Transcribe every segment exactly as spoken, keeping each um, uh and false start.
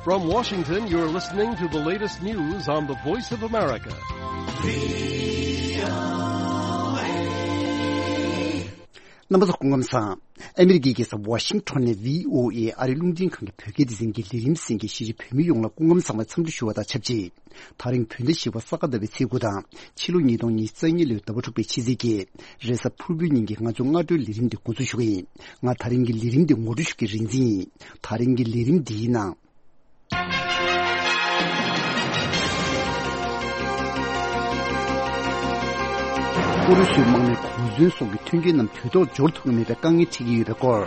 From Washington, you're listening to the latest news on the Voice of America. རྣམ་པ་ཚོ་སྐུ་ཁམས་བཟང་། ཨ་མི་རི་ཀའི་རྒྱལ་ས་ཝ་ཤིང་ཊོན་ནས་བྷི་ཨོ་ཨེ་ཨ་རིའི་རླུང་འཕྲིན་ཁང་གི་བོད་སྐད་སྡེ་ཚན་གྱི་ལས་རིམ་གསན་མཁན་གཞིས་བྱེས་བོད་མི་ཡོངས་ལ་སྐུ་ཁམས་བཟང་བའི་འཚམས་འདྲི་ཞུ་བ་དང་ཆབས་ཅིག་ད་རིང་བོད་ཟླ་བཞི་པ་ས་ག་ཟླ་བའི་ཚེས་དགུ་དང་། ཕྱི་ལོ་ཉིས་སྟོང་ཉི་ཤུ་རྩ་གཉིས་ལོའི་ཟླ་བ་དྲུག་པའི་ཕྱི་ཚེས་ཀྱི་རེས་གཟའ་ཕུར་བུའི་ཉིན་གྱི་ང་ཚོའི་སྔ་དྲོའི་ལས་རིམ་འདི་འགོ་འཛུགས་ཞུ་གི་ཡིན། ང་ད་རིང་གི་ལས་རིམ་འདི་ངོ་སྤྲོད་ཞུ་མཁན་རིག་འཛིན་ཡིན། ད་རིང་གི་ལས་རིམ་འདིའི་ནང་། ཨུ་རུ་སུའི་དམག་མིས་གོ་མཚོན་སོགས་ཀྱི་མཐུན་རྐྱེན་རྣམས་དུས་ཐོག་འབྱོར་ཐུབ་ཀྱི་མེད་པའི་དཀའ་ངལ་འཕྲད་ཀྱི་ཡོད་པའི་སྐོར།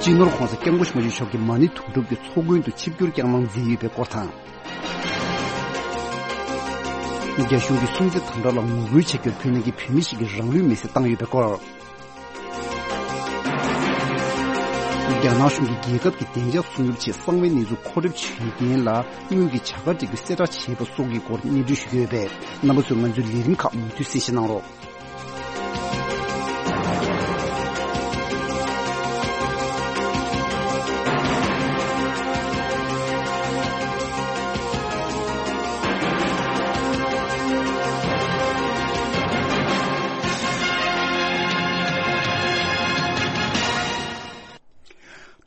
སྤྱི་ནོར་༧གོང་ས་༧སྐྱབས་མགོན་ཆེན་པོ་མཆོག་གིས་མ་ཎི་དུང་སྒྲུབ་ཀྱི་ཚོགས་མགོན་དུ་ཆིབས་བསྒྱུར་བསྐྱངས་གནང་མཛད་ཡོད་པའི་སྐོར་དང་། རྒྱ་གཞུང་གིས་སྲུང་བརྩི་དམ་དྲག་ལ་ངོ་རྒོལ་བྱ་རྒྱུར་བོད་ནང་གི་བོད་མི་ཞིག་གིས་རང་ལུས་མེར་སྲེག་བཏང་ཡོད་པའི་སྐོར། རྒྱ་ནག་གཞུང་གིས་རྒྱལ་ཁབ་ཀྱི་བདེ་འཇགས་སྲུང་སྐྱོབ་ཆེད་གསང་བའི་གནས་ཚུལ་མཁོ་སྒྲུབ་བྱེད་མཁན་ལ་དངུལ་གྱི་བྱ་དགའ་སྤྲད་རྒྱུ་གསལ་བསྒྲགས་བྱས་པ་སོགས་ཀྱི་སྐོར་སྙན་སྒྲོན་ཞུ་གི་ཡོད་པས། རྣམ་པ་ཚོས་ང་ཚོའི་ལས་རིམ་ཁག་མུ་མཐུད་གསན་བཞེས་གནང་རོགས།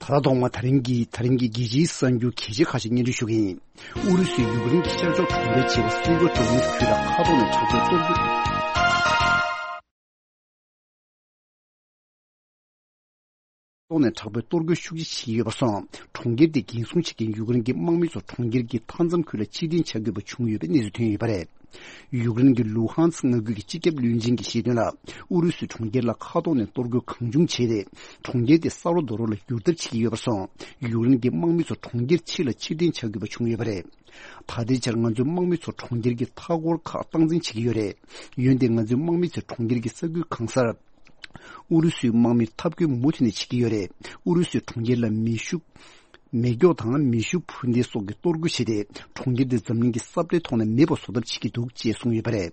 ད་ལྟ་ཐོག་མ་ད་རིང་གི་ད་རིང་གི་རྒྱལ་སྤྱིའི་གསར་འགྱུར་གལ་ཆེ་ཁག་ཅིག་སྙན་སྒྲོན་ཞུ་གི་ཡིན། ཨུ་རུ་སུས་ཡུཀ་རེན་གྱི་ཤར་ཕྱོགས་གྲོང་ཁྱེར་ཆེ་བ་སེ་བྷོ་ཌོ་ནེ་སི་ཁུལ་ལ་མཁའ་ཐོག་ནས་དྲག་པོའི་གཏོར་རྒོལ། ཐོག་ནས་དྲག་པོའི་གཏོར་རྒོལ་ཤུགས་ཆེ་བྱེད་ཀྱི་ཡོད་པར་སོང་། གྲོང་ཁྱེར་དེ་འགན་སྲུང་བྱེད་མཁན་ཡུཀ་རེན་གྱི་དམག་མི་ཚོ་གྲོང་ཁྱེར་གྱི་མཐའ་མཚམས་ཁུལ་ལ་ཕྱིར་འཐེན་བྱ་དགོས་པ་བྱུང་ཡོད་པའི་གནས་ཚུལ་ཐོན་ཡོད་པ་རེད། ཡུཀ་རེན་གྱི་ལུ་ཧན་སི་མངའ་ཁུལ་གྱི་སྤྱི་ཁྱབ་བློན་ཆེན་གྱིས་བཤད་དོན་ལ། ཨུ་རུ་སུས་གྲོང་ཁྱེར་ལ་མཁའ་ཐོག་ནས་གཏོར་རྒོལ་གང་བྱུང་བྱས་ཏེ། གྲོང་ཁྱེར་དེ་ས་རོ་རྡོ་རོ་ལ་བསྒྱུར་ཐབས་བྱེད་ཀྱི་ཡོད་པར་སོང་། ཡུཀ་རེན་གྱི་དམག་མི་ཚོ་གྲོང་ཁྱེར་ཕྱི་ལ་ཕྱིར་འཐེན་བྱ་དགོས་པ་བྱུང་ཡོད་པ་རེད། ད་ལྟའི་ཆར་ང་ཚོའི་དམག་མི་ཚོ་གྲོང་ཁྱེར་གྱི་མཐའ་འཁོར་ཁག་སྟངས་འཛིན་བྱེད་ཀྱི་ཡོད་རེད། འོན་ཏེ་ང་ཚོའི་དམག་མི་ཚོས་གྲོང་ཁྱེར་གྱི་ས་ཁུལ་གང་སར་ཨུ་རུ་སུའི་དམག་མིར་འཐབ་རྒོལ་མུ་མཐུད་ནས་བྱེད་ཀྱི་ཡོད་རེད། ཨུ་རུ་སུས་གྲོང་ཁྱེར་ལ་མེ་ཤུགས། མེ་སྒྱོགས་དང་མེ་ཤུགས་འཕུར་མདེལ་སོགས་ཀྱིས་གཏོར་རྒོལ་བྱས་ཏེ། གྲོང་ཁྱེར་དེ་འཛམ་གླིང་གི་ས་བཀྲའི་ཐོག་ནས་མེད་པ་བཟོ་ཐབས་བྱེད་ཀྱི་འདུག་ཅེས་གསུངས་ཡོད་པ་རེད།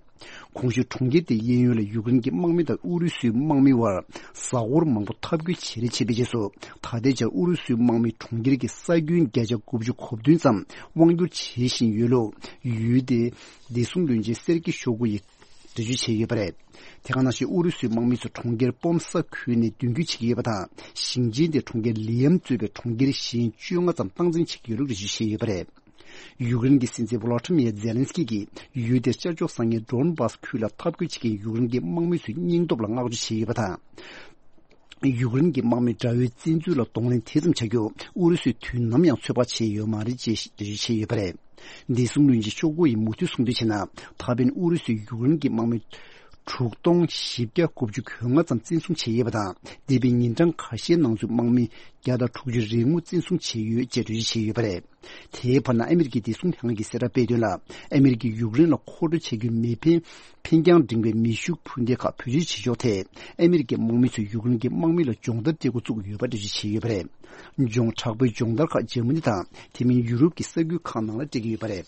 གོང་ཞུས་གྲོང་ཁྱེར་དེའི་གཡས་གཡོན་ལ་ཡུཀ་རེན་གྱི་དམག་མི་དང་ཨུ་རུ་སུའི་དམག་མི་བར་གཟའ་འཁོར་མང་པོ་འཐབ་རྒོལ་བྱེད་རེས་བྱས་པའི་རྗེས་སུ། ད་ལྟའི་ཆར་ཨུ་རུ་སུའི་དམག་མིས་གྲོང་ཁྱེར་གྱི་ས་ཁྱོན་བརྒྱ་ཆ་དགུ་བཅུ་གོ་བདུན་ཙམ་དབང་སྒྱུར་བྱེད་བཞིན་ཡོད་ལུགས་ཡུལ་དེའི་བདེ་སྲུང་བློན་ཆེན་སེར་ཀི་ཤོ་གུ་ཡིས་འགྲེལ་བརྗོད་བྱས་ཡོད་པ་རེད། དེ་ག་ནང་བཞིན་ཨུ་རུ་སུའི་དམག་མི་ཚོ་གྲོང་ཁྱེར་པོམ་ས་ཁུལ་ནས་མདུན་སྐྱོད་བྱེད་ཀྱི་ཡོད་པ་དང་། ཞིང་ཆེན་དེ་གྲོང་ཁྱེར་ལི་ཡམ་གཙོས་པའི་གྲོང་ཁྱེར་གཞན་བཅོ་ལྔ་ཙམ་སྟངས་འཛིན་བྱེད་ཀྱི་ཡོད་ལུགས་འགྲེལ་བརྗོད་བྱས་ཡོད་པ་རེད། ཡུཀ་རེན་གྱི་སྲིད་འཛིན་ཝོ་ལོ་ཏི་མིར་ཛེ་ལན་སི་ཀི་གིས་ཡུལ་དེར་ཤར་ཕྱོགས་ས་གནས་ཌོན་སྦཱ་སི་ཁུལ་ལ་འཐབ་རྒོལ་བྱེད་མཁན་ཡུཀ་རེན་གྱི་དམག་མི་ཚོའི་སྙིང་སྟོབས་ལ་བསྔགས་བརྗོད་བྱས་ཡོད་པ་དང་། ཡུཀ་རེན་གྱི་དམག་མིས་དགྲ་བོའི་བཙན་འཛུལ་ལ་གདོང་ལེན་དེ་ཙམ་བྱ་རྒྱུ་ཨུ་རུ་སུས་དུས་ནམ་ཡང་ཚོད་དཔག་བྱས་ཡོད་མ་རེད་ཅེས་འགྲེལ་བརྗོད་བྱས་ཡོད་པ་རེད། བདེ་སྲུང་བློན་ཆེན་ཤོ་གུ་ཡིས་མུ་མཐུད་གསུངས་དོན་བྱས་ན། ད་ཕན་ཨུ་རུ་སུས་ཡུཀ་རེན་གྱི་དམག་མི་དྲུག་སྟོང་བཞི་བརྒྱ་དགུ་བཅུ་གོ་ལྔ་ཙམ་བཙན་བཟུང་བྱས་ཡོད་པ་དང་། འདས་པའི་ཉིན་གྲངས་ཁ་ཤས་ནང་ཚུད་དམག་མི་བརྒྱ་དང་དྲུག་ཅུ་རེ་དགུ་བཙན་བཟུང་བྱས་ཡོད་ཅེས་འགྲེལ་བརྗོད་བྱས་ཡོད་པ་རེད། དེའི་བར་ན་ཨ་མི་རི་ཀའི་བདེ་སྲུང་ལྷན་ཁང་གིས་གསལ་བསྒྲགས་སྤེལ་དོན་ལ། ཨ་མི་རི་ཀས་ཡུཀ་རེན་ལ་མཁོ་སྤྲོད་བྱ་རྒྱུའི་མེ་འཕེན་འཕེན་རྐྱང་འབྲིང་བའི་མེ་ཤུགས་འཕུར་མདེལ་ཁག་བེད་སྤྱོད་བྱེད་ཕྱོགས་ཐད། ཨ་མི་རི་ཀའི་དམག་མི་ཚོས་ཡུཀ་རེན་གྱི་དམག་མི་ལ་སྦྱོང་བརྡར་སྤྲད་འགོ་བཙུགས་ཡོད་པ་འགྲེལ་བརྗོད་བྱས་ཡོད་པ་རེད། སྦྱོང་དྲག་པོའི་སྦྱོང་བརྡར་ཁག་འཇར་མ་ནི་དང་། དེ་མིན་ཡུ་རོབ་ཀྱི་ས་ཁུལ་ཁག་ནང་ལ་སྤྲད་ཀྱི་ཡོད་པ་རེད།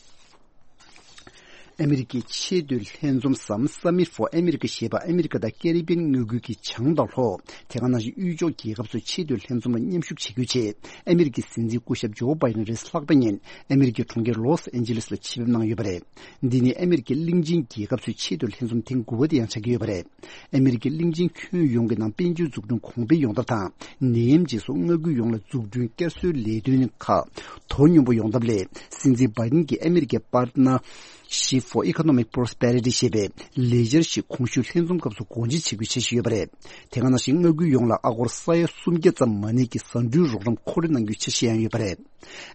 ཨ་མི་རི་ཀའི་ཆེས་མཐོའི་ལྷན་འཛོམས་སམ་Summit for America ཞེས་པ་ཨ་མི་རི་ཀ་དང་ཀེ་རི་བི་ཡན་མངའ་ཁུལ་གྱི་བྱང་དང་ལྷོ། དེ་ག་ནང་བཞིན་དབུས་ཕྱོགས་རྒྱལ་ཁབ་ཚོའི་ཆེས་མཐོའི་ལྷན་འཛོམས་ལ་མཉམ་ཞུགས་བྱེད་རྒྱུའི་ཆེད། ཨ་མི་རི་ཀའི་སྲིད་འཛིན་སྐུ་ཞབས་ཇོ་བྷའི་ཌེན་རེས་གཟའ་ལྷག་པའི་ཉིན་ཨ་མི་རི་ཀའི་གྲོང་ཁྱེར་ལོས་ཨན་ཇེ་ལེས་ལ་ཆེད་ཕེབས་གནང་ཡོད་པ་རེད། འདི་ནི་ཨ་མི་རི་ཀའི་གླིང་ཆེན་རྒྱལ་ཁབ་ཚོའི་ཆེས་མཐོའི་ལྷན་འཛོམས་ཐེངས་དགུ་པ་དེ་ཡང་ཆགས་ཀྱི་ཡོད་པ་རེད། ཨ་མི་རི་ཀའི་གླིང་ཆེན་ཁྱོན་ཡོངས་ཀྱི་ནང་དཔལ་འབྱོར་འཛུགས་སྐྲུན་གོང་འཕེལ་ཡོང་ཐབས་དང་། ནད་ཡམས་རྗེས་སུ་མངའ་ཁུལ་ཡོངས་ལ་འཛུགས་སྐྲུན་བསྐྱར་གསོའི་ལས་དོན་ཁག་དོ་སྙོམས་པོ་ཡོང་ཐབས་སླད། སྲིད་འཛིན་བྷའི་ཌེན་གྱིས་ཨ་མི་རི་ཀའི་Partnership for Economic Prosperity ཞེས་པའི་ལས་འཆར་ཞིག་གོང་ཞུས་ལྷན་འཛོམས་སྐབས་སུ་སྒོ་འབྱེད་བྱེད་རྒྱུའི་འཆར་གཞི་ཡོད་པ་རེད། དེ་ག་ནང་བཞིན་མངའ་ཁུལ་ཡོངས་ལ་ཨ་སྒོར་ས་ཡ་སུམ་བརྒྱ་ཙམ་མ་ནས་ཀྱི་ཟ་འབྲུའི་རོགས་རམ་མཁོ་སྤྲོད་གནང་རྒྱུའི་འཆར་གཞི་ཡང་ཡོད་པ་རེད།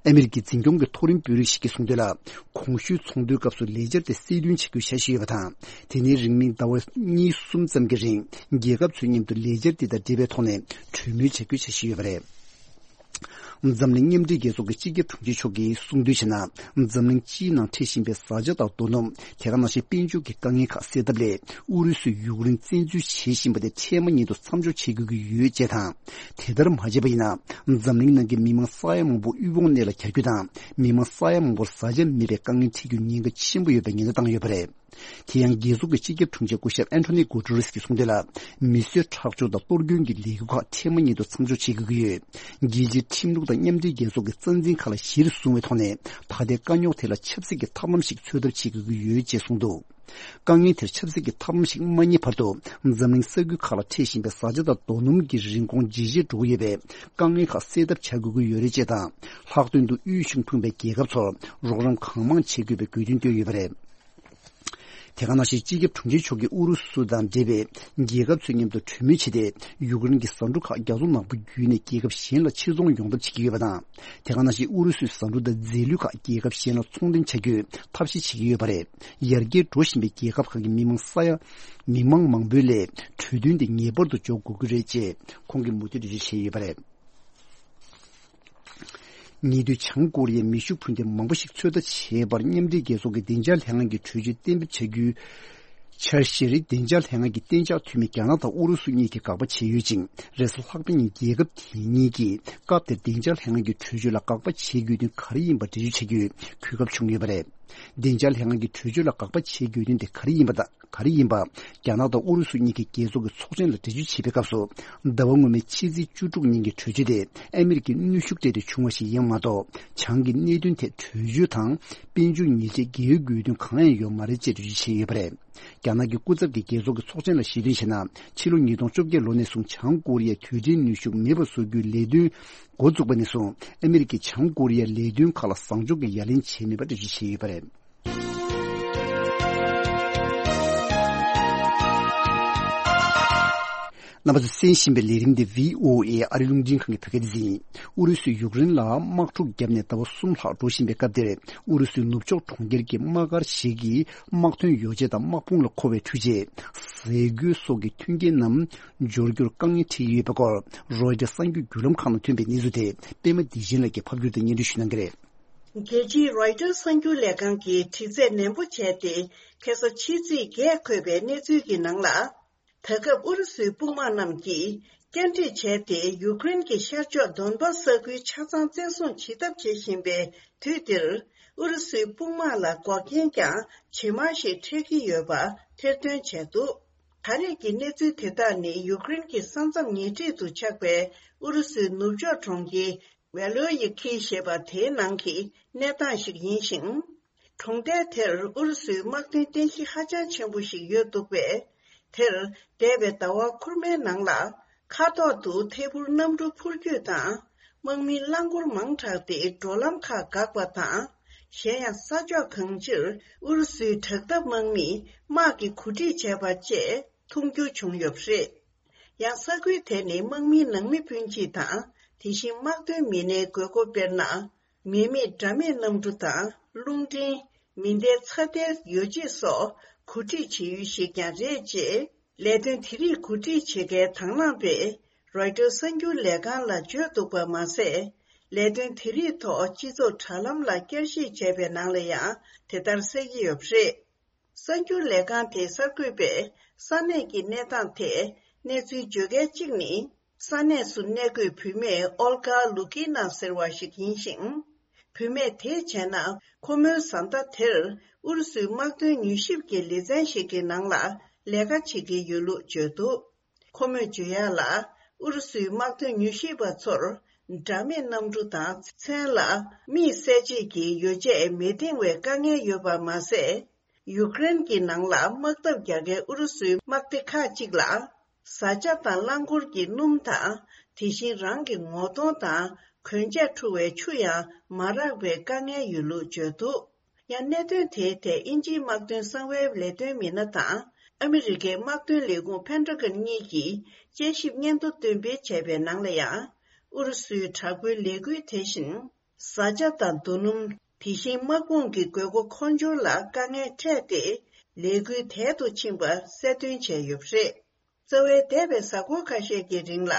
ཨ་མི་རི་ཀའི་འཛིན་སྐྱོང་གི་མཐོ་རིམ་དཔོན་རིགས་ཤིག་གིས་གསུངས་དོན་ལ། གོང་ཞུས་ཚོགས་འདུའི་སྐབས་སུ་ལས་འཆར་དེ་གསལ་སྟོན་བྱ་རྒྱུའི་འཆར་གཞི་ཡོད་པ་དང་། དེ་ནས་རིང་མིན་ཟླ་བ་གཉིས་གསུམ་ཙམ་གྱི་རིང་རྒྱལ་ཁབ་ཚོའི་མཉམ་དུ་ལས་འཆར་དེ་དང་འབྲེལ་བའི་ཐོག་ནས་གྲོས་མོལ་བྱ་རྒྱུའི་འཆར་གཞི་ཡོད་པ་རེད། འཛམ་གླིང་མཉམ་འབྲེལ་རྒྱལ་ཚོགས་ཀྱི་སྤྱི་ཁྱབ་དྲུང་ཆེ་མཆོག་གིས་གསུངས་དོན་བྱས་ན། འཛམ་གླིང་སྤྱིའི་ནང་འཕྲད་བཞིན་པའི་བཟའ་བཅའ་དང་རྡོ་སྣུམ། དེ་ག་ནང་བཞིན་དཔལ་འབྱོར་གྱི་དཀའ་ངལ་ཁག་སེལ་ཐབས་སླད། ཨུ་རུ་སུས་ཡུཀ་རེན་བཙན་འཛུལ་བྱེད་བཞིན་པ་དེ་འཕྲལ་མ་ཉིད་དུ་མཚམས་འཇོག་བྱེད་དགོས་ཀྱི་ཡོད་ཅེས་དང་། དེ་ལྟར་མ་བྱས་པ་ཡིན་ན། འཛམ་གླིང་ནང་གི་མི་མང་ས་ཡ་མང་པོ་དབུལ་ཕོངས་གནས་ལ་གྱར་རྒྱུ་དང་། མི་མང་ས་ཡ་མང་པོར་བཟའ་བཅའ་མེད་པའི་དཀའ་ངལ་འཕྲད་རྒྱུའི་ཉེན་ཁ་ཆེན་པོ་ཡོད་པའི་ཉེན་བརྡ་བཏང་ཡོད་པ་རེད། དེ་ཡང་རྒྱལ་ཚོགས་ཀྱི་སྤྱི་ཁྱབ་དྲུང་ཆེ་སྐུ་ཞབས་ཨན་ཐོ་ནི་གུ་ཏུ་རེས་ཀྱིས་གསུངས་དོན་ལ། མི་གསོད་ཁྲག་སྦྱོར་དང་གཏོར་སྐྱོན་གྱི་ལས་འགུལ་ཁག་འཕྲལ་མ་ཉིད་དུ་མཚམས་འཇོག་བྱེད་དགོས་ཀྱི་ཡོད། རྒྱལ་སྤྱིའི་ཁྲིམས་ལུགས་དང་མཉམ་འབྲེལ་རྒྱལ་ཚོགས་ཀྱི་རྩ་འཛིན་ཁག་ལ་གཞིར་བཟུང་བའི་ཐོག་ནས། ད་ལྟའི་དཀའ་རྙོག་དེ་ལ་ཆབ་སྲིད་ཀྱི་ཐབས་ལམ་ཞིག་འཚོལ་ཐབས་བྱེད་དགོས་ཀྱི་ཡོད་ཅེས་གསུངས་འདུག། དཀའ་ངལ་དེར་ཆབ་སྲིད་ཀྱི་ཐབས་ལམ་ཞིག་མ་རྙེད་བར་དུ། འཛམ་གླིང་ས་ཁུལ་ཁག་ལ་འཕྲད་བཞིན་པའི་བཟའ་བཅའ་དང་རྡོ་སྣུམ་གྱི་རིན་གོང་ཇེ་ཆེར་འགྲོ་གི་ཡོད་པས། དཀའ་ངལ་ཁག་སེལ་ཐབས་བྱ་དགོས་ཀྱི་ཡོད་རེད་ཅེས་དང་། ལྷག་དོན་དུ་དབུལ་ཞིང་ཕོངས་པའི་རྒྱལ་ཁབ་ཚོར་རོགས་རམ་གང་མང་བྱེད་དགོས་པའི་དགོས་འདུན་བཏོན་ཡོད་པ་རེད། དེ་ག་ནང་བཞིན་སྤྱི་ཁྱབ་དྲུང་ཆེ་མཆོག་གིས་ཨུ་རུ་སུ་དང་འབྲེལ་བའི་རྒྱལ་ཁབ་ཚོའི་མཉམ་དུ་གྲོས་མོལ་བྱས་ཏེ། ཡུཀ་རེན་གྱི་ཟ་འབྲུ་ཁག་རྒྱ་མཚོ་ནག་པོ་བརྒྱུད་ནས་རྒྱལ་ཁབ་གཞན་ལ་ཕྱིར་ཚོང་ཡོང་ཐབས་བྱེད་ཀྱི་ཡོད་པ་དང་། དེ་ག་ནང་བཞིན་ཨུ་རུ་སུའི་ཟ་འབྲུ་དང་རྫས་ལུད་ཁག་རྒྱལ་ཁབ་གཞན་ལ་ཚོང་འདྲེན་བྱ་རྒྱུའི་ཐབས་ཤེས་བྱེད་ཀྱི་ཡོད་པ་རེད། ཡར་རྒྱས་འགྲོ་བཞིན་པའི་རྒྱལ་ཁབ་ཁག་གི་མི་མང་ས་ཡ། མི་མང་མང་པོའི་སླད་གྲོས་མཐུན་དེ་ངེས་པར་དུ་འཇོག་དགོས་ཀྱི་རེད་ཅེས་ཁོང་གིས་མུ་མཐུད་འགྲེལ་བརྗོད་བྱས་ཡོད་པ་རེད། ཉེ་དུས་བྱང་ཀོ་རི་ཡས་མེ་ཤུགས་འཕུར་མདེལ་མང་པོ་ཞིག་ཚོད་ལྟ་བྱས་པར། མཉམ་འབྲེལ་རྒྱལ་ཚོགས་ཀྱི་བདེ་འཇགས་ལྷན་ཁང་གི་གྲོས་ཆོད་གཏན་འབེབས་བྱ་རྒྱུའི་འཆར་གཞིར། བདེ་འཇགས་ལྷན་ཁང་གི་གཏན་འཇགས་འཐུས་མི་རྒྱ་ནག་དང་ཨུ་རུ་སུ་གཉིས་ཀྱིས་དགག་པ་བྱས་ཡོད་ཅིང་། རེས་གཟའ་ལྷག་པ་ཉིན་རྒྱལ་ཁབ་དེ་གཉིས་ཀྱིས་སྐབས་དེར་བདེ་འཇགས་ལྷན་ཁང་གི་གྲོས་ཆོད་ལ་དགག་པ་བྱེད་དགོས་དོན་ག་རེ་ཡིན་པ་འགྲེལ་བརྗོད་བྱ་རྒྱུའི་གོ་སྐབས་བྱུང་ཡོད་པ་རེད། བདེ་འཇགས་ལྷན་ཁང་གི་གྲོས་ཆོད་ལ་དགག་པ་བྱེད་དགོས་དོན་དེ་ག་རེ་ཡིན་པ་དང་། ག་རེ་ཡིན་པ། རྒྱ་ནག་དང་ཨུ་རུ་སུ་གཉིས་ཀྱིས་རྒྱལ་ཚོགས་ཀྱི་ཚོགས་ཆེན་ལ་འགྲེལ་བརྗོད་བྱེད་པའི་སྐབས་སུ། ཟླ་བ་སྔོན་མའི་ཕྱི་ཚེས་བཅུ་དྲུག་ཉིན་གྱི་གྲོས་ཆོད་དེ་ཨ་མི་རི་ཀའི་གནོན་ཤུགས་སྤྲད་དེ་བྱུང་བ་ཞིག་ཡིན་པ་མ་གཏོགས། བྱང་གི་གནད་དོན་ཐད་གྲོས་ཆོད་དང་དཔལ་འབྱོར་ཉེས་ཆད་འགེལ་དགོས་དོན་གང་ཡང་ཡོད་མ་རེད་ཅེས་འགྲེལ་བརྗོད་བྱས་ཡོད་པ་རེད། རྒྱ་ནག་གི་སྐུ་ཚབ་ཀྱིས་རྒྱལ་ཚོགས་ཀྱི་ཚོགས་ཆེན་ལ་ཞལ་འདོན་བྱས་ན། ཕྱི་ལོ་ཉིས་སྟོང་བཅོ་བརྒྱད་ལོ་ནས་བཟུང་བྱང་ཀོ་རི་ཡས་དུས་དྲན་གནོན་ཤུགས་མེད་པར་བཟོ་རྒྱུའི་ལས་དོན་འགོ་བཙུགས་པ་ནས་བཟུང་། ཨ་མི་རི་ཀས་བྱང་ཀོ་རི་ཡའི་ལས་དོན་ཁག་ལ་བཟང་ཕྱོགས་ཀྱི་ཡ་ལན་བྱས་མེད་པ་འགྲེལ་བརྗོད་བྱས་ཡོད་པ་རེད། རྣམ་པ་ཚོས་གསན་བཞིན་པའི་ལས་རིམ་འདི་བྷི་ཨོ་ཨེ་ཨ་རིའི་རླུང་འཕྲིན་ཁང་གི་བོད་སྐད་སྡེ་ཚན་ཡིན། ཨུ་རུ་སུས་ཡུཀ་རེན་ལ་དམག་འཁྲུག་བརྒྱབ་ནས་ཟླ་བ་གསུམ་ལྷག་འགྲོ་བཞིན་པའི་སྐབས་དེར། ཨུ་རུ་སུའི་ནུབ་ཕྱོགས་གྲོང་ཁྱེར་གྱི་དམག་སྒར་ཞིག་གི་དམག་ཐོན་ཡོ་བྱད་དང་དམག་དཔུང་ལ་མཁོ་བའི་འཕྲུལ་ཆས། ཟས་གོས་སོགས་ཀྱི་མཐུན་རྐྱེན་རྣམས་འབྱོར་རྒྱུར་དཀའ་ངལ་འཕྲད་ཀྱི་ཡོད་པའི་སྐོར། རོའི་ཊར་གསར་འགྱུར་བརྒྱུད་ལམ་ཁག་ནང་ཐོན་པའི་གནས་ཚུལ་དེ། པད་མ་བདེ་ཆེན་ལགས་ཀྱིས་ཕབ་སྒྱུར་དང་སྙན་སྒྲོན་ཞུ་གནང་གི་རེད། རྒྱལ་སྤྱིའི་རོའི་ཊར་གསར་འགྱུར་ལས་ཁང་གིས་དྲི་རྩད་ནན་པོ་བྱས་ཏེ། ཁ་སང་ཕྱི་ཚེས་བརྒྱད་འཁོད་པའི་གནས་ཚུལ་གྱི་ནང་ལ། ད་སྐབས་ཨུ་རུ་སུའི་དཔུང་དམག་རྣམས་ཀྱིས་བསྐྱར་སྒྲིག་བྱས་ཏེ། ཡུཀ་རེན་གྱི་ཤར་ཕྱོགས་དོན་པ་ས་ཁུལ་ཆ་ཚང་བཙན་བཟུང་བྱེད་ཐབས་བྱེད་བཞིན་པའི་དུས་འདིར། ཨུ་རུ་སུའི་དཔུང་དམག་ལ་འགོག་རྐྱེན་ཀྱང་ཇེ་མང་ཞིག་འཕྲད་ཀྱི་ཡོད་པ་ཐེར་འདོན་བྱས་འདུག། ད་རེས་ཀྱི་གནས་ཚུལ་དེ་དག་ནི། ཡུཀ་རེན་གྱི་ས་མཚམས་ཉེ་འཁྲིས་སུ་ཆགས་པའི་ཨུ་རུ་སུའི་ནུབ་ཕྱོགས་གྲོང་ཁྱེར་ཝེ་ལོ་ཡི་ཁི་ཞེས་པ་དེའི་ནང་གི་གནས་སྟངས་ཤིག་ཡིན་ཞིང་། གྲོང་རྡལ་དེར་ཨུ་རུ་སུའི་དམག་དོན་རྟེན་གཞི་ཧ་ཅང་ཆེན་པོ་ཞིག་ཡོད་འདུག་པས། དེར་འདས་པའི་ཟླ་བ་འཁོར་མའི་ནང་ལ། མཁའ་ཐོག་ཏུ་ཐད་འཕུར་གནམ་གྲུ་འཕུར་སྐྱོད་དང་། དམག་མིའི་རླངས་འཁོར་མང་དྲགས་ཏེ་འགྲོ་ལམ་ཁག་འགག་པ་དང་། གཞན་ཡང་ས་ཕྱོགས་གང་ཅིར་ཨུ་རུ་སུའི་དྲག་འཐབ་དམག་མིས་དམག་གི་གོ་སྒྲིག་བྱས་པ་བཅས་མཐོང་རྒྱུ་བྱུང་ཡོད་པ་རེད། ཡང་ས་ཁུལ་དེ་ནི་དམག་མིའི་ནང་མི་སྤུན་མཆེད་དང་། དེ་བཞིན་དམག་དོན་མི་སྣའི་དགོས་མཁོ་དཔེར་ན། མི་མེད་དགྲ་མེད་གནམ་གྲུ་དང་། རླུང་འཕྲིན། མེ་མདའི་ཚ་ཐལ་ཡོ་བྱད་སོགས་གོ་སྒྲིག་བྱེད་ཡུལ་ཞིག་ཀྱང་རེད་ཅེས། ལས་དོན་དེ་རིགས་གོ་སྒྲིག་བྱེད་མཁན་དང་བླངས་པས་རོའི་ཊར་གསར་འགྱུར་ལས་ཁང་ལ་བརྗོད་འདུག་པ་མ་ཟད། ལས་དོན་དེ་རིགས་ཐོག་སྤྱི་ཚོགས་དྲ་ལམ་ལ་བསྐྱར་ཞིབ་བྱས་པའི་ནང་ལ་ཡང་དེ་ལྟར་གསལ་གྱི་ཡོད་པ་རེད། གསར་འགྱུར་ལས་ཁང་དེའི་གསར་འགོད་པས་ས་གནས་ཀྱི་གནས་སྟངས་ཐད་གནས་ཚུལ་བརྗོད་མཁན་གཅིག་ནི། ས་གནས་སུ་གནས་འཁོད་བུད་མེད་ཨོལ་གྷ་ལུ་ཀི་ན་ཟེར་བ་ཞིག་ཡིན་ཞིང་། བུད་མེད་དེས་བྱས་ན། ཁོ་མོའི་བཟའ་ཟླ་དེར་ཨུ་རུ་སུའི་དམག་དོན་མྱུལ་ཞིབ་ཀྱི་ལེ་ཚན་ཞིག་གི་ནང་ལ་ལས་ཀ་བྱེད་ཀྱི་ཡོད་ལུགས་བརྗོད་འདུག། ཁོ་མོས་བརྗོད་ཡག་ལ། ཨུ་རུ་སུའི་དམག་དོན་མྱུལ་ཞིབ་པ་ཚོར་དགྲ་མེད་གནམ་གྲུ་དང་། མཚན་ལ་དམིགས་བསལ་ཆེད་ཀྱི་ཡོ་བྱད་མི་འདེང་བའི་དཀའ་ངལ་ཡོད་པ་མ་ཟད། ཡུཀ་རེན་གྱི་ནང་ལ་དམག་འཐབ་རྒྱག་མཁན་ཨུ་རུ་སུའི་དམག་སྡེ་ཁག་ཅིག་ལ། བཟའ་བཅའ་དང་རླངས་འཁོར་གྱི་སྣུམ་དང་། དེ་བཞིན་རང་གི་ངོ་གདོང་དང་གོན་ཆས་འཁྲུ་བའི་ཆུ་ཡང་མ་རག་པའི་དཀའ་ངལ་ཡོད་ལུགས་བརྗོད་འདུག། ཡང་གནད་དོན་དེའི་ཐད་དབྱིན་ཇིའི་དམག་དོན་གསང་བའི་ལས་དོན་མི་སྣ་དང་ཨ་མི་རི་ཀའི་དམག་དོན་ལས་ཁུངས་ཕན་ཏྲ་གན་གཉིས་ཀྱིས་དཔྱད་ཞིབ་སྙན་ཐོ་འདོན་སྤེལ་བྱས་པའི་ནང་ལ་ཡང་། ཨུ་རུ་སུའི་དྲག་པོའི་ལས་འགུལ་དེ་བཞིན། བཟའ་བཅའ་དང་རྡོ་སྣུམ། དེ་བཞིན་དམག་དཔུང་གི་དགོས་མཁོ་མཁོ་སྦྱོར་ལ་དཀའ་ངལ་འཕྲད་དེ། ལས་འགུལ་དལ་དུ་ཕྱིན་པ་གསལ་སྟོན་བྱས་ཡོད་པ་རེད། རྩ་བའི་འདས་པའི་གཟའ་འཁོར་ཁ་ཤས་ཀྱི་རིང་ལ།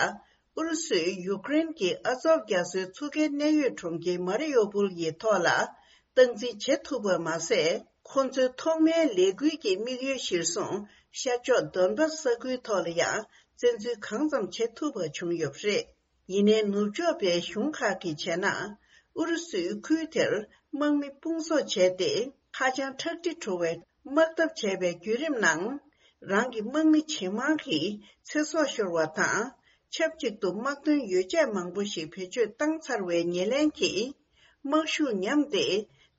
ཨུ་རུ་སུས་ཡུཀ་རེན་གྱི་ཨ་ཛོབ་རྒྱ་མཚོའི་མཚོ་ཁའི་གནད་ཡོད་གྲོང་ཁྱེར་མ་རི་ཡོ་པུལ་གྱི་ཐོག་ལ་སྟངས་འཛིན་བྱེད་ཐུབ་པ་མ་ཟད། ཁོ་ཚོའི་ཐོག་མའི་ལས་འགུལ་གྱི་དམིགས་ཡུལ་གཞིར་བཟུང་ཤར་ཕྱོགས་དོན་པ་ས་ཁུལ་ཐོག་ལ་ཡང་བཙན་འཛུལ་གང་ཙམ་བྱེད་ཐུབ་པ་བྱུང་ཡོད་པ་རེད། ཡིན་ནའི་ནུབ་ཕྱོགས་པའི་གཞུང་ཁག་གིས་བྱས་ན། ཨུ་རུ་སུས་ཁུལ་དེར་དམག་མི་སྤུང་གསོག་བྱས་ཏེ། ཧ་ཅང་ཁྲག་དྲི་བྲོ་བའི་ དམག་འཐབ་བྱས་པའི་བརྒྱུད་རིམ་ནང་། རང་གི་དམག་མི་ཇེ་མང་གིས་ཚེ་སྲོག་ཤོར་བ་དང་། ཆབས་ཅིག་ཏུ་དམག་དོན་ཡོ་བྱད་མང་པོ་ཞིག་བེད་སྤྱོད་བཏང་ཚར་བའི་ཉེར་ལེན་གྱིས། དམག་ཤུགས་ཉམས་ཏེ།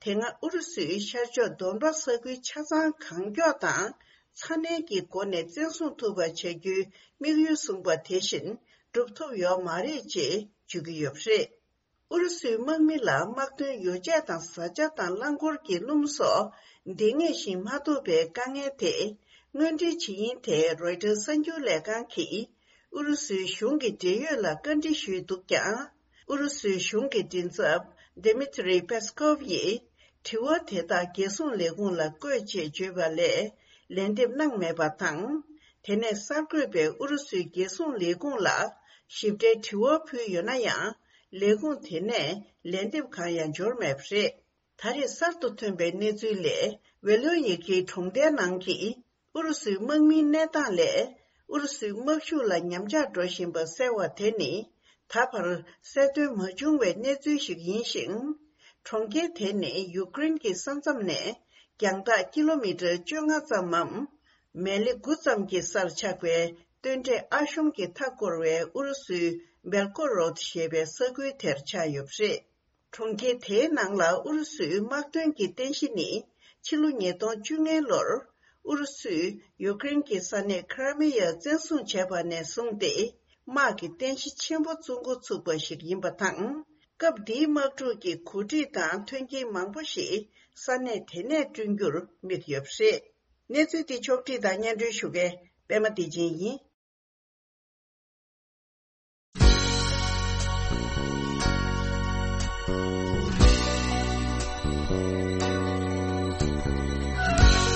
དེ་སྔ་ཨུ་རུ་སུའི་ཤར་ཕྱོགས་དོན་པ་ས་ཁུལ་ཆ་ཚང་གང་མགྱོགས་དང་། ཚ་ནན་གྱི་སྒོ་ནས་བཙན་བཟུང་ཐུབ་པ་བྱ་རྒྱུའི་དམིགས་ཡུལ་བཟུང་པ་དེ་བཞིན་སྒྲུབ་ཐུབ་ཡོད་མ་རེད་ཅེས་བརྗོད་ཀྱི་ཡོད་པ་རེད། ཨུ་རུ་སུའི་དམག་མི་ལ་དམག་དོན་ཡོ་བྱད་དང་བཟའ་བཅའ་དང་རླངས་འཁོར་གྱི་སྣུམ་སོགས་འདང་ངེས་ཤིང་མ་ཐོབ་པའི་དཀའ་ངལ་དེ་དངོས་འབྲེལ་བྱེད་ཡིན་དེ་རོའི་ཊར་གསར་འགྱུར་ལས་ཁང་གིས་ཨུ་རུ་སུའི་གཞུང་གི་འབྲེལ་ཡོད་ལ་བཀའ་འདྲི་ཞུས་འདུག་ཀྱང་། ཨུ་རུ་སུའི་གཞུང་གི་མགྲིན་ཚབ་Dmitry Peskov་ཡིས་དྲི་བ་དེ་དག་རྒྱལ་སྲུང་ལས་ཁུངས་ལ་བཀོད་ཅེས་བརྗོད་པ་ལས་ལན་འདེབས་གནང་མེད་པ་དང་། དེ་ནས་གསར་འགོད་པས་ཨུ་རུ་སུའི་རྒྱལ་སྲུང་ལས་ཁུངས་ལ་ཞིབ་ཕྲའི་དྲི་བ་ཕུལ་ཡོད་ན་ཡང་། ལས་ཁུངས་དེ་ནས་ལན་འདེབས་གང་ཡང་འབྱོར་མེད་པ་རེད། ད་རེས་གསར་དུ་ཐོན་པའི་གནས་ཚུལ་ལས། ཝེ་ལོན་ཡི་ཀི་གྲོང་རྡལ་ནང་གི་ཨུ་རུ་སུའི་དམག་མིའི་གནས་སྟངས་ལས། ཨུ་རུ་སུའི་དམག་ཤུགས་ལ་ཉམས་ཆག་འགྲོ་བཞིན་པ་གསལ་བ་དེ་ནི། ད་བར་གསལ་སྟོན་མ་བྱུང་བའི་གནས་ཚུལ་ཞིག་ཡིན་ཞིང་། གྲོང་ཁྱེར་དེ་ནི་ཡུཀ་རེན་གྱི་ས་མཚམས་ནས་རྒྱང་ཐག་ཀི་ལོ་མི་ཊར་བཅོ་ལྔ་ཙམ་མམ། མལ་ལེ་དགུ་ཙམ་གྱི་སར་ཆགས་པའི་སྟོད་འབྲས་ཨ་ཤོམ་གྱིས་མཐའ་བསྐོར་བའི་ཨུ་རུ་སུའི་བེལ་ཀོ་རོད་ཞེས་པའི་ས་ཁུལ་དེར་ཆགས་ཡོད་པ་རེད། གྲོང་ཁྱེར་དེའི་ནང་ལ་ཨུ་རུ་སུའི་དམག་དོན་གྱི་རྟེན་གཞི་ནི་ཕྱི་ལོ་ཉིས་སྟོང་བཅོ་ལྔ་ལོར་ཨུ་རུ་སུས་ཡུཀ་རེན་གྱི་ས་གནས་ཁི་ར་མི་ཡ་བཙན་བཟུང་བྱས་པ་ནས་བཟུང་སྟེ། དམག་གི་རྟེན་གཞི་ཆེན་པོ་བཙུགས་འགོ་ཚུགས་པ་ཞིག་ཡིན་པ་དང་། སྐབས་འདིའི་དམག་འཁྲུག་གི་གོ་སྒྲིག་དང་མཐུན་རྐྱེན་མང་པོ་ཞིག་ས་གནས་དེ་ནས་བསྐྲུན་རྒྱུར་དམིགས་ཡོད་པ་རེད། གནས་ཚུལ་འདི་ཕྱོགས་བསྒྲིགས་དང་སྙན་སྒྲོན་ཞུ་མཁན་པད་མ་བདེ་ཆེན་ཡིན།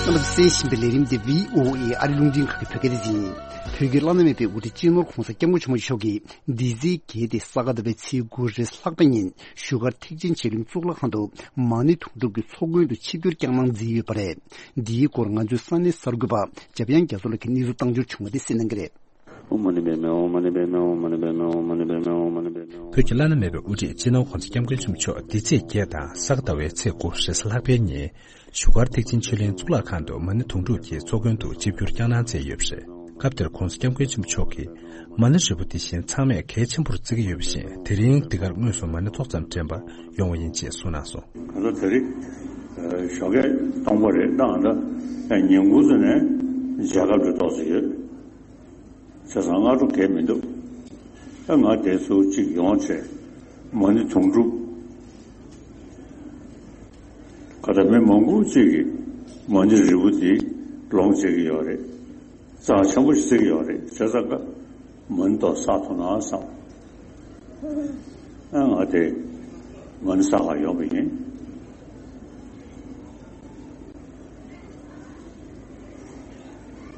རྣམ་པ་ཚོས་གསན་བཞིན་པའི་ལས་རིམ་འདི་བྷི་ཨོ་ཨེ་ཨ་རི་རླུང་འཕྲིན་ཁང་གི་བོད་སྐད་སྡེ་ཚན་ཡིན། བོད་ཀྱི་བླ་ན་མེད་པའི་དབུ་ཁྲིད་སྤྱི་ནོར་༧གོང་ས་༧སྐྱབས་མགོན་ཆེན་པོ་མཆོག་གིས་འདི་ཚེས་བརྒྱད་དེ་ས་ག་ཟླ་བའི་ཚེས་དགུ་རེས་ལྷག་པའི་ཉིན་བཞུགས་སྒར་ཐེག་ཆེན་ཆོས་གླིང་གཙུག་ལག་ཁང་དུ་མ་ཎི་དུང་སྒྲུབ་ཀྱི་ཚོགས་མགོན་དུ་ཆིབས་བསྒྱུར་བསྐྱངས་གནང་མཛད་ཡོད་པ་རེད། འདིའི་སྐོར་ང་ཚོའི་ས་གནས་གསར་འགོད་པ་འཇམ་དབྱངས་རྒྱ་མཚོ་ལགས་ཀྱིས་གནས་ཚུལ་བཏང་འབྱོར་བྱུང་བ་དེ་གསན་གནང་གི་རེད། ཨོཾ་མ་ཎི་པདྨེ་ཧཱུྃ། ཨོཾ་མ་ཎི་པདྨེ་ཧཱུྃ། ཨོཾ་མ་ཎི་པདྨེ་ཧཱུྃ། ཨོཾ་མ་ཎི་པདྨེ་ཧཱུྃ། བོད་ཀྱི་བླ་ན་མེད་པའི་དབུ་ཁྲིད་སྤྱི་ནོར་༧གོང་ས་༧སྐྱབས་མགོན་ཆེན་པོ་མཆོག་འདི་ཚེས་བརྒྱད་དང་ས་ག་ཟླ་བའི་ཚེས་དགུ་རེས་གཟའ་ལྷག་པའི་ཉིན་བཞུགས་སྒར་ཐེག་ཆེན་ཆོས་གླིང་གཙུག་ལག་ཁང་དུ་མ་ཎི་དུང་སྒྲུབ་ཀྱི་ཚོགས་མགོན་དུ་ཆིབས་བསྒྱུར་བསྐྱངས་གནང་མཛད་ཡོད་པ་རེད། སྐབས་དེར་༧གོང་ས་༧སྐྱབས་མགོན་ཆེན་པོ་མཆོག་གིས་མ་ཎི་རིལ་བུ་འདི་བཞིན་ཚང་མས་གལ་ཆེན་པོར་བརྩི་གི་ཡོད་པ་བཞིན་དེ་རིང་འདི་གར་དངོས་སུ་མ་ཎི་ཏོག་ཙམ་འདྲེན་པར་ཡོང་བ་ཡིན་ཅེས་གསུངས་གནང་སོང་། ང་ཚོ་དེ་རིང་ཞོགས་ཀས་སྟོང་པ་རེད་ད་ང་ད་ཉིན་གུང་ཚོ་ནས་མཇལ་ཁ་འགྲོ་ཏོག་ཙམ་ཡོད། བྱས་ཙང་སྔ་དྲོ་གས་མི་འདུག་ད་ང་དེ་ཚོ་གཅིག་ཡོང་བྱས་མ་ཎི་དུང་སྒྲུབ་ག་ད་མི་མང་པོ་གཅིག་གིས་མ་ཎི་རིལ་བུ་དེ་ལོངས་སྤྱད་ཀྱི་ཡོད་རེད། རྩ་ཆེན་པོ་ཞིག་བརྩི་གི་ཡོད་རེད། བྱས་ཙང་ཀ་མ་ཎི་ཏོག་བསགས་ཐུབ་ན་བསམ། ཨ་ང་དེ་མ་ཎི་བསགས་ག་ཡོང་བ་ཡིན།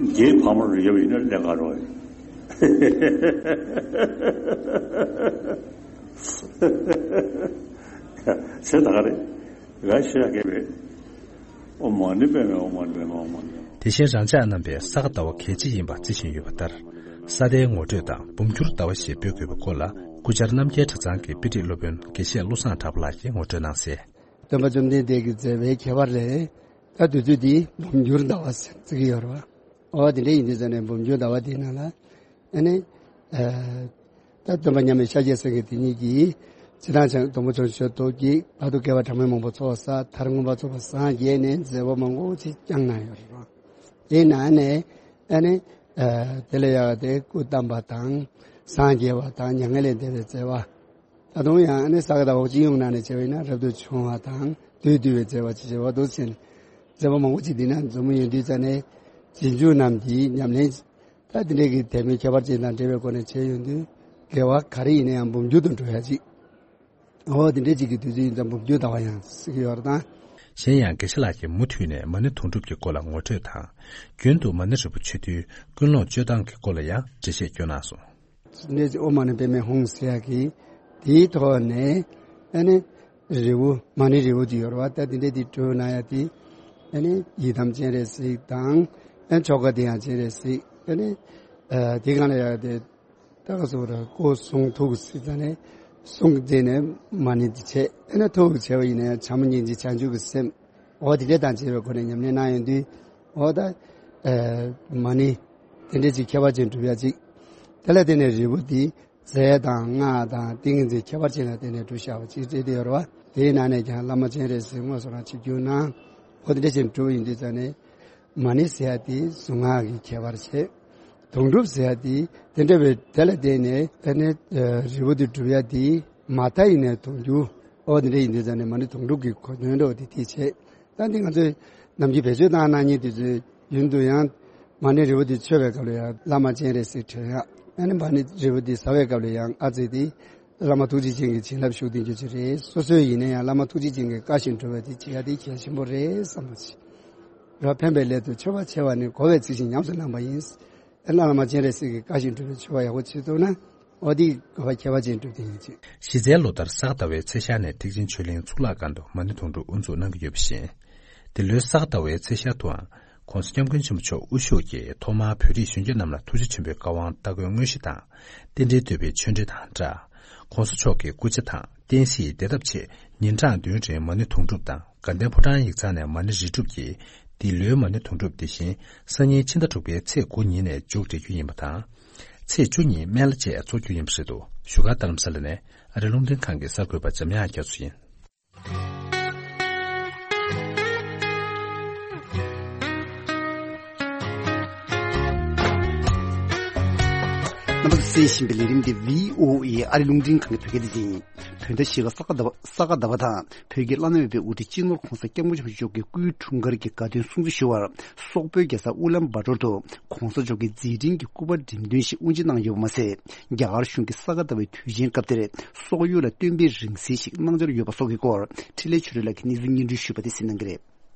རྒྱའི་ཕ་མར་ཡོད་པ་ཡིན་ན་ལས་ཀ་རོགས་ཡིན། ཚེ་ད་ག་རེད། ཝེ་ཤི་ཡ་གེ་བེ། ཨོཾ་མ་ཎི་པདྨེ་ཧཱུྃ། ཨོཾ་མ་ཎི་པདྨེ་ཧཱུྃ། ཨོཾ་མ་ཎི་པདྨེ་ཧཱུྃ། དེ་བཞིན་རང་ཅག་རྣམ་པས་ས་ག་ཟླ་བ་གལ་ཆེ་ཡིན་པ་བརྩི་བཞིན་ཡོད་པ་ལྟར། ས་གདན་ངོ་སྤྲོད་དང་འབུམ་འགྱུར་ཟླ་བ་ཞེས་འབོད་དགོས་པའི་སྐོར་ལ་སྐུ་བཅར་རྣམ་རྒྱལ་གྲྭ་ཚང་གི་དཔེ་ཁྲིད་སློབ་དཔོན་དགེ་བཤེས་བློ་བཟང་གྲགས་པ་ལགས་ཀྱིས་ངོ་སྤྲོད་གནང་གསལ། སྟོན་པ་བཅོམ་ལྡན་འདས་ཀྱི་མཛད་པའི་ཁྱད་པར་ལས། ད་དུས་ཚོད་འདི་འབུམ་འགྱུར་ཟླ་བ་ཟེར་བརྩི་གི་ཡོད་རེད་བ། ཨོ་དེ་འདྲ་ཡིན་དུས་ཙང་ནས་འབུམ་འགྱུར་ཟླ་བ་དེའི་ནང་ལ་ཨ་ནི། ད་སྟོན་པ་མཉམ་མེད་ཤཱཀྱའི་སེང་གེ་དེ་ཉིད་ཀྱིས་སྤྱིར་བཏང་བྱང་སྡོང་པོ་ཆུང་ཆུང་ཞབས་ཏོག་གིས་བར་དུ་དགེ་བ་གྲངས་མེད་མང་པོ་ཚོགས་བསགས། མཐར་མངོན་པར་རྫོགས་པར་སངས་རྒྱས་ནས་མཛད་པ་མང་པོ་ཅིག་བསྐྱངས་གནང་ཡོད་རེད། དེའི་ནང་ནས་ཨ་ནི་དེ་ལས་ཡག་དེ་སྐུ་བལྟམས་པ་དང་སངས་རྒྱས་པ་དང་མྱ་ངན་ལས་འདས་པའི་མཛད་པ། ད་དུང་ཡང་ཨ་ནི་ས་ག་ཟླ་བ་སྤྱི་ཡོངས་ནང་ནས་བྱས་པ་ཡིན་ན་རབ་ཏུ་བྱུང་བ་དང་བདུད་འདུལ་བའི་མཛད་པ་ཅེས་བྱ་བ་འདུག་ཟེར་ནས་མཛད་པ་མང་པོ་ཅིག་འདི་ན་འཛོམས་ཡོད་དུས་ཙང་ནས་རྗེས་འཇུག་རྣམས་ཀྱིས་ཉམས་ལེན། ད་དེ་འདྲའི་གི་དད་མོས་ཁྱད་པར་ཅན་དང་འབྲེལ་བའི་སྒོ་ནས་བྱས་ཡོང་དུས་དགེ་བ་ག་རེ་ཡིན་ན་ཡང་འབུམ་འགྱུར་དུ་འགྲོ་ཡ་ཅིག་འོ་དེ་འདྲའི་ཅིག་གི་དུས་ཚོད་ཡིན་ཙང་འབུམ་འགྱུར་ཟླ་བ་ཡང་ཟེར་གྱི་ཡོད་རེད་ད། གཞན་ཡང་དགེ་བཤེས་ལགས་ཀྱིས་མུ་མཐུད་ནས་མ་ཎི་དུང་སྒྲུབ་ཀྱི་སྐོར་ལ་ངོ་སྤྲོད་དང་། རྒྱུན་དུ་མ་ཎི་རིལ་བུ་མཆོད་དུས་ཀུན་སློང་སྤྱོད་སྟངས་ཀྱི་སྐོར་ལ་ཡང་འགྲེལ་བཤད་བསྐྱོན་གནང་སོང་། འདི་ཨོཾ་མ་ཎི་པདྨེ་ཧཱུྃ་ཟེར་ཡ་གི་དེའི་ཐོག་ནས་ཨ་ནི་རིལ་བུ་མ་ཎི་རིལ་བུ་དེ་ཡོད་རེད་བ། ད་དེ་འདྲའི་དེ་སྤྲོད་གནང་ཡ་དེ་ཨ་ནི་ཡི་དམ་སྤྱན་རས་གཟིགས་དང་ཨ་ནི་ཆོ་ག་དེ་ཡང་སྤྱན་རས་གཟིགས་ཨ་ནི་དེ་གང་ལ་ཡ་དེ་ད་ག་སོ་ར་སྐུ་གསུང་ཐུགས་གཟིགས་ཙ་ནས་གསུང་དེ་ནས་མ་ཎི་དེ་བྱས་ཨ་ནི་ཐུགས་བྱས་པ་ཡིན་ན་ཡང་བྱམས་སྙིང་རྗེ་བྱང་ཆུབ་ཀྱི་སེམས། འོ་དེ་འདྲ་དང་བཅས་པའི་སྒོ་ནས་ཉམས་ལེན་གནང་ཡོང་དུས། འོ་ད་ཨ་མ་ཎི་དེ་འདྲ་ཅིག་ཁྱད་པར་ཅན་སྒྲུབ་ཡ་ཅིག་དེ་ལ་བརྟེན་ནས་རིལ་བུ་དེ་རྫས་དང་སྔགས་དང་ཏིང་ངེ་འཛིན་ཁྱད་པར་ཅན་ལ་བརྟེན་ནས་སྒྲུབ་བཞག་པ་ཅིག་བྲིས་ཏེ་ཡོད་རེད་བ། དེའི་ནང་ནས་ཀྱང་བླ་མ་སྤྱན་རས་གཟིགས་དངོས་སུ་རང་ཆིབས་བསྒྱུར་གནང་། འོ་དེ་འདྲ་བྱས་ནས་སྒྲུབ་པ་ཡིན་དུས་ཙང་ནས། མ་ཎི་ཟེར་ཡ་དེ་གཟུངས་སྔགས་ཀྱི་ཁྱད་པར་བྱས། དོན་གྲུབ་ཟེར་ཡ་དེ་དེ་འདྲ་བའི་དེ་ལ་བརྟེན་ནས་ཨ་ནི་རིལ་བུ་དེ་སྒྲུབ་ཡ་དེ་མ་མཐའ་ཡིན་ནའི་དོན་གྱུར། འོ་དེ་འདྲ་ཡིན་དུས་ཙང་ནས་མ་ཎི་དོན་གྲུབ་ཀྱི་གོ་དོན་འདྲ་བ་དེ་དེ་བྱས། ད་འདི་ང་ཚོས་ནམ་རྒྱུན་བེད་སྤྱོད་བཏང་གནང་མཁན་དེ་ཚོའི་ཡུན་དུ་ཡང་མ་ཎི་རིལ་བུ་དེ་མཆོད་པའི་སྐབས་ལ་ཡང་བླ་མ་སྤྱན་རས་གཟིགས་དྲན་ཡ། ཨ་ནི་མ་ཎི་རིལ་བུ་དེ་བཟའ་བའི་སྐབས་ལ་ཡང་ཨ་ཙི་དེ་བླ་མ་ཐུགས་རྗེ་ཅན་གྱི་བྱིན་རླབས་ཞུགས་ལྡན་རྒྱུ་ཅིག་རེད། སོ་སོའི་ཡིན་ན་ཡང་བླ་མ་ཐུགས་རྗེ་ཅན་གྱི་བཀའ་བཞིན་སྒྲུབ་པ་དེ་བྱེད་ཡ་དེ་གལ་ཆེན་པོ་རེད་བསམ་པ་ཅིག་རབ་ཕན་པའི་སླད་དུ་མཆོད་པ་ཆེ་བ་ནི་བསྒོ་བས་ཚིག་བཞིན་ཉམས་སུ་བླངས་པ་ཡིན། ཨ་ནི་བླ་མ་སྤྱན་རས་གཟིགས་ཀྱི་བཀའ་བཞིན་སྒྲུབ་པའི་མཆོད་པ་ཡག་པོ་བྱེད་ཐུབ་ན། འོ་དེ་དགོས་པ་ཁྱད་པར་ཅན་སྒྲུབ་བདེ་ཡིན་ཅིང་། གཞི་རྩའི་ལོ་ལྟར་ས་ག་ཟླ་བའི་ཚེས་ཤར་ནས་ཐེག་ཆེན་ཆོས་གླིང་གཙུག་ལག་ཁང་དུ་མ་ཎི་དོན་གྲུབ་དབུ་འཛུགས་གནང་གི་ཡོད་པ་བཞིན། འདི་ལོའི་ས་ག་ཟླ་བའི་ཚེས་ཤར་དུའང་༸གོང་ས་༸སྐྱབས་མགོན་ཆེན་པོ་མཆོག་དབུ་བཞུགས་ཀྱིས་ཐོག་མར་བོད་རིགས་གཞོན་སྐྱེས་རྣམས་ལ་ཐུགས་རྗེ་ཆེན་པོའི་བཀའ་དབང་སྟ་གོན་དངོས་གཞི་དང་། རྟེན་འབྲེལ་བསྟོད་པའི་ཆོས་འབྲེལ་དང་སྦྲགས། ༸གོང་ས་མཆོག་གི་སྐུ་ཕྱྭ་དང་བསྟན་སྲིད་བདེ་ཐབས་ཆེད་ཉིན་གྲངས་བདུན་རིང་མ་ཎི་དོན་གྲུབ་དང་དགའ་ལྡན་ཕོ་བྲང་ཡིག་ཚང་ནས་མ་ཎི་རིལ་སྒྲུབ་ཀྱིས། འདི་ལོའི་མ་ཎི་དོན་གྲུབ་དེ་བཞིན་སང་ཉིན་ཕྱི་ཟླ་དྲུག་པའི་ཚེས་དགུ་ཉིན་ནས་མཇུག་སྒྲིལ་རྒྱུ་ཡིན་པ་དང་། ཚེས་བཅུ་ཉིན་སྨན་བླ་བཅས་འཚོགས་རྒྱུ་ཡིན་པ་རེད་འདུག་བཞུགས་སྒར་རྡ་རམ་ས་ལ་ནས་ཨ་རི་རླུང་འཕྲིན་ཁང་གི་གསར་འགོད་པ་འཇམ་དབྱངས་རྒྱ་མཚོ་ཡིན། རྣམ་པ་ཚོས་གསན་བཞིན་པའི་ལས་རིམ་འདི་བྷི་ཨོ་ཨེ་ཨ་རི་རླུང་འཕྲིན་ཁང་གི་བོད་སྐད་སྡེ་ཚན་ཡིན། བོད་ཟླ་བཞི་པ་ས་ག་ཟླ་བ་ས་ག་ཟླ་བ་དང་། བོད་ཀྱི་བླ་ན་མེད་པའི་དབུ་ཁྲིད་སྤྱི་ནོར་༸གོང་ས་༸སྐྱབས་མགོན་ཆེན་པོ་མཆོག་གི་སྐུའི་འཁྲུངས་སྐར་གྱི་དགའ་སྟོན་སྲུང་བརྩི་ཞུ་བར། སོག་པོའི་རྒྱལ་ས་ཨུ་ལན་བྷ་ཏོར་དུ་༸གོང་ས་མཆོག་གི་མཛད་འཕྲིན་གྱི་སྐུ་པར་འགྲེམས་སྟོན་ཞིག་དབུ་འབྱེད་གནང་ཡོད་པ་མ་ཟད། རྒྱ་གར་གཞུང་གིས་ས་ག་ཟླ་བའི་དུས་ཆེན་སྐབས་དེར་སོག་ཡུལ་ལ་སྟོན་པའི་རིང་བསྲེལ་ཞིག་གནང་འཆར་ཡོད་པ་སོགས་ཀྱི་སྐོར། འཕྲིན་ལས་ཆོས་སྒྲོན་ལགས་ཀྱིས་གནས་ཚུལ་སྙན་སྒྲོན་ཞུས་པ་དེ་གསན་གནང་གི་རེད།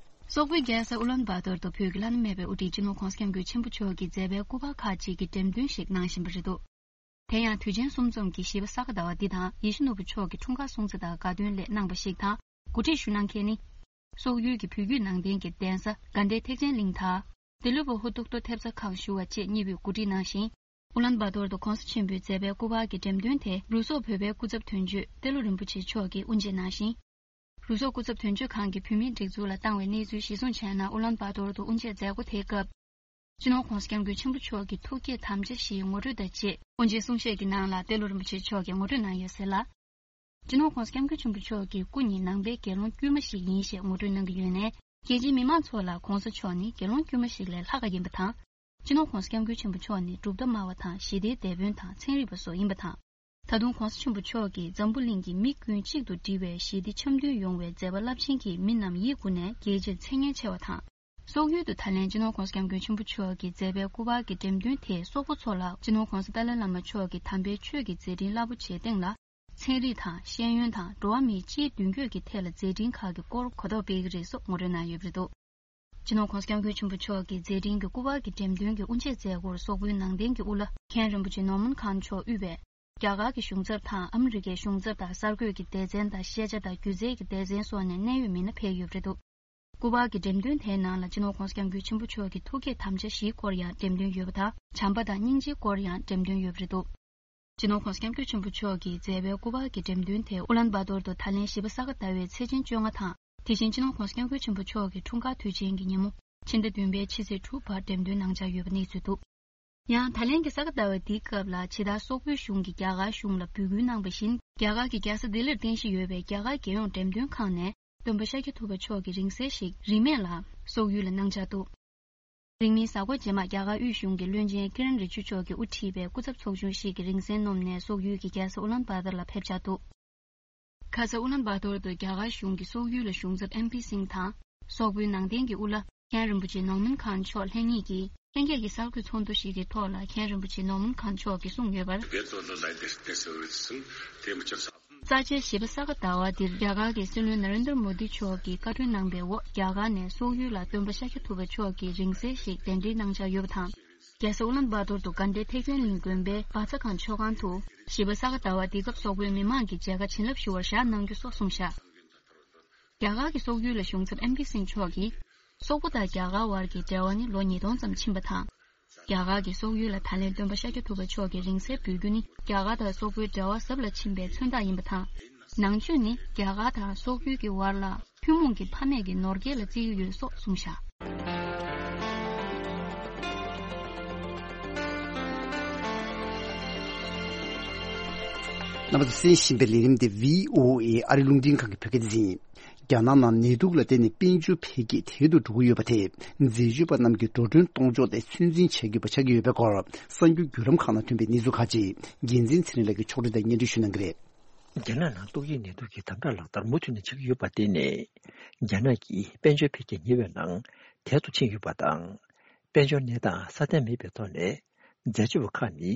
སོག་པོའི་རྒྱལ་ས་ཨུ་ལན་བྷ་ཏོར་དུ་བོད་ཀྱི་བླ་ན་མེད་པའི་དབུ་ཁྲིད་སྤྱི་ནོར་༸གོང་ས་༸སྐྱབས་མགོན་ཆེན་པོ་མཆོག་གི་མཛད་པའི་སྐུ་པར་ཁག་ཅིག་གི་འགྲེམས་སྟོན་ཞིག་གནང་བཞིན་པ་རེད་འདུག་དེ་ཡང་དུས་ཆེན་གསུམ་འཛོམས་ཀྱི་བཞི་པ་ས་ག་ཟླ་བ་འདི་དང་ཡིད་བཞིན་ནོར་བུ་མཆོག་གི་འཁྲུངས་སྐར་སྲུང་བརྩི་དང་དགའ་སྟོན་སླད་གནང་བ་ཞིག་དང་། གོ་སྒྲིག་ཞུ་གནང་མཁན་ནི། སོག་ཡུལ་གྱི་བོད་བརྒྱུད་ནང་བསྟན་གྱི་གདན་ས་དགའ་ལྡན་ཐེག་ཆེན་གླིང་དང་། ཏེ་ལོ་བོ་ཧུ་ཏོག་ཏོ་ཐེབས་རྩ་ཁང་ཞུ་བ་བཅས་གཉིས་པོས་གོ་སྒྲིག་གནང་ཞིང་། ཨུ་ལན་བྷ་ཏོར་དུ་༸གོང་ས་ཆེན་པོའི་མཛད་པའི་སྐུ་པར་གྱི་འགྲེམས་སྟོན་དེ་རུ་སོག་བོད་པའི་སྐུ་ཚབ་དོན་གཅོད་ཏེ་ལོ་རིན་པོ་ཆེ་མཆོག་གིས་དབུ་འབྱེད་གནང་ཞིང་། རུ་སོག་སྐུ་ཚབ་དོན་གཅོད་ཁང་གིས་བོད་མིའི་སྒྲིག་འཛུགས་ལ་བཏང་བའི་གནས་ཚུལ་གཞིར་བཟུང་བྱས་ན། ཨུ་ལན་བྷ་ཏོར་དུ་དབུ་འབྱེད་མཛད་སྒོ་དེའི་སྐབས། སྤྱི་ནོར་༸གོང་ས་༸སྐྱབས་མགོན་ཆེན་པོ་མཆོག་གི་ཐུགས་བསྐྱེད་དམ་བཅའ་བཞིའི་ངོ་སྤྲོད་དང་བཅས་དབུ་འབྱེད་གསུང་བཤད་ཀྱི་ནང་ལ་ཏེ་ལོ་རིན་པོ་ཆེ་མཆོག་གིས་ངོ་སྤྲོད་གནང་ཡོད་ཟེར་ལ། སྤྱི་ནོར་༸གོང་ས་༸སྐྱབས་མགོན་ཆེན་པོ་མཆོག་གི་སྐུ་ཉིད་ནང་པའི་དགེ་སློང་དཀྱུས་མ་ཞིག་ཡིན་ཞེས་ངོ་སྤྲོད་གནང་གི་ཡོད་ནས། རྒྱལ་སྤྱིའི་མི་མང་ཚོ་ལ་༸གོང་ས་མཆོག་ནི་དགེ་སློང་དཀྱུས་མ་ཞིག་ལས་ལྷག་ག་ཡིན་པ་དང་། སྤྱི་ནོར་༸གོང་ས་༸སྐྱབས་མགོན་ཆེན་པོ་མཆོག་ནི་གྲུབ་མཐའ་སྨྲ་བ་དང་ཞི་བདེའི་དེད་དཔོན་དང་ཚན་རིག་པ་སོགས་ཡིན་པ་དང་། ད་དུང་༸གོང་ས་ཆེན་པོ་མཆོག་གིས་འཛམ་བུ་གླིང་གི་མི་ཀུན་གཅིག་ཏུ་སྒྲིལ་བའི་ཞི་བདེ་འཆམ་མཐུན་ཡོང་བའི་མཛད་པ་རླབས་ཆེན་གྱིས་མི་རྣམས་ཡིད་མགུ་ནས་དགྱེས་ཕྱིར་མཚན་སྙན་ཆེ་བ་དང་། སོག་ཡུལ་དུ་ད་ལན་སྤྱི་ནོར་༸གོང་ས་༸སྐྱབས་མགོན་ཆེན་པོ་མཆོག་གི་མཛད་པའི་སྐུ་པར་གྱི་འགྲེམས་སྟོན་དེས་སོག་པོ་ཚོ་ལ་སྤྱི་ནོར་༸གོང་ས་ཏཱ་ལའི་བླ་མ་མཆོག་གི་དམ་པའི་ཆོས་ཀྱི་མཛད་འཕྲིན་རླབས་པོ་ཆེའི་སྟེང་ལ། ཚན་རིག་དང་ཤེས་ཡོན་དང་འགྲོ་བ་མིའི་སྤྱིའི་མདུན་སྐྱོད་ཀྱི་ཐད་ལ་མཛད་འཕྲིན་ཁག་གི་སྐོར་གོ་རྟོགས་སྤེལ་གྱི་རེད་སོགས་ངོ་སྤྲོད་གནང་ཡོད་པ་རེད་འདུག་སྤྱི་ནོར་༸གོང་ས་༸སྐྱབས་མགོན་ཆེན་པོ་མཆོག་གི་མཛད་འཕྲིན་གྱི་སྐུ་པར་གྱི་འགྲེམས་སྟོན་གྱི་དབུ་འབྱེད་མཛད་སྒོར་སོག་པོའི་ནང་བསྟན་གྱི་དབུ་བླ་མཁན་རིན་པོ་ཆེ་ནོར་མན་ཁཱན་མཆོག་དབུས་པའི་རྒྱ་གར་གྱི་གཞུང་ཚབ་དང་ཨ་མི་རི་ཀའི་གཞུང་ཚབ་དང་གསར་འགོད་ཀྱི་སྡེ་ཚན་དང་ཤེས་བྱ་དང་སྒྱུ་རྩལ་གྱི་སྡེ་ཚན་སོགས་ནས་གནད་ཡོད་མི་སྣ་ཕེབས་ཡོད་པ་རེད་འདུག་སྐུ་པར་གྱི་འགྲེམས་སྟོན་དེའི་ནང་ལ་སྤྱི་ནོར་༸གོང་ས་༸སྐྱབས་མགོན་ཆེན་པོ་མཆོག་གི་ཐུགས་བསྐྱེད་དམ་བཅའ་བཞིའི་སྐོར་ཡང་འགྲེམས་སྟོན་ཡོད་པ་དང་། བྱམས་པ་དང་སྙིང་རྗེའི་སྐོར་ཡང་འགྲེམས་སྟོན་ཡོད་པ་རེད་འདུག་སྤྱི་ནོར་༸གོང་ས་༸སྐྱབས་མགོན་ཆེན་པོ་མཆོག་གིས་མཛད་པའི་སྐུ་པར་གྱི་འགྲེམས་སྟོན་དེ་ཨུ་ལན་བྷ་ཏོར་དུ་ད་ལན་བཞི་པ་ས་ག་ཟླ་བའི་ཚེས་ཆེན་བཅོ་ལྔ་དང་། དེ་བཞིན་སྤྱི་ནོར་༸གོང་ས་༸སྐྱབས་མགོན་ཆེན་པོ་མཆོག་གི་འཁྲུངས་སྐར་དུས་ཆེན་གྱི་ཉིན་མོ་ཕྱི་ཟླ་བདུན་པའི་ཕྱི་ཚེས་དྲུག་བར་འགྲེམས་སྟོན་གནང་འཆར་ཡོད་པ་གནས་ཚུལ་འདུག་ཡང་ད་ལན་གྱི་ས་ག་ཟླ་བ་འདིའི་སྐབས་ལ་ཇི་ལྟར་སོག་པོའི་གཞུང་གིས་རྒྱ་གར་གཞུང་ལ་འབོད་སྐུལ་གནང་བ་བཞིན། རྒྱ་གར་གྱི་རྒྱལ་ས་ལྡི་ལིར་རྟེན་གཞི་ཡོད་པའི་རྒྱ་གར་རྒྱལ་ཡོངས་འགྲེམས་སྟོན་ཁང་ནས་སྟོན་པ་ཤཱཀྱ་ཐུབ་པ་མཆོག་གི་རིང་བསྲེལ་ཞིག་རིན་མེད་ལ་སོག་ཡུལ་ལ་གནང་འཆར་འདུག་རིང་མིན་གཟའ་འཁོར་རྗེས་མ་རྒྱ་གར་དབུས་གཞུང་གི་བློན་ཆེན་ཀི་རན་རི་ཇུ་མཆོག་གིས་དབུ་ཁྲིད་པའི་སྐུ་ཚབ་ཚོགས་ཆུང་ཞིག་གིས་རིང་བསྲེལ་བསྣོམས་ནས་སོག་ཡུལ་གྱི་རྒྱལ་ས་ཨུ་ལན་བྷ་ཏར་ལ་ཕེབས་འཆར་འདུག་ཁ་ས་ཨུ་ལན་བྷ་ཏོར་དུ་རྒྱ་གར་གཞུང་གི་སོག་ཡུལ་ལ་གཞུང་ཚབ་ཨེམ་པི་སིང་དང་། སོག་པོའི་ནང་བསྟན་གྱི་དབུ་བླ་མཁན་རིན་པོ་ཆེ་ནོར་མན་ཁཱན་མཆོག་ལྷན་གཉིས་ཀྱིས་ལྷན་རྒྱས་ཀྱི་གསར་འགོད་ཚོགས་འདུ་ཞིག་གི་ཐོག་ལ་མཁན་རིན་པོ་ཆེ་ནོར་མན་ཁཱན་མཆོག་གིས་གསུངས་ཡོད་པར། རྩ་ཆེའི་བཞི་པ་ས་ག་ཟླ་བ་འདིར་རྒྱ་གར་གྱི་སྲིད་བློན་ན་རེན་དར་མོ་དི་མཆོག་གིས་བཀའ་འཁྲོལ་གནང་བའི་འོག་རྒྱ་གར་ནས་སོག་ཡུལ་ལ་སྟོན་པ་ཤཱཀྱ་ཐུབ་པ་མཆོག་གི་རིང་བསྲེལ་ཞིག་གདན་འདྲེན་གནང་འཆར་ཡོད་པ་དང་། རྒྱལ་ས་ཨུ་ལན་བྷ་ཏོར་དུ་དགའ་ལྡན་ཐེག་ཆེན་གླིང་དགོན་པའི་བཛྲ་གྷན་མཆོད་ཁང་དུ་བཞི་པ་ས་ག་ཟླ་བ་འདི་སྐབས་སོག་པོའི་མི་མང་གི་མཇལ་ཁ་བྱིན་རླབས་ཞུ་བར་བཞག་གནང་རྒྱུ་སོགས་གསུངས་བཞག་རྒྱ་གར་གྱི་སོག་ཡུལ་ལ་གཞུང་ཚབ་ཨེམ་པི་སིང་མཆོག་གིས། སོག་པོ་དང་རྒྱ་གར་བར་གྱི་འབྲེལ་བ་ནི་ལོ་ཉིས་སྟོང་ཙམ་ཕྱིན་པ་དང་། རྒྱ་གར་གྱིས་སོག་ཡུལ་ལ་ད་ལན་སྟོན་པ་ཤཱཀྱ་ཐུབ་པ་མཆོག་གི་རིང་བསྲེལ་འབུལ་རྒྱུ་ནི་རྒྱ་གར་དང་སོག་པོའི་འབྲེལ་བ་ཟབ་ལ་ཕྱིན་པའི་མཚོན་རྟགས་ཡིན་པ་དང་། ནང་ཆོས་ནི་རྒྱ་གར་དང་སོག་ཡུལ་གྱི་བར་ལ་ ཐུན་མོང་གི་ཕ་མེས་ཀྱི་ནོར་སྐལ་ལ་བརྩི་གི་ཡོད་སོགས་གསུངས་བཞག། རྣམ་པ་ཚོས་གསན་བཞིན་པའི་ལས་རིམ་དེ་བྷི་ཨོ་ཨེ་ཨ་རི་རླུང་འཕྲིན་ཁང་གི་བོད་སྐད་སྡེ་ཚན་ཡིན། རྒྱ་ནག་ནང་ནད་དུག་ལ་བརྟེན་ནས་དཔལ་འབྱོར་འཕེལ་རྒྱས་དལ་དུ་འགྲོ་གི་ཡོད་པ་དེས་འཛད་སྤྱོད་པ་རྣམས་ཀྱི་འགྲོ་གྲོན་གཏོང་ཕྱོགས་དེ་ཚོད་འཛིན་བྱ་དགོས་པ་ཆགས་ཀྱི་ཡོད་པའི་སྐོར་གསར་འགྱུར་བརྒྱུད་ལམ་ཁག་ནང་ཐོན་པའི་གནས་ཚུལ་ཁག་ཅིག་རྒྱལ་མཚན་ཚེ་རིང་ལགས་ཀྱིས་ཕྱོགས་སྒྲིག་དང་སྙན་སྒྲོན་ཞུ་གནང་གི་རེད། རྒྱ་ནག་ནང་ཏོག་དབྱིབས་ནད་དུག་གི་དམ་དྲག་ལག་བསྟར་མུ་མཐུད་ནས་བྱེད་ཀྱི་ཡོད་པར་བརྟེན་ནས། རྒྱ་ནག་གི་དཔལ་འབྱོར་འཕེལ་རྒྱས་ཉེ་བའི་ནང་དལ་དུ་ཕྱིན་ཡོད་པ་དང་། དཔལ་འབྱོར་གནས་སྟངས་སྲ་བརྟན་མེད་པའི་ཐོག་ནས། འཛད་སྤྱོད་པ་ཁག་ནི་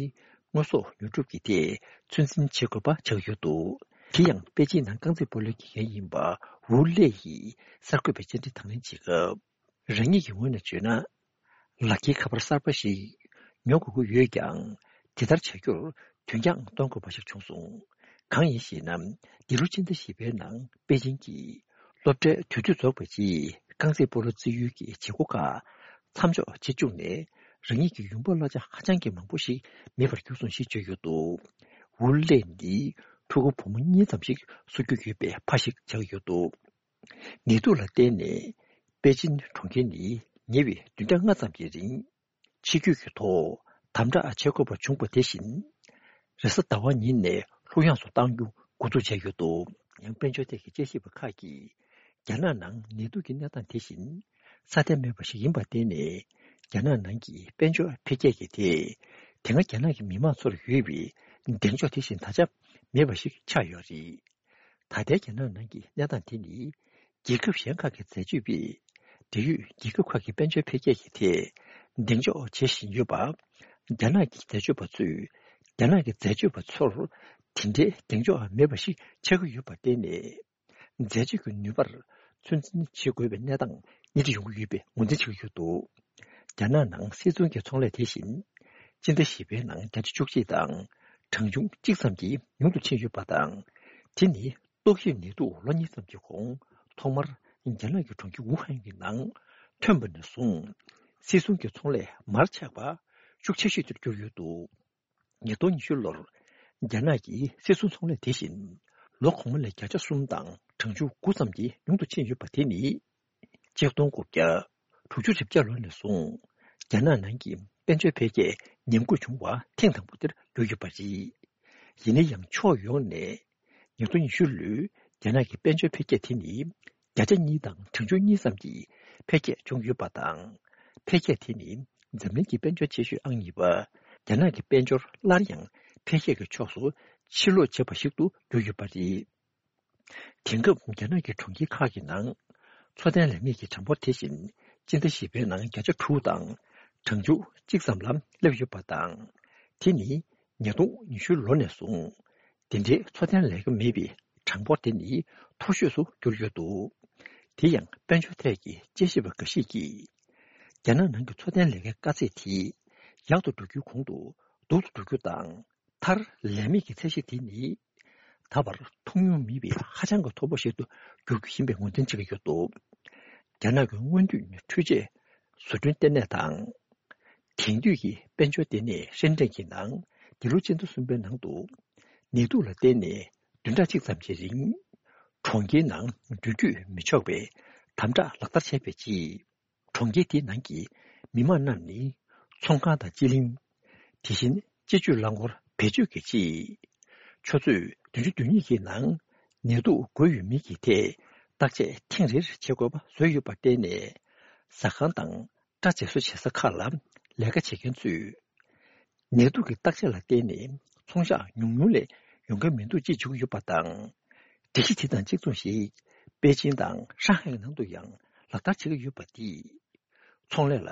དངོས་ཟོག་ཉོ་སྒྲུབ་ཀྱི་ཐད་ཚོད་འཛིན་བྱེད་དགོས་པ་ཆགས་ཡོད་འདུག། དེ་ཡང་པེ་ཅིན་ནང་རྐང་རྩེད་སྤོ་ལོའི་དགེ་རྒན་ཡིན་པ་ཝུ་ལེ་ཡིས་གསར་འགོད་པའི་བཅར་འདྲི་དང་ལེན་བྱེད་སྐབས། རང་ཉིད་ཀྱི་ངོས་ནས་བརྗོད་ན། ལག་འཁྱེར་ཁ་པར་གསར་པ་ཞིག་ཉོ་དགོས་ཀྱི་ཡོད་ཀྱང་། དེ་ལྟར་བྱ་རྒྱུར་དོན་རྐྱང་གཏོང་དགོས་པ་ཞིག་བྱུང་སོང་། གང་ཡིན་ཞེ་ན། འདི་ལོ་སྤྱི་ཟླ་བཞི་པའི་ནང་པེ་ཅིན་གྱི་སློབ་གྲྭའི་དུས་ཚོད་རྫོགས་པའི་རྗེས་རྐང་རྩེད་སྤོ་ལོ་རྩེད་ཡུལ་གྱི་བྱེད་སྒོ་ཁག་མཚམས་འཇོག་བྱེད་བཅུག་ནས། རང་ཉིད་ཀྱི་ཡོང་འབབ་གླ་ཆ་ཧ་ཅང་གི་མང་པོ་ཞིག་མེད་པར་གྱུར་སོང་ཞེས་བརྗོད་ཡོད་འདུག། ཝུ་ལེ་ནི་ཕྲུ་གུ་བུ་མོ་གཉིས་ཙམ་ཞིག་གསོ་རྒྱུ་ཡོད་པའི་ཕ་ཞིག་ཆགས་ཡོད་འདུག། ནད་དུག་ལ་བརྟེན་ནས་པེ་ཅིན་གྲོང་ཁྱེར་ནི་ཉེ་བའི་བདུན་ཕྲག་ལྔ་ཙམ་གྱི་རིང་། ཕྱི་སྐྱོད་ཀྱི་ཐོག་དམ་དྲག་བྱེད་དགོས་པ་བྱུང་བ་དེ་བཞིན། རེས་གཟའ་ཟླ་བ་ཉིན་ནས་ལྷོད་ཡངས་སུ་གཏང་རྒྱུ་འགོ་འཛུགས་བྱས་ཡོད་འདུག། ཡང་དཔལ་འབྱོར་ཐད་ཀྱི་དཔྱད་ཞིབ་པ་ཁག་གིས། རྒྱ་ནག་ནང་ནད་དུག་གི་གནས་སྟངས་དེ་བཞིན་སྲ་བརྟན་མེད་པ་ཞིག་ཡིན་པར་བརྟེན་ནས། རྒྱ་ནག་ནང་གི་དཔལ་འབྱོར་འཕེལ་རྒྱས་ཀྱི་ཐད། དེ་སྔ་རྒྱ་ནག་གི་མི་མང་ཚོར་ཡོད་པའི་གདེང་འཇོག་དེ་བཞིན་ད་ཆ་མེད་པ་ཞིག་ཆགས་ཡོད་རེད། ད་ལྟའི་རྒྱ་ནག་ནང་གི་གནས་སྟངས་དེ་ནི། རྒྱལ་ཁབ་གཞན་ཁག་གི་འཛད་སྤྱོད་པས། འབྲེལ་ཡོད་རྒྱལ་ཁབ་ཁག་གི་དཔལ་འབྱོར་འཕེལ་རྒྱས་ཀྱི་ཐད། གདེང་འཇོག་བྱེད་བཞིན་ཡོད་པ། རྒྱ་ནག་གི་འཛད་སྤྱོད་པ་ཚོས། རྒྱ་ནག་གི་འཛད་སྤྱོད་པ་ཚོར། དེ་འདྲའི་གདེང་འཇོག་མེད་པ་ཞིག་ཆགས་ཀྱི་ཡོད་པར་བརྟེན་ནས། འཛད་སྤྱོད་ཀྱི་ནུས་པར་ཚོད་འཛིན་བྱེད་དགོས་པའི་གནས་སྟངས་སྣེ་ཁྲིད་ཡོང་གི་ཡོད་པའི་ངོས་འཛིན་བྱེད་ཀྱི་ཡོད་འདུག། རྒྱ་ནག་ནང་སིལ་ཚོང་གི་ཚོང་ལས་དེ་བཞིན། སྤྱི་ཟླ་བཞི་པའི་ནང་བརྒྱ་ཆ་བཅུ་གཅིག་དང་། གྲངས་ཆུང་གཅིག་ཙམ་གྱིས་ཉུང་དུ་ཕྱིན་ཡོད་པ་དང་། དེ་ནི་ཏོག་དབྱིབས་ནད་དུག་ལོ་གཉིས་ཙམ་གྱི་གོང་ཐོག་མར་རྒྱ་ནག་གི་གྲོང་ཁྱེར་ཝུ་ཧན་གྱི་ནང་ཐོན་པ་ནས་བཟུང་། སིལ་ཚོང་གི་ཚོང་ལས་མར་ཆག་པ་ཤུགས་ཆེ་ཤོས་དེར་གྱུར་ཡོད་འདུག། ཉིས་སྟོང་ཉི་ཤུ་ལོར་རྒྱ་ནག་གི་སིལ་ཚོང་ཚོང་ལས་དེ་བཞིན་ལོ་གོང་མ་ལས་བརྒྱ་ཆ་གསུམ་དང་གྲངས་ཆུང་དགུ་ཙམ་གྱིས་ཉུང་དུ་ཕྱིན་ཡོད་པ་དེ་ནི། ཆིག་སྟོང་དགུ་བརྒྱ་དྲུག་ཅུ་རེ་བརྒྱད་ལོ་ནས་བཟུང་རྒྱ་ནག་ནང་གི་དཔལ་འབྱོར་འཕེལ་རྒྱས་ཉམས་རྒུད་བྱུང་བ་ཐེངས་དང་པོ་དེར་གྱུར་ཡོད་པ་རེད། ཡིན་ན་ཡང་ཕྱོགས་ཡོངས་ནས། ཉིས་སྟོང་ཉི་ཤུ་ལོའི་རྒྱ་ནག་གི་དཔལ་འབྱོར་འཕེལ་རྒྱས་དེ་ནི་བརྒྱ་ཆ་གཉིས་དང་གྲངས་ཆུང་གཉིས་ཙམ་གྱི་འཕེལ་རྒྱས་བྱུང་ཡོད་པ་དང་། འཕེལ་རྒྱས་དེ་ནི་འཛམ་གླིང་གི་དཔལ་འབྱོར་ཆེ་ཤོས་ཨང་གཉིས་པ་རྒྱ་ནག་གི་དཔལ་འབྱོར་སླར་ཡང་འཕེལ་རྒྱས་ཀྱི་ཕྱོགས་སུ་ཕྱིར་ལོག་བྱས་པ་ཞིག་ཏུ་གྱུར་ཡོད་པ་རེད། དེང་སྐབས་རྒྱ་ནག་གི་གྲོང་ཁྱེར་ཁག་གི་ནང་འཚོ་རྟེན་ལས་མེད་ཀྱི་གྲངས་འབོར་དེ་བཞིན་སྤྱི་ཟླ་བཞི་པའི་ནང་བརྒྱ་ཆ་དྲུག་དང་གྲངས་ཆུང་གཅིག་ཙམ་ལ་སླེབས་ཡོད་པ་དང་། དེ་ནི་ཉིས་སྟོང་ཉི་ཤུ་ལོ་ནས་བཟུང་དེ་འདྲའི་འཚོ་རྟེན་ལས་ཀ་མེད་པའི་གྲངས་འབོར་དེ་ནི་མཐོ་ཤོས་སུ་གྱུར་ཡོད་འདུག། དེ་ཡང་དཔལ་འབྱོར་ཐད་ཀྱི་དཔྱད་ཞིབ་པ་འགའ་ཞིག་གིས། རྒྱ་ནག་ནང་གི་འཚོ་རྟེན་ལས་ཀའི་དཀའ་ཚེགས་དེ་ཡག་ཏུ་འགྲོ་རྒྱུའི་གོང་དུ་སྡུག་ཏུ་འགྲོ་རྒྱུ་དང་། མཐར་ལས་མེད་ཀྱི་ཚད་གཞི་དེ་ནི། ད་བར་མཐོང་མྱོང་མེད་པའི་ཧ་ཅང་གི་མཐོ་པོ་ཞིག་ཏུ་འགྱུར་རྒྱུ་ཡིན་པའི་ངོས་འཛིན་བྱེད་ཀྱི་ཡོད་འདུག། རྒྱ་ནག་གི་སྔོན་དུས་འཕྲུལ་ཆས་བཟོ་སྐྲུན་ལྟེ་གནས་དང་། དེང་དུས་ཀྱི་དཔལ་འབྱོར་ལྟེ་གནས་ཧྲེན་ཀྲེན་གྱི་ནང་འདི་ལོ་སྤྱི་ཟླ་གསུམ་པའི་ནང་དུ། ནད་དུག་ལ་བརྟེན་ནས་བདུན་ཕྲག་གཅིག་ཙམ་གྱི་རིང་། གྲོང་ཁྱེར་ནང་འགྲུལ་སྐྱོད་མི་ཆོག་པའི་དམ་དྲག་ལག་བསྟར་བྱས་པའི་རྗེས། གྲོང་ཁྱེར་དེའི་ནང་གི་མི་མང་རྣམས་ནི་ཚོང་ཁང་དང་སྤྱི་གླིང་། དེ་བཞིན་སྤྱི་སྤྱོད་རླངས་འཁོར་བེད་སྤྱོད་ཀྱི་ཆེད། ཆུ་ཚོད་བདུན་ཅུ་དོན་གཉིས་ཀྱི་ནང་ནད་དུག་འགོས་ཡོད་མེད་ཀྱི་ཐད་བརྟག་དཔྱད་ཐེངས་རེར་བྱེད་དགོས་པ་བཟོས་ཡོད་པར་བརྟེན་ནས། ཟ་ཁང་དང་སྐྲ་བཙེ་གསོ་བྱེད་ས་ཁག་ལ་ལས་ཀ་བྱེད་མཁན་ཚོས། ནད་དུག་གི་བརྟག་དཔྱད་ལ་བརྟེན་ནས་ཚོང་ཤག་ཉུང་ཉུང་ལས་ཡོང་གི་མི་འདུག་ཅེས་བརྗོད་ཀྱི་ཡོད་པ་དང་། སྒྲིག་གཞི་དེ་དང་གཅིག་མཚུངས་ཤིག་པེ་ཅིན་དང་ཧྲང་ཧའེ་ནང་དུ་ཡང་ལག་བསྟར་བྱེད་ཀྱི་ཡོད་པ་འདིས། ཚོང་ལས་ལ་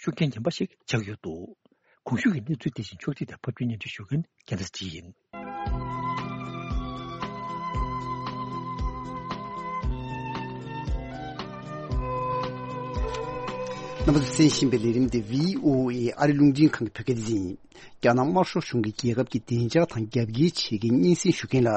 ཤུགས་རྐྱེན་ངན་པ་ཞིག་ཆགས་ཡོད་འདུག། གོང་ཞུས་ཀྱི་གནས་ཚུལ་དེ་བཞིན་ཕྱོགས་སྒྲིག་དང་ཕབ་སྒྱུར་སྙན་སྒྲོན་ཞུ་མཁན་རྒྱལ་མཚན་ཅི་ཡིན། རྣམ་པ་ཚོས་གསན་བཞིན་པའི་ལས་རིམ་དེ་བྷི་ཨོ་ཨེ་ཨ་རི་རླུང་འཕྲིན་ཁང་གི་བོད་སྐད་སྡེ་ཚན་ཡིན། རྒྱ་ནག་དམར་ཤོག་གཞུང་གིས་རྒྱལ་ཁབ་ཀྱི་བདེ་འཇགས་དང་རྒྱབ་འགལ་བྱེད་མཁན་སྙན་སེང་ཞུ་མཁན་ལ།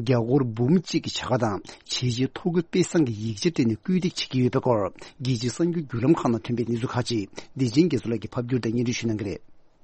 རྒྱ་སྒོར་འབུམ་གཅིག་གི་བྱ་དགའ་དང་བྱས་རྗེས་ཐོ་འགོད་དཔེ་བཟང་གི་ཡིག་ཆ་སྤྲད་ནས་སྐུལ་འདེད་བྱེད་ཀྱི་ཡོད་པའི་སྐོར། རྒྱལ་སྤྱིའི་གསར་འགྱུར་བརྒྱུད་ལམ་ཁག་ནང་ཐོན་པའི་གནས་ཚུལ་ཁག་ཅིག་བདེ་ཆེན་རྒྱ་མཚོ་ལགས་ཀྱིས་ཕབ་སྒྱུར་དང་སྙན་སྒྲོན་ཞུ་གནང་གི་རེད།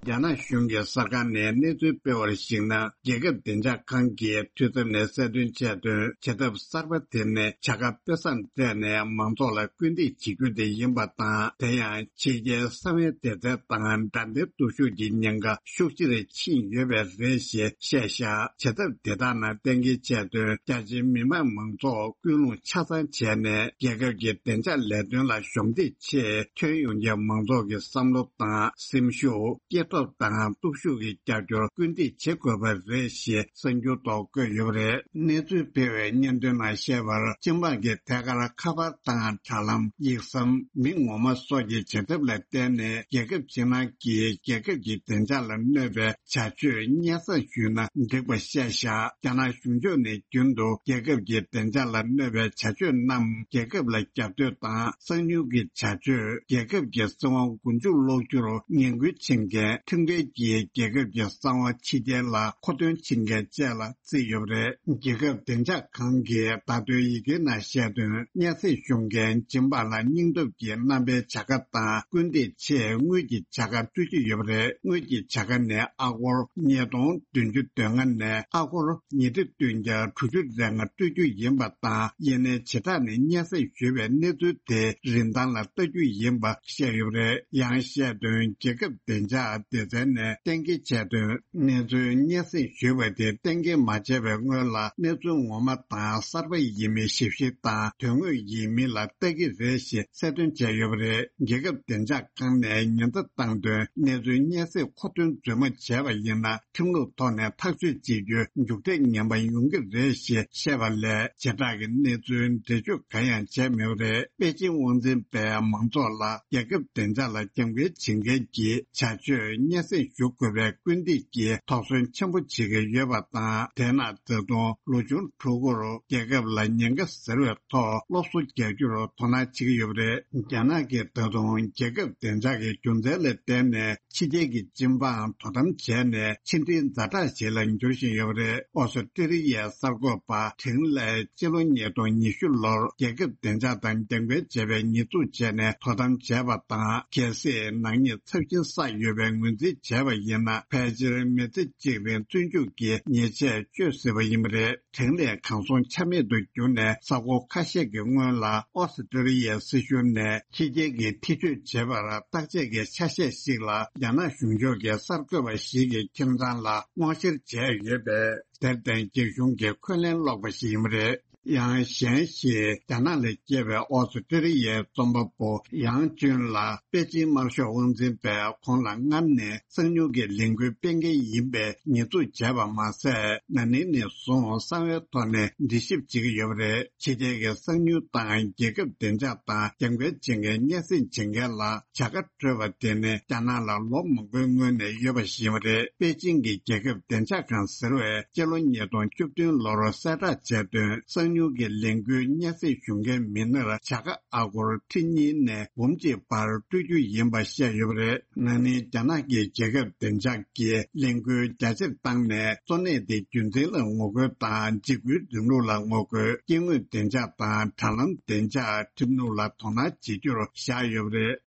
རྒྱ་ནག་གཞུང་གི་གསར་ཁང་ནས་གནས་ཚུལ་སྤེལ་བར་གཞིགས་ན། རྒྱལ་ཁབ་བདེ་འཇགས་ཁང་གིས་འཐུས་ཚབ་ནས་གསལ་སྟོན་བྱས་དོན། བྱེད་ཐབས་གསར་པ་དེ་ནི་བྱ་དགའ་དཔེ་བཟང་སྤྲད་ནས་མང་ཚོགས་ལ་སྐུལ་འདེད་བྱེད་རྒྱུ་དེ་ཡིན་པ་དང་། དེ་ཡང་ཕྱི་རྒྱལ་གསང་བའི་སྡེ་ཚན་དང་འགྲན་བསྡུར་སྟོབས་ཤུགས་ཀྱི་ཉེན་ཁ་ཤུགས་ཆེ་རུ་ཕྱིན་ཡོད་པས་རེད་ཞེས་བཤད་བཞག་བྱེད་ཐབས་དེ་དག་ནང་གཏན་འཁེལ་བྱས་དོན། རྒྱ་ཆེའི་མི་དམངས་མང་ཚོགས་སྐུལ་སློང་ཆ་ཚང་བྱས་ནས། རྒྱལ་ཁབ་ཀྱི་བདེ་འཇགས་ལས་དོན་ལ་གཞོགས་འདེགས་ཆེད། ཁྱོན་ཡོངས་ཀྱི་མང་ཚོགས་ཀྱི་བསམ་བློ་དང་སེམས་ཤུགས། སྐྱེ་སྟོབས་དང་སྟོབས་ཤུགས་ཀྱི་རྒྱབ་སྐྱོར་སྐུལ་འདེད་བྱེད་དགོས་པ་རེད་ཞེས་གསར་འགྱུར་ཐོག་བཀོད་ཡོད་པ་རེད། གནས་ཚུལ་སྤེལ་བའི་སྙན་ཐོའི་ནང་བཤད་པར། སྤྱི་འབངས་ཀྱི་ཐད་ཀར་ཁ་པར་དང་དྲ་ལམ། ཡིག་ཟམ། མི་ངོ་མ་སོགས་ཀྱི་བྱེད་ཐབས་ལ་བརྟེན་ནས། རྒྱལ་ཁབ་ཕྱི་ནང་གི་རྒྱལ་ཁབ་ཀྱི་བདེ་འཇགས་ལ་གནོད་པའི་བྱ་སྤྱོད་སྙན་སེང་ཞུས་ན་འགྲིག་པ་བཤད་བཞག་རྒྱ་ནག་གཞུང་ཕྱོགས་ནས་རྒྱུན་དུ་རྒྱལ་ཁབ་ཀྱི་བདེ་འཇགས་ལ་གནོད་པའི་བྱ་སྤྱོད་རྣམས། རྒྱལ་ཁབ་ལ་རྒྱབ་གཏོད་དང་། གསང་ཉུལ་གྱི་བྱ་སྤྱོད། རྒྱལ་ཁབ་ཀྱི་སྲིད་དབང་མགོ་མཇུག་སློག་རྒྱུར་ངན་སྐུལ་བྱེད་མཁན། ཁྲིམས་འགལ་གྱིས་རྒྱལ་ཁབ་ཀྱི་གསང་བ་ཕྱི་རྒྱལ་ལ་མཁོ་འདོན་བྱེད་མཁན་བཅས་ལ་བརྩིས་ཡོད་པ་རེད། རྒྱལ་ཁབ་བདེ་འཇགས་ཁང་གིས་བརྡ་དོན་ཡི་གེའི་ནང་བཤད་དོན། སྙན་སེང་ཞུ་མཁན་སྦྱིན་པ་ལ་སྙིང་སྟོབས་ཀྱི་རྣམ་པའི་བྱ་དགའ་དང་སྐུལ་འདེད་ཆེད་དངུལ་གྱི་བྱ་དགའ་སྤྲོད་ཀྱི་ཡོད་པ་རེད། དངུལ་གྱི་བྱ་དགའ་ནི་ཨ་སྒོར་ཉིས་སྟོང་བདུན་ཅུ་དོན་ལྔ་ནས་ཨ་སྒོར་ཉིས་ཁྲི་བདུན་བརྒྱ་དྲུག་ཅུ་རེ་ལྔ་སྤྲོད་རྒྱུ་ཡིན་པ་དང་། ཡིན་ནའི་བྱེ་བྲག་ནས་སྙན་སེང་ཞུས་པའི་གནས་ཚུལ་དེ་རིན་ཐང་ལ་ལྟ་རྒྱུ་ཡིན་པ་བཤད་ཡོད་པ་རེད། ཡང་བཤད་དོན། རྒྱལ་ཁབ་བདེ་འཇགས་སྡེ་ཚན་ནས་གཏན་འཁེལ་བྱས་དོན། གནས་ཚུལ་སྙན་སེང་ཞུས་པ་དེ་གཏན་འཁེལ་མ་བྱས་པའི་སྔོན་ལ། གནས་ཚུལ་ངོ་མ་དང་གསར་པ་ཡིན་མིན་ཞིབ་བཤེར་དང་། དོན་དངོས་ཡིན་མིན་ལ་ལྟ་གི་རེད་ཞེས་གསལ་སྟོན་བྱས་ཡོད་པ་རེད། རྒྱལ་ཁབ་བདེ་འཇགས་ཁང་ནས་ཉེན་བརྡ་བཏང་དོན། གནས་ཚུལ་སྙན་སེང་མཁོ་འདོན་རྫུན་མ་བྱས་པ་ཡིན་ན། ཁྲིམས་ལུགས་ཐོག་ནས་ཐག་གཅོད་བྱེད་རྒྱུའི་མཇུག་འབྲས་ངན་པ་ཡོང་གི་རེད་ཞེས་བཤད་པ་ལས། བྱེ་བྲག་གི་གནས་ཚུལ་འགྲེལ་བརྗོད་གང་ཡང་བྱས་མེད་པ་རེད། པེ་ཅིང་དབང་འཛིན་པས་མང་ཚོགས་ལ་རྒྱལ་ཁབ་བདེ་འཇགས་ལ་རྒྱབ་འགལ་བྱེད་མཁན་གྱི་བྱ་སྤྱོད་སྙན་སེང་ཞུ་དགོས་པའི་སྐུལ་འདེད་ཀྱིས་དོགས་ཟོན་ཆེན་པོ་བྱེད་ཀྱི་ཡོད་པ་དང་། དེས་ན་ད་དུང་ལོ་ཆུང་ཕྲུ་གུར་རྒྱལ་ཁབ་ལ་ཉེན་ཁ་ཟེར་བའི་ཐོག་སློབ་གསོ་རྒྱག་རྒྱུར་དོ་སྣང་བྱེད་ཀྱི་ཡོད་པ་རེད། རྒྱ་ནག་གིས་ད་དུང་རྒྱལ་ཁབ་བདེ་འཇགས་ཀྱི་རྒྱུ་མཚན་ལ་བརྟེན་ནས། ཕྱི་རྒྱལ་གྱི་སྤྱི་འབངས་དོ་དམ་བྱས་ནས་ཕྱི་འབྲེལ་ཛ་དྲག་ཞིག་ལ་འགྱུར་བཞིན་ཡོད་པ་རེད། ཨོ་སི་ཀྲི་ལི་ཡའི་གསར་འགོད་པ་ཁྲེང་ལེ་སྤྱི་ལོ་ཉིས་སྟོང་ཉི་ཤུ་ལོར་རྒྱལ་ཁབ་བདེ་འཇགས་དང་རྒྱབ་འགལ་བྱས་པའི་ཉེས་འཛུགས་བྱས་ནས་དོ་དམ་བྱས་པ་དང་། གལ་སྲིད་ནག་ཉེས་ཚབས་ཆེན་བསགས་ཡོད་པའི་ངོས་འཛིན་བྱས་པ་ཡིན་ན། ཕལ་ཆེར་མི་ཚེ་གཅིག་རིང་བཙོན་འཇུག་གི་ཉེས་ཆད་གཅོད་སྲིད་པ་ཡིན་པ་རེད། ཁྲེང་ལེ་གང་སོང་ཆ་མེད་དུ་གྱུར་ནས། ས་ཁོངས་ཁ་ཤས་ཀྱི་སྔོན་ལ་ཨོ་སི་ཀྲི་ལི་ཡའི་སྲིད་གཞུང་ནས་ཕྱི་རྒྱལ་གྱི་ཐེ་བྱུས་བྱེད་པར་བརྟག་དཔྱད་ཀྱི་ཆ་ཤས་ཤིག་ལ། རྒྱ་ནག་གཞུང་ཕྱོགས་ཀྱི་གསར་འགོད་པ་ཞིག་གི་ཁྱིམ་ཚང་ལ་དབང་བཤེར་བྱས་ཡོད་པས། དེར་བརྟེན། རྒྱ་གཞུང་གིས་འཁོན་ལན་སློག་པ་ཞིག་ཡིན་པ་རེད། ཡང་གཞན་ཞིག་རྒྱ་ནག་ལ་སྐྱེས་པའི་ཨོ་སི་ཀྲི་ལི་ཡའི་རྩོམ་པ་པོ་ཡང་ཅུན་ལགས། པེ་ཅིང་དམར་ཤོག་དབང་འཛིན་པས་ཁོང་ལ་སྔར་ནས་གསང་ཉུལ་གྱི་ལས་འགུལ་སྤེལ་མཁན་ཡིན་པའི་ཉེས་འཛུགས་བྱས་པ་མ་ཟད། ན་ནིང་ནས་བཟུང་གསང་བའི་ཐོག་ནས་འདྲི་ཞིབ་བྱེད་ཀྱི་ཡོད་པ་རེད། ཕྱི་རྒྱལ་གྱི་གསང་ཉུལ་དང་རྒྱལ་ཁབ་བདེ་འཇགས་དང་རྒྱབ་འགལ་བྱེད་མཁན་སྙན་སེང་བྱེད་མཁན་ལ་བྱ་དགའ་སྤྲོད་པ་དེ་ནི་རྒྱ་ནག་ལ་ལོ་མང་པོའི་སྔོན་ནས་ཡོད་པ་ཞིག་ཡིན་པ་རེད། པེ་ཅིང་གི་རྒྱལ་ཁབ་བདེ་འཇགས་ཁང་ཟེར་བས་སྤྱི་ལོ་ཉིས་སྟོང་བཅུ་བདུན་ལོར་གསལ་བསྒྲགས་བྱས་དོན། གསང་ཉུལ་གྱི་ལས་འགུལ་སྙན་སེང་ཞུ་མཁན་མི་སྣར་བྱ་དགའ་ཨ་སྒོར་ཁྲི་གཉིས་ནས་འབུམ་གཅིག་བར་སྤྲོད་རྒྱུ་ཡིན་པ་བཤད་ཡོད་པ་རེད། ན་ནིང་རྒྱ་ནག་གི་རྒྱལ་ཁབ་བདེ་འཇགས་ཀྱིས་ལས་འགུལ་རྒྱ་ཆེར་བཏང་ནས། གཙོ་གནད་དེ་རྒྱུ་མཚན་ལ་ངོ་རྒོལ་དང་། འཇིགས་སྐུལ་རིང་ལུགས་ལ་ངོ་རྒོལ། སྐྱེ་དངོས་བདེ་འཇགས་དང་དྲ་ལམ་བདེ་འཇགས་ཁྲིམས་ལུགས་ལ་དོ་སྣང་བྱེད་རྒྱུར་བཞག་ཡོད་པ་རེད།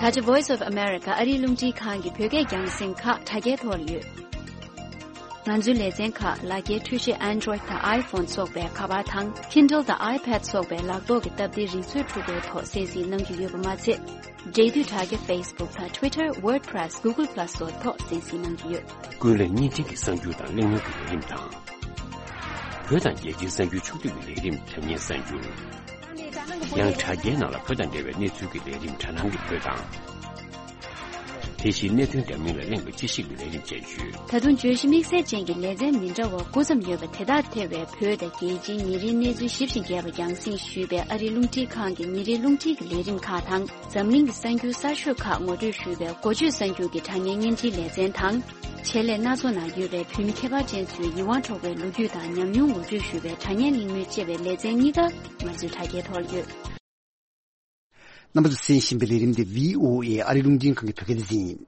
ད་ཆ་Voice of America ཨ་རིའི་རླུང་འཕྲིན་ཁང་གི་བོད་སྐད་རྒྱང་སྲིང་ཁག་དྲ་རྒྱའི་ཐོག་ལ་ཡོད། ང་ཚོའི་ལེ་ཚན་ཁག་ལག་འཁྱེར་འཕྲུལ་ཆས་Android དང་iPhone སོགས་པའི་ཁ་པར་དང་Kindle དང་iPad སོགས་པའི་ལག་ཐོག་གི་སྟབས་བདེ་རིག་མཛོད་འཕྲུལ་འཁོར་ཐོག་གསན་གཟིགས་གནང་རྒྱུ་ཡོད་པ་མ་ཚད། འབྲེལ་མཐུད་དྲ་རྒྱ་Facebook དང་Twitter, WordPress, Google Plus སོགས་ཐོག་གསན་གཟིགས་གནང་རྒྱུ་ཡོད། ཀུན་གླེང་བརྙན་འཕྲིན་གྱི་གསར་འགྱུར་དང་གླེང་མོལ་གྱི་ལས་རིམ་དང་། བོད་དང་རྒྱལ་སྤྱིའི་གསར་འགྱུར་ཕྱོགས་བསྡུས་ཀྱི་ལས་རིམ་དྲ་བརྙན་གསར་འགྱུར། ཡང་དྲ་རྒྱའི་ནང་ལ་བོད་དང་འབྲེལ་བའི་གནས་ཚུལ་གྱི་ལས་རིམ་དྲ་ནང་གི་བོད་དང་། དེ་བཞིན་གནད་དོན་འདྲ་མིན་ལ་གླེང་བའི་དཔྱད་ཞིབ་ཀྱི་ལས་རིམ་བཅས་ཡོད། ད་དུང་བརྗོད་གཞི་དམིགས་བསལ་ཅན་གྱི་ལེ་ཚན་མི་འདྲ་བ་དགུ་ཙམ་ཡོད་པ་དེ་དག་ཐེ་བའི་བོད་དང་རྒྱལ་སྤྱིའི་ཉིན་རེའི་གནས་ཚུལ་ཞིབ་ཅིང་རྒྱས་པ་རྒྱང་སྲིང་ཞུས་པའི་ཨ་རིའི་རླུང་འཕྲིན་ཁང་གི་ཉིན་རེའི་རླུང་འཕྲིན་གྱི་ལས་རིམ་ཁག་དང་། འཛམ་གླིང་གི་གསར་འགྱུར་གསར་ཤོས་ཁག་ངོ་སྤྲོད་ཞུས་པའི་འགོ་བརྗོད་གསར་འགྱུར་གྱི་དྲ་བརྙན་བརྙན་འཕྲིན་ལེ་ཚན་དང་། ཆེད་ལས་སྣ་ཚོགས་ནང་ཡོད་པའི་བོད་མི་ཁྱད་པར་ཅན་ཚོའི་ཡིད་དབང་འཕྲོག་པའི་ལོ་རྒྱུས་དང་ཉམས་མྱོང་ངོ་སྤྲོད་ཞུས་པའི་དྲ་བརྙན་གླེང་མོལ་བཅས་པའི་ལེ་ཚན་གཉིས་ཀ་ང་ཚོའི་དྲ་རྒྱའི་ཐོག་ལ་ཡོད། རྣམ་པ་ཚོས་གསན་བཞིན་པའི་ལས་རིམ་འདི་བྷི་ཨོ་ཨེ་ཨ་རིའི་རླུང་འཕྲིན་ཁང་གི་བོད་སྐད་སྡེ་ཚན་ཡིན།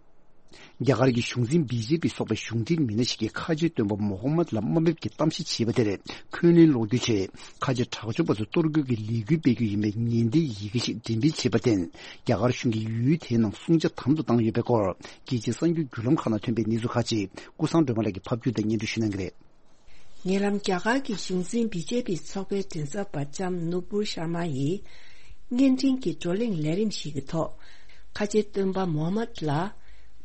རྒྱ་གར་གྱི་གཞུང་འཛིན་བི་ཇེ་པི་སོགས་པའི་གཞུང་འབྲེལ་མི་སྣ་ཞིག་གིས་ཁ་ཆེ་སྟོན་པ་མོ་ཧམ་མད་ལ་དམའ་འབེབས་ཀྱིས་གཏམ་བཤད་བྱས་པ་དེར་འཁོན་ལན་སློག་རྒྱུའི་ཆེད། ཁ་ཆེ་དྲག་སྤྱོད་པ་ཚོ་གཏོར་རྒོལ་གྱི་ལས་འགུལ་སྤེལ་རྒྱུ་ཡིན་པའི་ཉེན་བརྡའི་ཡི་གེ་ཞིག་འགྲེམས་སྤེལ་བྱས་པར་བརྟེན། རྒྱ་གར་གཞུང་གིས་ཡུལ་དེའི་ནང་སྲུང་བྱ་དམ་དུ་བཏང་ཡོད་པའི་སྐོར། རྒྱལ་སྤྱིའི་གསར་འགྱུར་བརྒྱུད་ལམ་ཁག་ནང་ཐོན་པའི་གནས་ཚུལ་ཁག་ཅིག་ཀུན་བཟང་སྒྲོལ་མ་ལགས་ཀྱིས་ཕབ་སྒྱུར་དང་སྙན་སྒྲོན་ཞུ་གནང་གི་རེད། ཉེ་ལམ་རྒྱ་གར་གྱི་གཞུང་འཛིན་བི་ཇེ་པི་ཚོགས་པའི་མགྲིན་ཚབ་པ་ལྕམ་ནུ་པུར་ཤར་མ་ཡིས། བརྙན་འཕྲིན་གྱི་བགྲོ་གླེང་ལས་རིམ་ཞིག་གི་ཐོག་ཁ་ཆེ་སྟོན་པ་མོ་ཧམ་མད་ལ་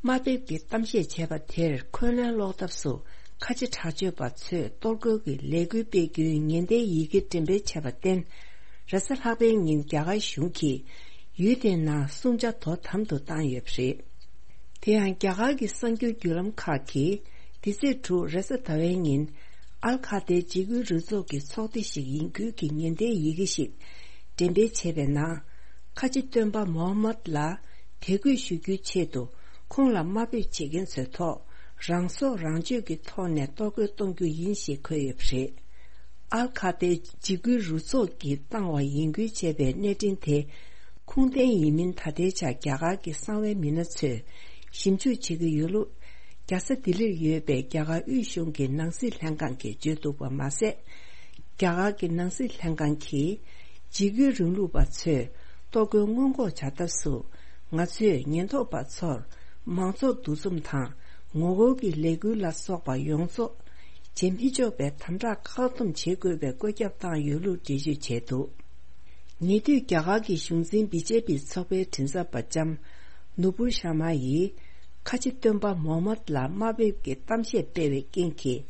དམའ་འབེབས་ཀྱི་གཏམ་བཤད་བྱས་པ་དེར་འཁོན་ལན་སློག་ཐབས་སུ། ཁ་ཆེ་དྲག་སྤྱོད་པ་ཚོས་གཏོར་རྒོལ་གྱི་ལས་འགུལ་སྤེལ་རྒྱུའི་ཉེན་བརྡའི་ཡི་གེ་འགྲེམས་སྤེལ་བྱས་པར་བརྟེན། རེས་གཟའ་ལྷག་པའི་ཉིན་རྒྱ་གར་གཞུང་གིས་ཡུལ་དེའི་ནང་སྲུང་བྱ་དོ་དམ་དུ་བཏང་ཡོད་པ་རེད། དེ་ཡང་རྒྱ་གར་གྱི་གསར་འགྱུར་བརྒྱུད་ལམ་ཁག་གིས། འདི་ཚེས་དྲུག་རེས་གཟའ་ཟླ་བའི་ཉིན། ཨལ་ཁ་ཏའི་འཇིགས་སྐུལ་རུ་ཚོགས་ཀྱི་ཚོགས་སྡེ་ཞིག་ཡིན་ཁུལ་གྱི་ཉེན་བརྡའི་ཡི་གེ་ཞིག་འགྲེམས་སྤེལ་བྱས་པའི་ནང་། ཁ་ཆེ་སྟོན་པ་མོ་ཧམ་མད་ལ་དད་གུས་ཞུ་རྒྱུའི་ཆེད་དུ། ཁོང་ལ་དམའ་འབེབས་བྱེད་མཁན་ཚོའི་ཐོག་རང་སྲོག་རང་གཅོད་ཀྱི་ཐོག་ནས་གཏོར་རྒོལ་གཏོང་རྒྱུ་ཡིན་ཞེས་འཁོད་ཡོད་པ་རེད། ཨལ་ཁ་ཏའི་འཇིགས་སྐུལ་རུ་ཚོགས་ཀྱིས་བཏང་བ་ཡིན་ཁུལ་བྱས་པའི་གནས་འཕྲིན་དེ། ཁུངས་ལྡན་ཡིན་མིན་ད་ལྟའི་ཆར་རྒྱ་གར་གྱི་གསང་བའི་མི་སྣ་ཚོས་ཞིབ་འཇུག་བྱེད་ཀྱི་ཡོད་ལུགས། རྒྱལ་ས་ལྡི་ལིར་ཡོད་པའི་རྒྱ་གར་དབུས་གཞུང་གི་ནང་སྲིད་ལྷན་ཁང་གིས་བརྗོད་འདུག་པ་མ་ཟད། རྒྱ་གར་གྱི་ནང་སྲིད་ལྷན་ཁང་གིས། འཇིགས་སྐུལ་རིང་ལུགས་པ་ཚོས་གཏོར་རྒོལ་སྔོན་འགོག་བྱ་ཐབས་སུ། ང་ཚོས་ཉེན་རྟོག་པ་ཚོར་མང་ཚོགས་འདུ་འཛོམས་དང་ངོ་རྒོལ་གྱི་ལས་འགུལ་ལ་སོགས་པ་ཡོངས་རྫོགས་བྱེད་མི་ཆོག་པའི་དམ་དྲག་བཀག་སྡོམ་བྱེད་དགོས་པའི་བཀོད་ཁྱབ་བཏང་ཡོད་ལུགས་འགྲེལ་བརྗོད་བྱས་འདུག་ཉེ་དུས་རྒྱ་གར་གྱི་གཞུང་འཛིན་བི་ཇེ་པི་ཚོགས་པའི་མགྲིན་ཚབ་པ་ལྕམ་ནུ་པུར་ཤར་མ་ཡིས། ཁ་ཆེ་སྟོན་པ་མོ་ཧམ་མད་ལ་དམའ་འབེབས་ཀྱི་གཏམ་བཤད་སྤེལ་བའི་རྐྱེན་གྱིས།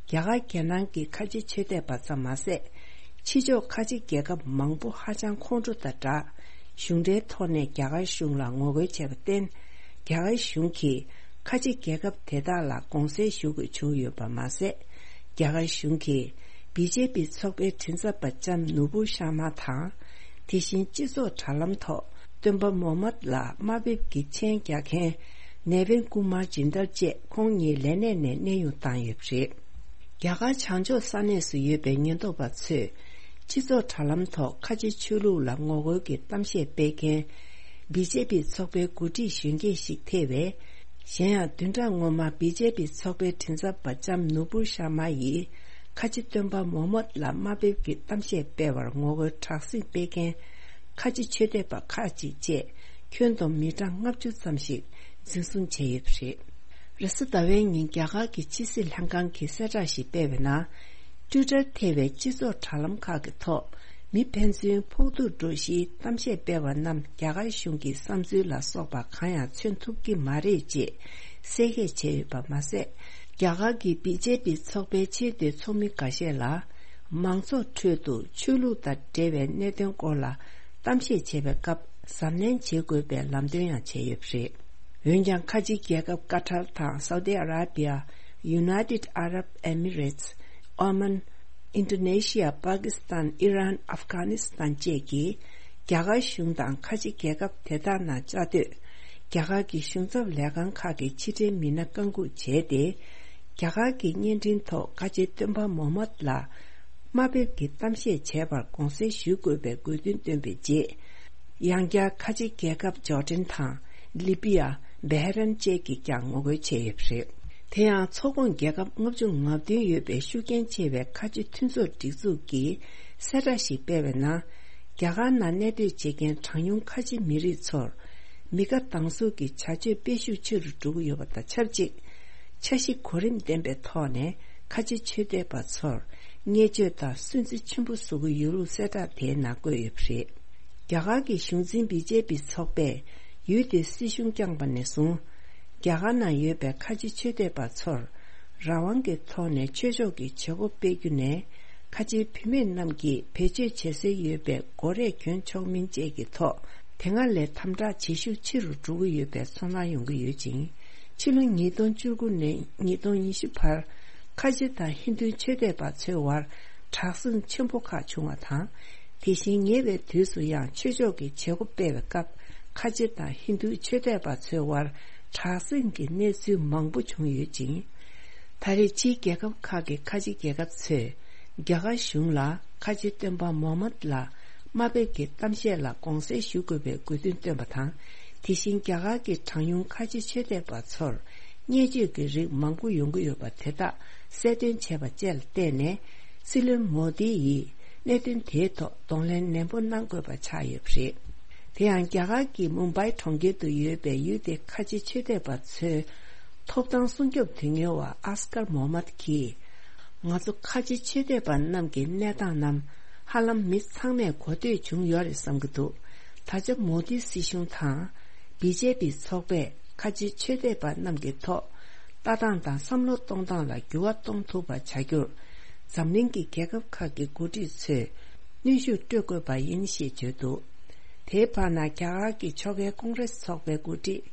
རྒྱ་གར་རྒྱལ་ནང་གི་ཁ་ཆེ་ཆོས་དད་པ་ཙམ་མ་ཟད། ཕྱི་ཕྱོགས་ཁ་ཆེ་རྒྱལ་ཁབ་མང་པོ་ཧ་ཅང་ཁོང་ཁྲོ་དང་སྦྲགས། གཞུང་འབྲེལ་ཐོག་ནས་རྒྱ་གར་གཞུང་ལ་ངོ་རྒོལ་བྱས་པར་བརྟེན། རྒྱ་གར་གཞུང་གིས་ཁ་ཆེ་རྒྱལ་ཁབ་དེ་དག་ལ་དགོངས་སེལ་ཞུ་དགོས་བྱུང་ཡོད་པ་མ་ཟད། རྒྱ་གར་གཞུང་གིས་བི་ཇེ་པི་ཚོགས་པའི་མགྲིན་ཚབ་པ་ལྕམ་ནུ་པུར་ཤར་མ་དང་། དེ་བཞིན་སྤྱི་ཚོགས་དྲ་ལམ་ཐོག་སྟོན་པ་མོ་ཧམ་མད་ལ་དམའ་འབེབས་ཀྱི་མཆན་རྒྱག་མཁན་ནེ་ཝིན་ཀུ་མར་ཇིན་དལ་བཅས་ཁོང་གཉིས་ལས་གནས་ནས་གནས་དབྱུང་བཏང་ཡོད་པ་རེད། རྒྱ་གར་བྱང་ཕྱོགས་ས་གནས་སུ་ཡོད་པའི་ཉེན་རྟོག་པ་ཚོས་སྤྱི་ཚོགས་དྲ་ལམ་ཐོག་ཁ་ཆེ་ཆོས་ལུགས་ལ་ངོ་རྒོལ་གྱི་གཏམ་བཤད་སྤེལ་མཁན་བི་ཇེ་པི་ཚོགས་པའི་འགོ་ཁྲིད་གཞོན་སྐྱེས་ཤིག་ཐེ་བའི། གཞན་ཡང་བདུན་ཕྲག་སྔོན་མ་བི་ཇེ་པི་ཚོགས་པའི་མགྲིན་ཚབ་པ་ལྕམ་ནུ་པུར་ཤར་མ་ཡིས་ཁ་ཆེ་སྟོན་པ་མོ་ཧམ་མད་ལ་དམའ་འབེབས་ཀྱི་གཏམ་བཤད་སྤེལ་བར་ངོ་རྒོལ་དྲག་ཟིང་སྤེལ་མཁན་ཁ་ཆེ་ཆོས་དད་པ་ཁག་ཅིག་བཅས་ཁྱོན་བསྡོམས་མི་གྲངས་ལྔ་བཅུ་ཙམ་ཞིག་འཛིན་བཟུང་བྱས་ཡོད་པ་རེད། རེས་གཟའ་ཟླ་བའི་ཉིན་རྒྱ་གར་གྱི་ཕྱི་སྲིད་ལྷན་ཁང་གིས་གསལ་བསྒྲགས་ཤིག་སྤེལ་བའི་ནང་། ཊུའི་ཊར་ཐེ་བའི་སྤྱི་ཚོགས་དྲ་ལམ་ཁག་གི་ཐོག་མི་ཕན་ཚུན་ཕོག་ཐུག་འགྲོ་གཞིའི་གཏམ་བཤད་སྤེལ་བ་རྣམས་རྒྱ་གར་གཞུང་གི་བསམ་ཚུལ་ལ་སོགས་པ་གང་ཡང་མཚོན་ཐུབ་ཀྱི་མ་རེད་ཅེས་གསལ་བཤད་བྱས་ཡོད་པ་མ་ཟད། རྒྱ་གར་གྱི་བི་ཇེ་པི་ཚོགས་པའི་ཆེས་མཐོའི་ཚོགས་མི་འགའ་ཤས་ལ། མང་ཚོགས་ཁྲོད་དུ་ཆོས་ལུགས་དང་འབྲེལ་བའི་གནད་དོན་སྐོར་ལ་གཏམ་བཤད་བྱེད་པའི་སྐབས་གཟབ་ནན་བྱེད་དགོས་པའི་ལམ་སྟོན་ཡང་བྱས་ཡོད་པ་རེད། འོན་ཀྱང་ཁ་ཆེ་རྒྱལ་ཁབ་ཀ་ཐར་དང་སའུ་ཏི་ཨ་ར་བི་ཡ། United Arab Emirates། ཨོ་མན། ཨིན་ཌོ་ནེ་ཤི་ཡ། པ་ཀི་སི་ཐན། ཨི་རན། ཨབ་གྷ་ནི་སི་ཐན་བཅས་ཀྱིས་རྒྱ་གར་གཞུང་དང་ཁ་ཆེ་རྒྱལ་ཁབ་དེ་དག་ནང་བཅའ་སྡོད་རྒྱ་གར་གྱི་གཞུང་ཚབ་ལས་ཁང་ཁག་གི་ཕྱི་འབྲེལ་མི་སྣ་བཀའ་འགུག་བྱས་ཏེ། རྒྱ་གར་གྱི་བརྙན་འཕྲིན་ཐོག་ཁ་ཆེ་སྟོན་པ་མོ་ཧམ་མད་ལ་དམའ་འབེབས་ཀྱི་གཏམ་བཤད་བྱས་པར་དགོངས་སེལ་ཞུ་དགོས་པའི་དགོས་འདུན་བཏོན་པའི་རྗེས། ཡང་བསྐྱར་ཁ་ཆེ་རྒྱལ་ཁབ་ཇོར་ཌན་དང་ལི་པི་ཡ། བྷེ་རན་བཅས་ཀྱིས་ཀྱང་ངོ་རྒོལ་བྱས་ཡོད་པ་རེད། དེ་ཡང་ཚོགས་ཁོངས་རྒྱལ་ཁབ་ལྔ་བཅུ་ང་བདུན་ཡོད་པའི་ཤུགས་རྐྱེན་ཆེ་བའི་ཁ་ཆེ་མཐུན་ཚོགས་སྒྲིག་འཛུགས་ཀྱིས་གསལ་བསྒྲགས་ཤིག་སྤེལ་བའི་ནང་། རྒྱ་གར་ནང་གནས་སྡོད་བྱེད་མཁན་གྲངས་ཉུང་ཁ་ཆེ་མི་རིགས་ཚོར། མི་དགའ་སྡང་ཟུག་གི་བྱ་སྤྱོད་སྤེལ་ཤུགས་ཆེ་རུ་འགྲོ་གི་ཡོད་པ་དང་ཆབས་ཅིག་འཆར་གཞི་གོ་རིམ་ལྡན་པའི་ཐོག་ནས་ཁ་ཆེ་ཆོས་དད་པ་ཚོར་བརྙས་བཅོས་དང་སུན་གཙེར་ཆེན་པོ་བཟོ་གི་ཡོད་ལུགས་གསལ་བསྒྲགས་དེའི་ནང་བཀོད་ཡོད་པ་རེད། རྒྱ་གར་གྱི་གཞུང་འཛིན་བི་ཇེ་པི་ཚོགས་པས་ཡུལ་དེའི་སྲིད་གཞུང་བསྐྱངས་པ་ནས་བཟུང་། རྒྱ་གར་ནང་ཡོད་པའི་ཁ་ཆེ་ཆོས་དད་པ་ཚོར་རང་དབང་གི་ཐོག་ནས་ཆོས་ཕྱོགས་ཀྱི་བྱེད་སྒོ་སྤེལ་རྒྱུ་ནས། ཁ་ཆེའི་བུད་མེད་རྣམས་ཀྱིས་བེད་སྤྱོད་བྱེད་སྲོལ་ཡོད་པའི་སྒོ་རས་གྱོན་ཆོག་མིན་བཅས་ཀྱི་ཐོག་དེ་སྔ་ལས་དམ་དྲག་བྱེད་ཤུགས་ཆེ་རུ་འགྲོ་གི་ཡོད་པའི་ཚོར་སྣང་ཡོང་གི་ཡོད་ཅིང་། ཕྱི་ལོ་ཉིས་སྟོང་བཅུ་དགུ་ནས་ཉིས་སྟོང་ཉི་ཤུ་བར་ཁ་ཆེ་དང་ཧིན་རྡུའི་ཆོས་དད་པ་ཚོའི་དབར་དྲག་ཟིང་ཆེན་པོ་ཁག་བྱུང་བ་དང་། དེ་བཞིན་ཉེ་བའི་དུས་སུ་ཡང་ཆོས་ཕྱོགས་ཀྱི་བྱེད་སྒོ་སྤེལ་བའི་སྐབས་ཁ་ཆེ་དང་ཧིན་རྡུའི་ཆོས་དད་པ་ཚོའི་དབར་དྲག་ཟིང་གི་གནས་ཚུལ་མང་པོ་བྱུང་ཡོད་ཅིང་། ད་རེས་ཕྱིའི་རྒྱལ་ཁབ་ཁག་གི་ཁ་ཆེ་རྒྱལ་ཁབ་ཚོས་རྒྱ་གར་གཞུང་ལ་ཁ་ཆེ་སྟོན་པ་མོ་ཧམ་མད་ལ་དམའ་འབེབས་ཀྱི་གཏམ་བཤད་ལ་དགོངས་སེལ་ཞུ་དགོས་པའི་དགོས་འདུན་བཏོན་པ་དང་། དེ་བཞིན་རྒྱ་གར་གྱི་གྲངས་ཉུང་ཁ་ཆེ་ཆོས་དད་པ་ཚོར་བརྙས་བཅོས་ཀྱི་རིགས་མང་པོ་ཡོང་གི་ཡོད་པ་དེ་དག་གསལ་སྟོན་བྱས་པ་བཅས་ལ་བརྟེན་ནས། སྲིད་བློན་མོ་དི་ཡིས་གནད་དོན་དེའི་ཐོག་གདོང་ལེན་ནན་པོ་གནང་དགོས་པ་ཆགས་ཡོད་པ་རེད། དེ་ཡང་རྒྱ་གར་གྱི་མུམ་བྷའི་གྲོང་ཁྱེར་དུ་ཡོད་པའི་ཡུལ་དེའི་ཁ་ཆེ་ཆོས་དད་པ་ཚོའི་ཐོབ་ཐང་སྲུང་སྐྱོབ་དོན་གཉེར་བ་ཨས་ཀར་མོ་ཧམ་མད་ཀྱིས། ང་ཚོ་ཁ་ཆེ་ཆོས་དད་པ་རྣམས་ཀྱི་གནས་སྟངས་རྣམས་ཧ་ལམ་མི་ཚང་མས་གོ་ཐོས་བྱུང་ཡོད་རེད་བསམ་གྱི་འདུག་ད་ཆ་མོ་དི་སྲིད་གཞུང་དང་། བི་ཇེ་པི་ཚོགས་པས་ཁ་ཆེ་ཆོས་དད་པ་རྣམས་ཀྱི་ཐོག་ལྟ་སྟངས་དང་བསམ་བློ་གཏོང་སྟངས་ལ་འགྱུར་བ་གཏོང་ཐུབ་པ་བྱ་རྒྱུར། འཛམ་གླིང་གི་རྒྱལ་ཁབ་ཁག་གི་འགོ་ཁྲིད་ཚོས་གནོན་ཤུགས་སྤྲོད་དགོས་པ་ཡིན་ཞེས་བརྗོད་འདུག་དེའི་བར་ན་རྒྱ་གར་གྱི་ཕྱོགས་འགལ་ཀོང་རེས་ཚོགས་པའི་འགོ་ཁྲིད་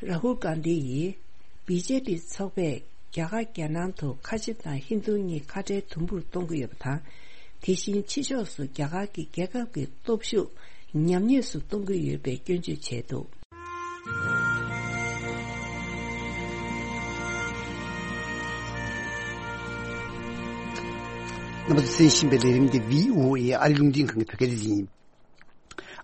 རཱ་ཧུལ་གྷན་དྷི་ཡིས། བི་ཇེ་པི་ཚོགས་པས་རྒྱ་གར་རྒྱལ་ནང་དུ་ཁ་ཆེ་དང་ཧིན་རྡུ་གཉིས་ཁ་བྲལ་དུམ་བུར་གཏོང་གི་ཡོད་པ་དང་། དེ་བཞིན་ཕྱི་ཕྱོགས་སུ་རྒྱ་གར་གྱི་རྒྱལ་ཁབ་ཀྱི་སྟོབས་ཤུགས་ཉམས་ཉེས་སུ་གཏོང་གི་ཡོད་པའི་སྐྱོན་བརྗོད་བྱས་འདུག་རྣམ་པ་ཚོས་གསན་བཞིན་པའི་ལས་རིམ་འདི་བྷི་ཨོ་ཨེ་ཨ་རིའི་རླུང་འཕྲིན་ཁང་གི་བོད་སྐད་སྡེ་ཚན་ཡིན།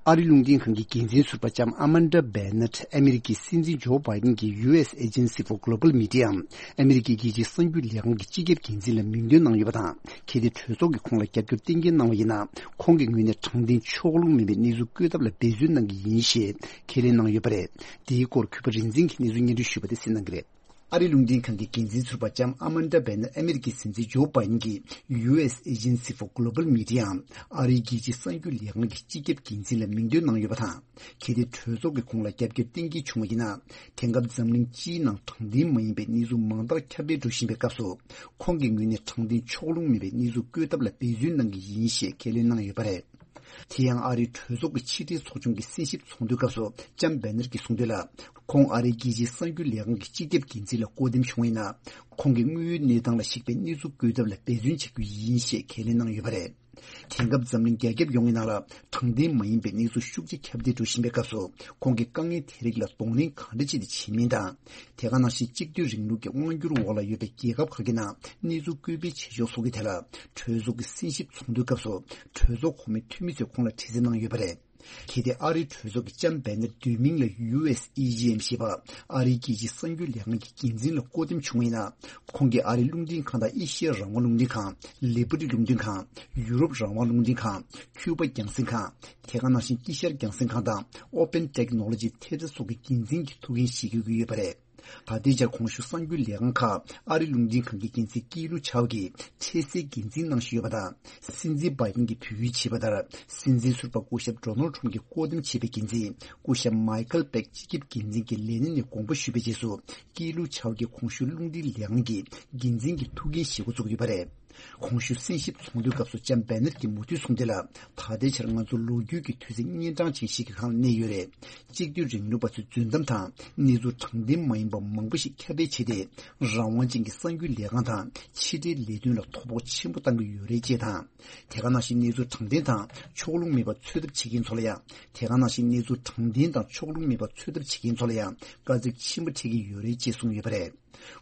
ཨ་རིའི་རླུང་འཕྲིན་ཁང་གི་འགན་འཛིན་ཟུར་པ་ལྕམ་ཨ་མན་ཌ་བྷེ་ནེཊ་ཨ་མི་རི་ཀའི་སྲིད་འཛིན་ཇོ་བྷའི་ཌེན་གྱི་ཡུ་ཨེས་Agency for Global Media་ཨམ་ཨ་མི་རི་ཀའི་རྒྱལ་སྤྱིའི་གསར་འགྱུར་ལས་ཁང་གི་སྤྱི་ཁྱབ་འགན་འཛིན་ལ་མིང་འདོན་གནང་ཡོད་པ་དང་། གལ་ཏེ་གྲོས་ཚོགས་ཀྱིས་ཁོང་ལ་རྒྱབ་སྐྱོར་གཏན་འཁེལ་གནང་བ་ཡིན་ན། ཁོང་གི་ངོས་ནས་དྲང་བདེན་ཕྱོགས་ལྷུང་མེད་པའི་གནས་ཚུལ་བཀོད་ཐབས་ལ་འབད་བརྩོན་གནང་གི་ཡིན་ཞེས་ཁས་ལེན་གནང་ཡོད་པ་རེད། འདིའི་སྐོར་གུས་པ་རིག་འཛིན་གྱིས་གནས་ཚུལ་སྙན་སྒྲོན་ཞུས་པ་དེ་གསན་གནང་གི་རེད། ཨ་རིའི་རླུང་འཕྲིན་ཁང་གི་འགན་འཛིན་ཟུར་པ་ལྕམ་ཨ་མན་ཌ་བྷེ་ནེཊ་ཨ་མི་རི་ཀའི་སྲིད་འཛིན་ཇོ་བྷའི་ཌེན་གྱི་ཡུ་ཨེས་Agency for Global Media་ཨམ་ཨ་རིའི་རྒྱལ་སྤྱིའི་གསར་འགྱུར་ལས་ཁང་གི་སྤྱི་ཁྱབ་འགན་འཛིན་ལ་མིང་འདོན་གནང་ཡོད་པ་དང་། གལ་ཏེ་གྲོས་ཚོགས་ཀྱིས་ཁོང་ལ་རྒྱབ་སྐྱོར་གཏན་འཁེལ་བྱུང་བ་ཡིན་ན། དེང་སྐབས་འཛམ་གླིང་སྤྱིའི་ནང་དྲང་བདེན་མ་ཡིན་པའི་གནས་ཚུལ་མང་དག་ཁྱབ་སྤེལ་འགྲོ་བཞིན་པའི་སྐབས་སུ། ཁོང་གི་ངོས་ནས་དྲང་བདེན་ཕྱོགས་ལྷུང་མེད་པའི་གནས་ཚུལ་བཀོད་ཐབས་ལ་འབད་བརྩོན་གནང་གི་ཡིན་ཞེས་ཁས་ལེན་གནང་ཡོད་པ་རེད། དེ་ཡང་ཨ་རིའི་གྲོས་ཚོགས་ཀྱི་ཕྱི་དྲིལ་ཚོགས་ཆུང་གི་གསན་ཞིབ་ཚོགས་འདུའི་སྐབས་སུ་ལྕམ་བྷེ་ནེཊ་ཀྱིས་གསུངས་དོན་ལ། ཁོང་ཨ་རིའི་རྒྱལ་སྤྱིའི་གསར་འགྱུར་ལས་ཁང་གི་སྤྱི་ཁྱབ་འགན་འཛིན་ལ་བསྐོ་འདེམས་བྱུང་བ་ཡིན་ན། ཁོང་གིས་དངོས་ཡོད་གནས་སྟངས་ལ་གཞིགས་པའི་གནས་ཚུལ་བཀོད་ཐབས་ལ་འབད་བརྩོན་བྱ་རྒྱུ་ཡིན་ཞེས་ཁས་ལེན་གནང་ཡོད་པ་རེད། དེང་སྐབས་འཛམ་གླིང་རྒྱ་ཁྱབ་ཡོངས་ཀྱི་ནང་ལ་དྲང་བདེན་མ་ཡིན་པའི་གནས་ཚུལ་ཤུགས་ཆེ་ཁྱབ་གདལ་འགྲོ་བཞིན་པའི་སྐབས་སུ། ཁོང་གིས་དཀའ་ངལ་དེ་རིགས་ལ་གདོང་ལེན་གང་འདྲ་བྱས་ཏེ་བྱེད་མིན་དང་། དེ་ག་ནང་བཞིན་གཅིག་སྡུད་རིང་ལུགས་ཀྱི་དབང་སྒྱུར་འོག་ལ་ཡོད་པའི་རྒྱལ་ཁབ་ཁག་གི་ནང་གནས་ཚུལ་བཀོད་སྤེལ་བྱེད་ཕྱོགས་སོགས་ཀྱི་ཐད་ལ། གྲོས་ཚོགས་ཀྱི་གསན་ཞིབ་ཚོགས་འདུའི་སྐབས་སུ། གྲོས་ཚོགས་གོང་མའི་འཐུས་མི་ཚོས་ཁོང་ལ་དྲི་རྩད་གནང་ཡོད་པ་རེད། གལ་ཏེ་ཨ་རིའི་གྲོས་ཚོགས་ཀྱིས་ལྕམ་བྷེ་ནེཊ་བསྡུས་མིང་ལ་ཡུ་ཨེས་ཨི་ཇི་ཨེམ་ཞེས་པ་ཨ་རིའི་རྒྱལ་སྤྱིའི་གསར་འགྱུར་ལས་ཁང་གི་འགན་འཛིན་ལ་བསྐོ་འདེམས་བྱུང་བ་ཡིན་ན། ཁོང་གིས་ཨ་རིའི་རླུང་འཕྲིན་ཁང་དང་ཨེ་ཤི་ཡ་རང་དབང་རླུང་འཕྲིན་ཁང་། ལི་བྷ་ཊི་རླུང་འཕྲིན་ཁང་། ཡུ་རོབ་རང་དབང་རླུང་འཕྲིན་ཁང་། ཁྱུ་པ་རྒྱང་སྲིང་ཁང་། དེ་ག་ནང་བཞིན་དཀྱིལ་ཤར་རྒྱང་སྲིང་ཁང་དང་Open Technology Theatre་སོགས་ཀྱི་འགན་འཛིན་གྱི་ཐུགས་འགན་བཞེས་དགོས་ཀྱི་ཡོད་པ་རེད། ད་ལྟའི་ཆར་གོང་ཞུས་གསར་འགྱུར་ལས་ཁང་ཁག་ཨ་རིའི་རླུང་འཕྲིན་ཁང་གི་འགན་འཛིན་ཀི་ལུ་ཆའོ་གིས་འཕྲལ་སེལ་འགན་འཛིན་གནང་བཞིན་ཡོད་པ་དང་། སྲིད་འཛིན་བྷའི་ཌེན་གྱིས་བོད་ཡིག་བྱས་པ་ལྟར། སྲིད་འཛིན་ཟུར་པ་སྐུ་ཞབས་ཌོ་ནལ་ཊམ་གྱིས་བསྐོ་འདེམས་བྱས་པའི་འགན་འཛིན་སྐུ་ཞབས་མའི་ཁལ་པེག་སྤྱི་ཁྱབ་འགན་འཛིན་གྱི་ལས་གནས་ནས་དགོངས་པ་ཞུས་པའི་རྗེས་སུ། ཀི་ལུ་ཆའོ་གིས་གོང་ཞུས་རླུང་འཕྲིན་ལས་ཁང་གི་འགན་འཛིན་གྱི་ཐུགས་འགན་བཞེས་འགོ་བཙུགས་ཡོད་པ་རེད། གོང་ཞུས་གསན་ཞིབ་ཚོགས་འདུའི་སྐབས་སུ་ལྕམ་བྷེ་ནེཊ་ཀྱིས་མུ་མཐུད་གསུངས་དོན་ལ། ད་ལྟའི་ཆར་ང་ཚོ་ལོ་རྒྱུས་ཀྱི་དུས་ཚིགས་གཉན་འཕྲང་ཅན་ཞིག་གི་སྒང་ལ་གནས་ཡོད་རེད། གཅིག་སྡུད་རིང་ལུགས་པ་ཚོའི་རྫུན་གཏམ་དང་གནས་ཚུལ་དྲང་བདེན་མ་ཡིན་པ་མང་པོ་ཞིག་ཁྱབ་སྤེལ་བྱས་ཏེ། རང་དབང་ཅན་གྱི་གསར་འགྱུར་ལས་ཁང་དང་ཕྱི་དྲིལ་ལས་དོན་ལ་དོ་ཕོག་ཆེན་པོ་བཏང་གི་ཡོད་རེད་ཅེས་དང་། དེ་ག་ནང་བཞིན་གནས་ཚུལ་དྲང་བདེན་དང་ཕྱོགས་ལྷུང་མེད་པ་འཚོལ་ཐབས་བྱེད་མཁན་ཚོ་ལ་ཡང་། དེ་ག་ནང་བཞིན་གནས་ཚུལ་དྲང་བདེན་དང་ཕྱོགས་ལྷུང་མེད་པ་འཚོལ་ཐབས་བྱེད་མཁན་ཚོ་ལ་ཡང་དཀའ་ཚེགས་ཆེན་པོ་འཕྲད་ཀྱི་ཡོད་རེད་ཅེས་གསུངས་ཡོད་པ་རེད།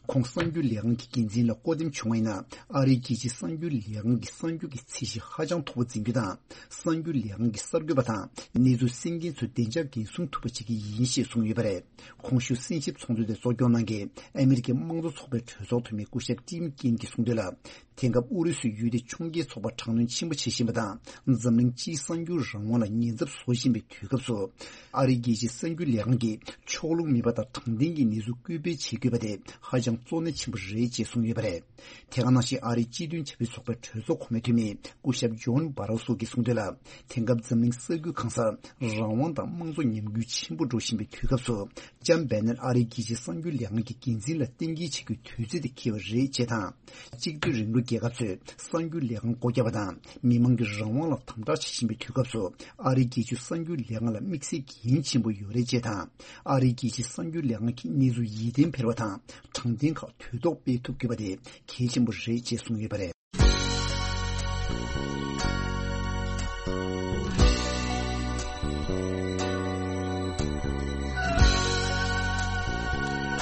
ཁོང་གསར་འགྱུར་ལས་ཁང་གི་འགན་འཛིན་ལ་བསྐོ་འདེམས་བྱུང་བ་ཡིན་ན། ཨ་རིའི་རྒྱལ་སྤྱིའི་གསར་འགྱུར་ལས་ཁང་གི་གསར་འགྱུར་གྱི་ཚད་གཞི་ཧ་ཅང་མཐོ་པོ་འཛིན་རྒྱུ་དང་། གསར་འགྱུར་ལས་ཁང་གི་གསར་འགོད་པ་དང་གནས་ཚུལ་གསན་མཁན་ཚོའི་བདེ་འཇགས་འགན་སྲུང་ཐུབ་པ་བྱེད་ཀྱི་ཡིན་ཞེས་གསུངས་ཡོད་པ་རེད། གོང་ཞུས་གསན་ཞིབ་ཚོགས་འདུ་དེ་གཙོ་སྐྱོང་གནང་མཁན་ཨ་མི་རི་ཀའི་དམངས་གཙོ་ཚོགས་པའི་གྲོས་ཚོགས་འཐུས་མི་སྐུ་ཞབས་ཊིམ་ཀིན་གྱིས་གསུངས་དོན་ལ། དེང་སྐབས་ཨུ་རུ་སུའི་ཡུལ་དེ་ཕྱོགས་འགལ་ཚོགས་པ་དྲག་གནོན་ཆེན་པོ་བྱེད་བཞིན་པ་དང་། འཛམ་གླིང་སྤྱིའི་གསར་འགྱུར་རང་དབང་ལ་ཉེན་ཚབས་བཟོ་བཞིན་པའི་དུས་སྐབས་སུ། ཨ་རིའི་རྒྱལ་སྤྱིའི་གསར་འགྱུར་ལས་ཁང་གིས་ཕྱོགས་ལྷུང་མེད་པ་དང་དྲང་བདེན་གྱི་གནས་ཚུལ་སྐུལ་སྤེལ་བྱེད་དགོས་པ་དེ་ཧ་ཅང་གཙོ་གནད་ཆེན་པོ་རེད་ཅེས་གསུངས་ཡོད་པ་རེད། དེ་ག་ནང་བཞིན་ཨ་རིའི་སྤྱི་མཐུན་ཆབ་སྲིད་ཚོགས་པའི་གྲོས་ཚོགས་གོང་མའི་འཐུས་མི་སྐུ་ཞབས་ཇོན་བྷ་རོ་སོ་གིས་གསུངས་དོན་ལ། དེང་སྐབས་འཛམ་གླིང་ས་ཁུལ་གང་སར་རང་དབང་དང་དམངས་གཙོ་ཉམས་རྒུད་ཆེན་པོ་འགྲོ་བཞིན་པའི་དུས་སྐབས་སུ། ལྕམ་བྷེ་ནེར་ཨ་རིའི་རྒྱལ་སྤྱིའི་གསར་འགྱུར་ལས་ཁང་གི་འགན་འཛིན་ལ་གཏན་འཁེལ་བྱེད་རྒྱུའི་དུས་ཚོད་དེ་འཁེལ་བ་རེད་ཅེས་དང་། གཅིག་སྡུད་རིང་ལུགས་རྒྱལ་ཁབ་ཚོས་གསར་འགྱུར་ལས་ཁང་སྒོ་བརྒྱབ་པ་དང་མི་མང་གི་རང་དབང་ལ་དམ་དྲག་བྱེད་བཞིན་པའི་དུས་སྐབས་སུ། ཨ་རིའི་རྒྱལ་སྤྱིའི་གསར་འགྱུར་ལས་ཁང་ལ་དམིགས་བསལ་གྱི་འགན་ཆེན་པོ་ཡོད་རེད་ཅེས་དང་། ཨ་རིའི་རྒྱལ་སྤྱིའི་གསར་འགྱུར་ལས་ཁང་གིས་གནས་ཚུལ་ཡིད་བརྟན་འཕེར་བ་དང་དྲང་བདེན་ཁག་དུས་ཐོག་སྤེལ་ཐུབ་དགོས་པ་དེ་གལ་ཆེན་པོ་རེད་ཅེས་གསུངས་ཡོད་པ་རེད།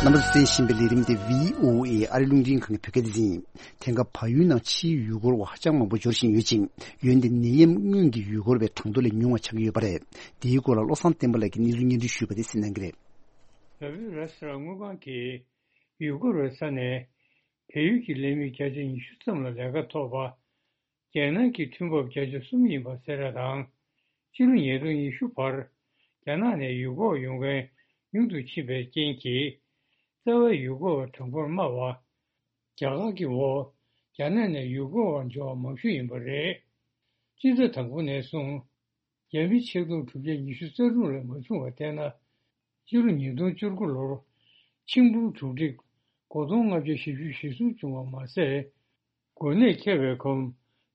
རྣམ་པར་གསན་བཞིན་པའི་ལས་རིམ་དེ་བྷི་ཨོ་ཨེ་ཨ་རི་རླུང་འཕྲིན་ཁང་གི་བོད་སྐད་སྡེ་ཚན་ཡིན། དེང་སྐབས་བལ་ཡུལ་ནང་ཕྱིའི་ཡུལ་སྐོར་བ་ཧ་ཅང་མང་པོ་འབྱོར་བཞིན་ཡོད་ཅིང་། ཡོན་ཏན་ནད་ཡམས་སྔོན་གྱི་ཡུལ་སྐོར་བའི་གྲངས་ཐོ་ལས་ཉུང་བ་ཆགས་ཀྱི་ཡོད་པ་རེད། དེའི་སྐོར་ལ་བློ་བཟང་བསྟན་པ་ལགས་ཀྱིས་གནས་ཚུལ་སྙན་སྒྲོན་ཞུས་པ་དེ་གསན་གནང་གི་རེད། བལ་པོའི་ར་སི་ར་དངུལ་ཁང་གིས་ཡུལ་སྐོར་བའི་ས་ནས་བལ་ཡུལ་གྱི་ལས་མི་བརྒྱ་ཆ་ཉི་ཤུ་ཙམ་ལ་ལས་ཀ་ཐོབ་པ། རྒྱལ་ནང་གི་ཐོན་འབབ་བརྒྱ་ཆ་གསུམ་ཡིན་པ་གསལ་བསྒྲགས་དང་། ཕྱི་ལོ་ཉིས་སྟོང་ཉི་ཤུ་བར་རྒྱ་ནག་ནས་ཡུལ་སྐོར་ཡོང་མཁན་ཉུང་དུ་ཕྱིན་པའི་རྐྱེན་གྱིས། རྩ་བའི་ཡུལ་སྐོར་བ་གྲངས་འབོར་དམའ་བ། རྒྱ་གར་གྱི་འོག་རྒྱ་ནག་ནས་ཡུལ་སྐོར་བ་འབྱོར་བ་མང་ཤོས་ཡིན་པ་རེད། སྤྱི་ཟླ་དང་པོ་ནས་བཟུང་། རྒྱ་མི་ཆིག་སྟོང་དྲུག་བརྒྱ་ཉི་ཤུ་རྩ་དྲུག་ལས་མ་བྱུང་བར་བལྟས་ན། སྤྱི་ལོ་ཉིས་སྟོང་བཅུ་དགུ་ལོར་ཆིག་འབུམ་དྲུག་ཁྲི་དགུ་སྟོང་ལྔ་བརྒྱ་བཞི་བཅུ་ཞེ་གསུམ་བྱུང་བ་མ་ཟད། འགོ་ནད་ཁྱབ་པའི་གོང་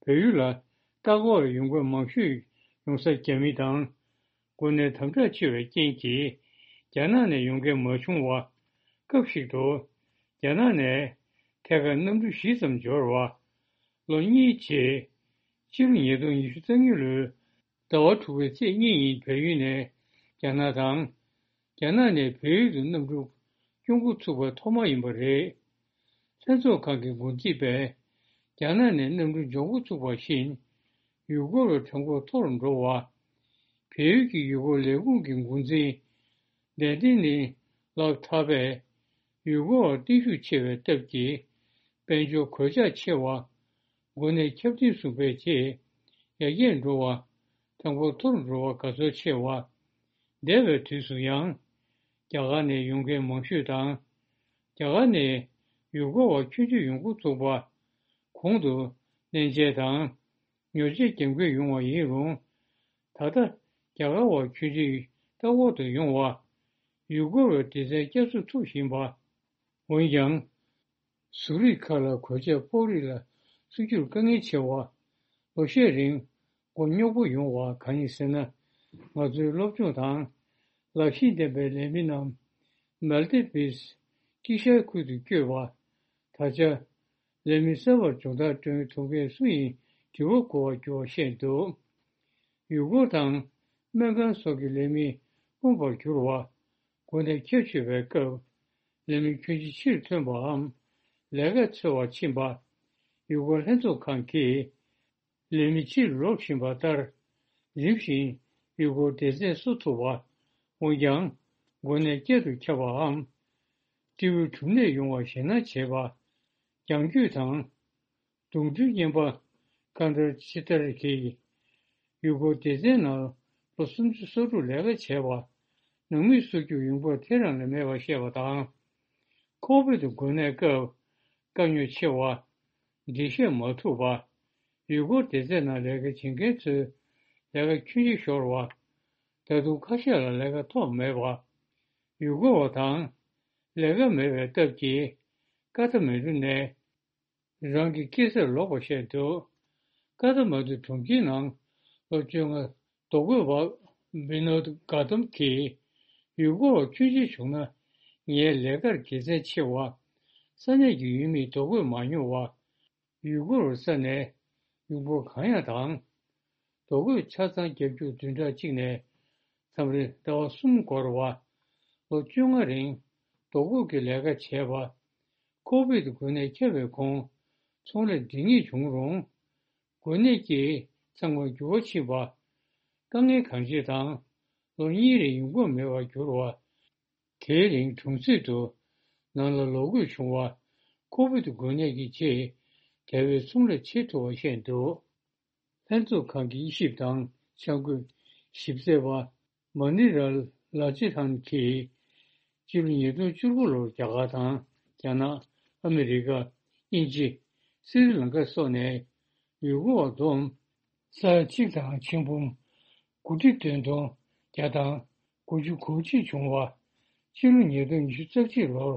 བལ་ཡུལ་ལ་ལྟ་སྐོར་ཡོང་མཁན་མང་ཤོས་ཡོང་ས་རྒྱ་མི་དང་། འགོ་ནད་དམ་དྲག་ཆེ་བའི་རྐྱེན་གྱིས་རྒྱ་ནག་ནས་ཡོང་མཁན་མ་བྱུང་བ། སྐབས་ཤིག་ཏུ་རྒྱ་ནག་ནས་ཐད་ཀར་གནམ་གྲུ་བཞི་ཙམ་འབྱོར་བ། ལོ་གཉིས་རྗེས་ཕྱི་ལོ་ཉིས་སྟོང་ཉི་ཤུ་རྩ་གཉིས་ལོའི་ཟླ་བ་དྲུག་པའི་ཚེས་གཉིས་ཉིན་བལ་ཡུལ་ནས་རྒྱ་ནག་དང་། རྒྱ་ནག་ནས་བལ་ཡུལ་དུ་གནམ་གྲུ་སྐྱོད་འགོ་ཚུགས་པ་ཐོག་མ་ཡིན་པ་རེད། ལྷན་ཚོགས་ཁང་གི་འགོ་ཁྲིད་པས་རྒྱ་ནག་ནས་གནམ་གྲུ་འབྱོར་འགོ་ཚུགས་པ་བཞིན། ཡུལ་སྐོར་བའི་གྲངས་འབོར་མཐོ་རུ་འགྲོ་བ། བལ་ཡུལ་གྱི་ཡུལ་སྐོར་ལས་ཁུངས་ཀྱི་འགོ་འཛིན་ལན་ཏིང་ནི་ལགས་ཐར་པས། ཡུལ་སྐོར་བ་བརྟན་ཤུགས་ཆེ་བའི་སྟབས་ཀྱིས་དཔལ་འབྱོར་གོད་ཆག་ཆེ་བ། འགོ་ནད་ཁྱབ་གདལ་སོང་པའི་རྗེས་ཡར་རྒྱས་འགྲོ་བ། གྲངས་འབོར་མཐོ་རུ་འགྲོ་བ་དགའ་ཚོར་ཆེ་བ། འདས་པའི་དུས་སུ་ཡང་རྒྱ་གར་ནས་ཡོང་མཁན་མང་ཤོས་དང་། རྒྱ་གར་ནས་ཡུལ་སྐོར་བ་ཁྱོན་ཆེ་ཡོང་འགོ་ཚུགས་པ། གོང་དུ་གནས་མཇལ་དང་། ཉོ་ཆས་རྒྱབ་འགལ་ཡོང་བ་ཡིན་རུང་། ད་ལྟ་རྒྱ་གར་བ་ཁྱོན་ཆེ་ལྟ་སྐོར་དུ་ཡོང་བ། ཡུལ་སྐོར་བའི་སྡེ་ཚན་བསྐྱར་གསོ་ཐུབ་བཞིན་པ། འོན་ཀྱང་། ཟུར་རིགས་ཁག་ལ་གོད་ཆག་ཕོག་རིགས་ལ་ཚུད་རྒྱུར་དཀའ་ངལ་ཆེ་བ། ལོ་ཤས་རིང་མགོ་རྙོག་པོ་ཡོང་བ་གང་ཡིན་ཟེར་ན། ང་ཚོའི་སློབ་སྦྱོང་དང་ལག་ཤེས་ལྡན་པའི་ལས་མི་རྣམས་མལ་ཏི་བིས་དཀྱིལ་ཤར་ཁུལ་དུ་བསྐྱོད་པ། ད་ཆ་ལས་མི་གསར་པར་སྦྱོང་བརྡར་སྐྲུན་ཐུབ་མཁན་སུ་ཡིན་དྲི་བ་འགོད་པར་འགྱུར་བ་བཤད་འདུག་ཡུལ་སྐོར་དང་སྨན་ཁང་སོགས་ཀྱི་ལས་མི་དཀོན་པར་གྱུར་བ། འགོ་ནད་ཁྱབ་ཆེ་བའི་སྐབས་ལས་མི་ཁྱོན་ཆེ་ཕྱིར་ཐོན་པའམ་ལས་ཀ་འཚོལ་བར་ཕྱིན་པ། ཡུལ་སྐོར་ལྷན་ཚོགས་ཁང་གིས་ལས་མི་ཕྱིར་ལོག་བཞིན་པ་ལྟར། རིམ་བཞིན་ཡུལ་སྐོར་སྡེ་ཚན་བཟོ་ཐུབ་པ། འོན་ཀྱང་འགོ་ནད་བསྐྱར་དུ་ཁྱབ་པའམ་སྤྲེའུའི་འབྲུམ་ནད་ཡོང་བར་ཞེད་སྣང་བྱེད་པ། རྒྱང་སྐྱོད་དང་། གདོང་ཐུག་བརྙན་པ་ཀན་ཏར་ཅི་ཏར་གྱིས་ཡུལ་སྐོར་སྡེ་ཚན་ནང་ལོ་སུམ་ཅུ་སོ་དྲུག་ལས་ཀ་བྱས་པ། ནང་མི་སོ་རྒྱུག་ཡོང་འབབ་དེ་རང་ལས་མེད་པ་བཤད་པ་དང་། ཁོ་བིད་འགོས་ནད་སྐབས་དཀའ་རྙོག་ཆེ་བ། འགྲེལ་བཤད་མ་ཐུབ་པ། ཡུལ་སྐོར་སྡེ་ཚན་ནང་ལས་ཀ་བྱེད་མཁན་ཚོའི་ལས་ཀ་ཁྱོན་ཆེ་ཤོར་བ། ད་དུང་ཁ་ཤས་ལ་ལས་ཀ་ཐོབ་མེད་པ། ཡུལ་སྐོར་བ་དང་ལས་ཀ་མེད་པའི་སྟབས་ཀྱིས་ཀ་ཐ་མན་ཌུ་ནས་རང་གི་སྐྱེས་སར་ལོག་པ་བཤད་འདུག་ཀ་ཐ་མན་ཌུ་གྲོང་ཁྱེར་ནང་ལོ་བཅོ་ལྔ་རྡོ་བརྐོས་པ་བི་ནོད་གྷ་ཏམ་གྱིས་ཡུལ་སྐོར་བ་ཁྱོན་ཆེ་བྱུང་ན་ངའི་ལས་ཀར་དགེ་མཚན་ཆེ་བ། ས་གནས་ཀྱི་ཡུལ་མིས་རྡོ་བརྐོས་མ་མྱོང་བ། ཡུལ་སྐོར་བའི་ས་ནས་ཡོང་འབབ་གང་ཡང་དང་། རྡོ་བརྐོས་ཆ་ཚང་རྒྱབ་སྐྱོར་བདུན་ཕྲག་གཅིག་ནས་མཚམས་རེ་ཟླ་བ་གསུམ་འགོར་བ། ལོ་བཅོ་ལྔ་རིང་རྡོ་བརྐོས་ཀྱི་ལས་ཀ་བྱས་པ། ཁོ་བིད་འགོས་ནད་ཁྱབ་པའི་གོང་ཚོང་ལས་སྒྲིང་ངེ་བྱུང་རུང་། འགོས་ནད་ཀྱིས་ཚང་མར་འགྱུར་བ་ཕྱིན་པ། དཀའ་ངལ་གང་ཆེ་དང་ལོ་གཉིས་རིང་ཡོང་འབབ་མེད་པར་གྱུར་བ། དེའི་རིང་གྲོང་གསེབ་ཏུ་ནང་ལ་ལོག་དགོས་བྱུང་བ། ཁོ་བིད་འགོས་ནད་ཀྱི་རྗེས་རྒྱལ་བའི་ཚོང་ལས་བྱེད་ཐུབ་པ་བཤད་འདུག་ལྷན་ཚོགས་ཁང་གི་དབྱེ་ཞིབ་དང་འཆར་འགོད་ཞིབ་འཚོལ་བ་མ་ནི་རལ་ལ་ཅི་ཐན་གྱིས། སྤྱི་ལོ་ཉིས་སྟོང་བཅུ་དགུ་ལོར་རྒྱ་གར་དང་རྒྱ་ནག་ཨ་མི་རི་ཀ་དབྱིན་ཇི་སི་རི་ལང་ཀ་སོགས་ནས་ཡུལ་སྐོར་བ་བསྡོམས། ས་ཡ་གཅིག་དང་ཆིག་འབུམ་དགུ་ཁྲི་བདུན་སྟོང་བརྒྱ་དང་དགུ་བཅུ་གོ་གཅིག་བྱུང་བ། ཕྱི་ལོ་ཉིས་སྟོང་ཉི་ཤུ་རྩ་གཅིག་ལོར་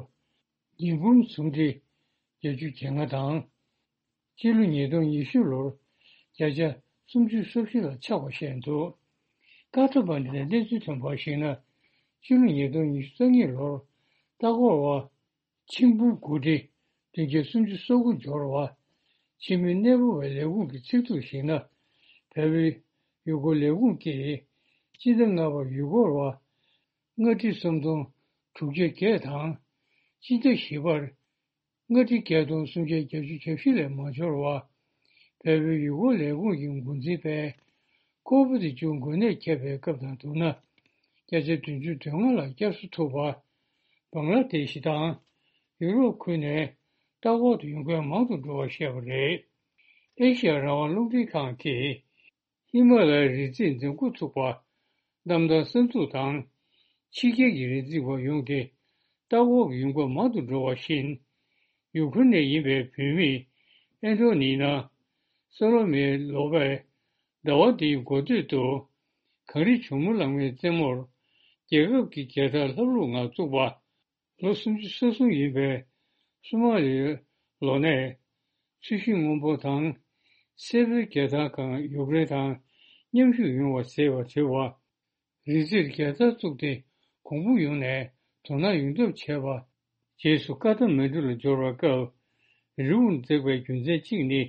ཉིས་འབུམ་སུམ་ཁྲི་བརྒྱད་ཅུ་གྱ་ལྔ་དང་། སྤྱི་ལོ་ཉིས་སྟོང་ཉི་ཤུ་ལོར་བརྒྱ་ཆ་སུམ་ཅུ་སོ་བཞི་ལ་ཆག་པ་བཤད་འདུག་ཀ་ཐ་མན་ཌུ་ནས་གནས་ཚུལ་ཐོན་པར་གཞིགས་ན། སྤྱི་ལོ་ཉིས་སྟོང་ཉི་ཤུ་རྩ་གཉིས་ལོར་ལྟ་སྐོར་བ་ཆིག་འབུམ་དགུ་ཁྲི་བདུན་བརྒྱ་སུམ་ཅུ་སོ་དགུ་འབྱོར་བ། ཕྱི་མི་གནས་སྤོ་བའི་ལས་ཁུངས་ཀྱི་ཚིག་ཐོར་གཞིགས་ན། བལ་པོའི་ཡུལ་སྐོར་ལས་ཁུངས་ཀྱིས་སྤྱི་ཟླ་ལྔ་པར་ཡུལ་སྐོར་བ་ལྔ་ཁྲི་སུམ་སྟོང་དྲུག་བརྒྱ་བརྒྱད་དང་། སྤྱི་ཟླ་བཞི་པར་ལྔ་ཁྲི་བརྒྱད་སྟོང་སུམ་བརྒྱ་གྱ་བཞི་ལས་མ་འབྱོར་བ། བལ་པོའི་ཡུལ་སྐོར་ལས་ཁུངས་ཀྱི་འགོ་འཛིན་པས་ཀོ་བིད་བཅུ་འགོས་ནད་ཁྱབ་པའི་སྐབས་དང་བསྡུར་ན། བརྒྱ་ཆ་བདུན་ཅུ་དོན་ལྔ་ལ་བསྐྱར་གསོ་ཐུབ་པ། བང་ལ་དེ་ཤི་དང་ཡུ་རོབ་ཁུལ་ནས་ལྟ་སྐོར་དུ་ཡོང་མཁན་མང་དུ་འགྲོ་བ་བཤད་པ་རེད། ཨེ་ཤི་ཡ་རང་དབང་རླུང་འཕྲིན་ཁང་གིས་ཧི་མ་ལ་ཡའི་རི་རྩེར་འཛེམ་བཀོད་ཚུགས་པ། གནམ་ཐང་གསར་འཛུགས་དང་། ཕྱི་རྒྱལ་གྱི་རི་འཛེག་པ་ཡོང་སྟེ་ལྟ་སྐོར་གྱི་ཡོང་སྒོ་མང་དུ་འགྲོ་བ་བཞིན། ཡུ་ཁུ་རེན་ནས་ཡིན་པའི་བུད་མེད་ཨན་ཏོ་ནི་ན་སོ་ལོ་མེ་ལོ་པས་ཟླ་བ་འདིའི་འགོ་སྟོད་དུ་གངས་རི་ཇོ་མོ་གླང་མའི་རྩེ་མོར་རྒྱལ་ཁབ་ཀྱི་རྒྱལ་དར་ལྷབ་ལྷུབ་ངང་བཙུགས་པ། ལོ་སུམ་ཅུ་སོ་གསུམ་ཡིན་པའི་སུ་མ་ལིའི་ལོ་ནས་ཚོས་གཞི་སྔོན་པོ་དང་སེར་པོའི་རྒྱལ་དར་སྒང་ཡུཀ་རེན་དང་མཉམ་ཞུགས་ཡོང་བ་ཟེར་བ་བྲིས་པ། རི་རྩེར་རྒྱལ་དར་བཙུགས་ཏེ་གོང་བུ་ཡོངས་ནས་དོ་སྣང་ཡོང་ཐབས་བྱས་པ། རྗེས་སུ་ཀ་ཐ་མན་ཌུ་ལ་འབྱོར་བའི་སྐབས་རི་བོར་འཛེགས་པའི་རྒྱུ་མཚན་གཅིག་ནི་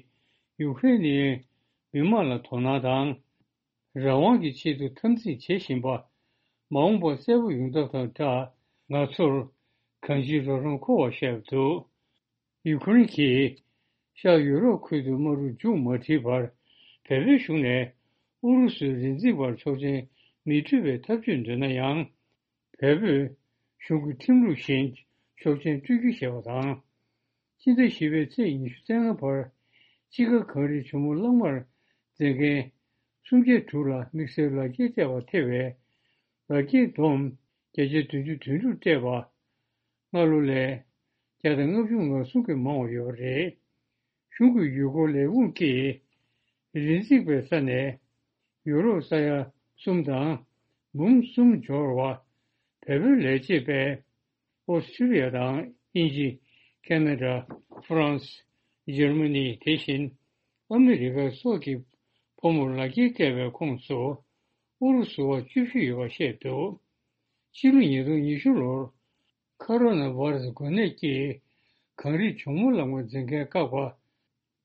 ཡུཀ་རེན་ནི་མི་མང་ལ་དོ་སྣང་དང་། རང་དབང་གི་ཆེད་དུ་འཐབ་འཛིང་བྱེད་བཞིན་པ། མ་འོངས་པར་གསལ་པོ་ཡོང་ཐབས་དང་སྦྲགས། ང་ཚོར་གང་ཅིའི་རོགས་རམ་མཁོ་བ་བཤད་འདུག་ཡུ་ཁུ་རེན་གྱིས་ཤར་ཡུ་རོབ་ཁུལ་དུ་དམག་འཁྲུག་མཇུག་མ་སྒྲིལ་བར་བལ་པོའི་གཞུང་ནས་ཨུ་རུ་སུའི་རི་འཛེག་པར་ཆོག་མཆན་མི་སྤྲོད་པའི་ཐབས་ཇུས་འདོན་ན་ཡང་། བལ་པོས་གཞུང་གི་ཁྲིམས་ལུགས་བཞིན་ཆོག་མཆན་སྤྲོད་རྒྱུ་ཞེས་པ་དང་། ཕྱི་ཟླ་བཞི་པའི་ཚེས་ཉི་ཤུ་རྩ་ལྔ་བར་དཔྱིད་ཀ་གངས་རི་ཇོ་མོ་གླང་མར་འཛེག་མཁན་སུམ་བརྒྱ་དྲུག་ལ་དམིགས་བསལ་ལག་འཁྱེར་སྤྲད་པ་ཐེ་བའི་ལག་འཁྱེར་བསྡོམས་བརྒྱ་ཆ་བདུན་ཅུ་དོན་དྲུག་སྤྲད་པ། སྔ་ལོ་ལས་བརྒྱ་དང་ལྔ་བཅུ་ང་གསུམ་གྱིས་མང་བ་ཡོད་པ་རེད། གཞུང་གི་ཡུལ་སྐོར་ལས་ཁུངས་ཀྱིས་རི་འཛེག་པའི་ས་ནས་ཡུ་རོབ་ས་ཡ་གསུམ་དང་འབུམ་གསུམ་འབྱོར་བ། བལ་པོའི་ལས་བྱེད་པས་ཨོ་སི་ཀྲི་ཡ་དང་དབྱིན་ཇི། ཁེ་ན་ཌ། ཧྥ་རན་སི། འཇར་མ་ནི། དེ་བཞིན་ཨ་མི་རི་ཀ་སོགས་ཀྱི་ཕོ་མོར་ལག་འཁྱེར་སྤྲད་པའི་ཁོངས་སུ་ཨུ་རུ་སུ་བ་བཅུ་བཞི་ཡོད་པ་བཤད་འདུག་ཕྱི་ལོ་ཉིས་སྟོང་ཉི་ཤུ་ལོར་ཁོ་རོ་ན་བྷ་ར་སི་འགོས་ནད་ཀྱིས་གངས་རི་ཇོ་མོ་གླང་མ་འཛེག་མཁན་བཀག་པ།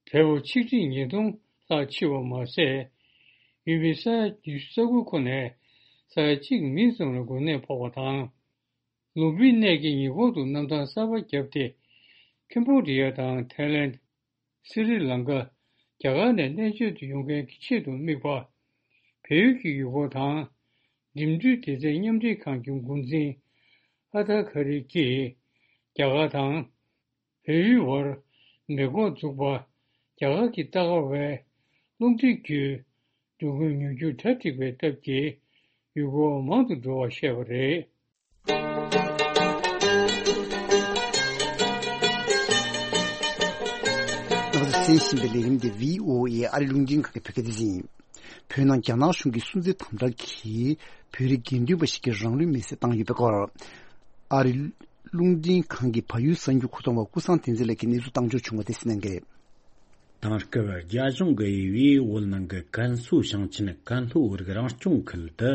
བལ་པོ་ཆིག་ཁྲི་ཉིས་སྟོང་ལྷག་འཆི་བ་མ་ཟད། ཡུལ་མི་ས་ཡ་ཉི་ཤུ་རྩ་དགུ་ཁོ་ནས་ས་ཡ་གཅིག་མིན་ཙམ་ལ་འགོས་ནད་ཕོག་པ་དང་། ལུམ་བི་ནི་གི་ཉེ་འཁོར་དུ་གནམ་ཐང་གསར་པ་བརྒྱབ་སྟེ། ཁེམ་བྷོ་ཌི་ཡ་དང་ཐའི་ལེན། སི་རི་ལང་ཀ། རྒྱ་གར་ནས་གནས་མཆེད་དུ་ཡོང་མཁན་གྱི་ཆེད་དུ་དམིགས་པ། བལ་ཡུལ་གྱི་ཡུལ་སྐོར་དང་། འགྲིམ་འགྲུལ་སྡེ་ཚན་མཉམ་འབྲེལ་ཁང་གི་འགོ་འཛིན་ཨ་ཐར་ཁ་རི་གིས་རྒྱ་གར་དང་། བལ་ཡུལ་བར་མེ་འགོག་འཛུགས་པ། རྒྱ་གར་གྱི་རྟ་དཀར་བའི་རླུང་འཕྲིན་བརྒྱུད་འགྲོ་ཀུན་ཉུང་སྐྱུར་གྲ་སྒྲིག་པའི་སྟབས་ཀྱིས་ཡུལ་སྐོར་བ་མང་དུ་འགྲོ་བ་བཤད་པ་རེད། ང་ཚོ་གསན་བཞིན་པའི་ལས་རིམ་འདི་བྷི་ཨོ་ཨེ་ཨ་རི་རླུང་འཕྲིན་ཁང་གི་བོད་སྐད་སྡེ་ཚན་ཡིན། བོད་ནང་རྒྱ་ནག་གཞུང་གིས་སུན་གཙེར་དམ་དྲག་གིས་བོད་རིགས་དགེ་འདུན་པ་ཞིག་གི་རང་ལུས་མེར་སྲེག་བཏང་ཡོད་པའི་སྐོར། ཨ་རི་རླུང་འཕྲིན་ཁང་གི་བལ་ཡུལ་གསར་འགྱུར་མཁོ་གཏོང་བ་ཀུན་བཟང་བསྟན་འཛིན་ལགས་ཀྱིས་གནས་ཚུལ་བཏང་འབྱོར་བྱུང་བ་དེ་གསན་གནང་གི་རེད། དེང་སྐབས་རྒྱ་གཞུང་གིས་དབྱིན་ཡུལ་བོད་ནང་གི་ཀན་སུའུ་ཞིང་ཆེན་ཀན་ལྷོའི་རིགས་རང་སྐྱོང་ཁུལ་དུ།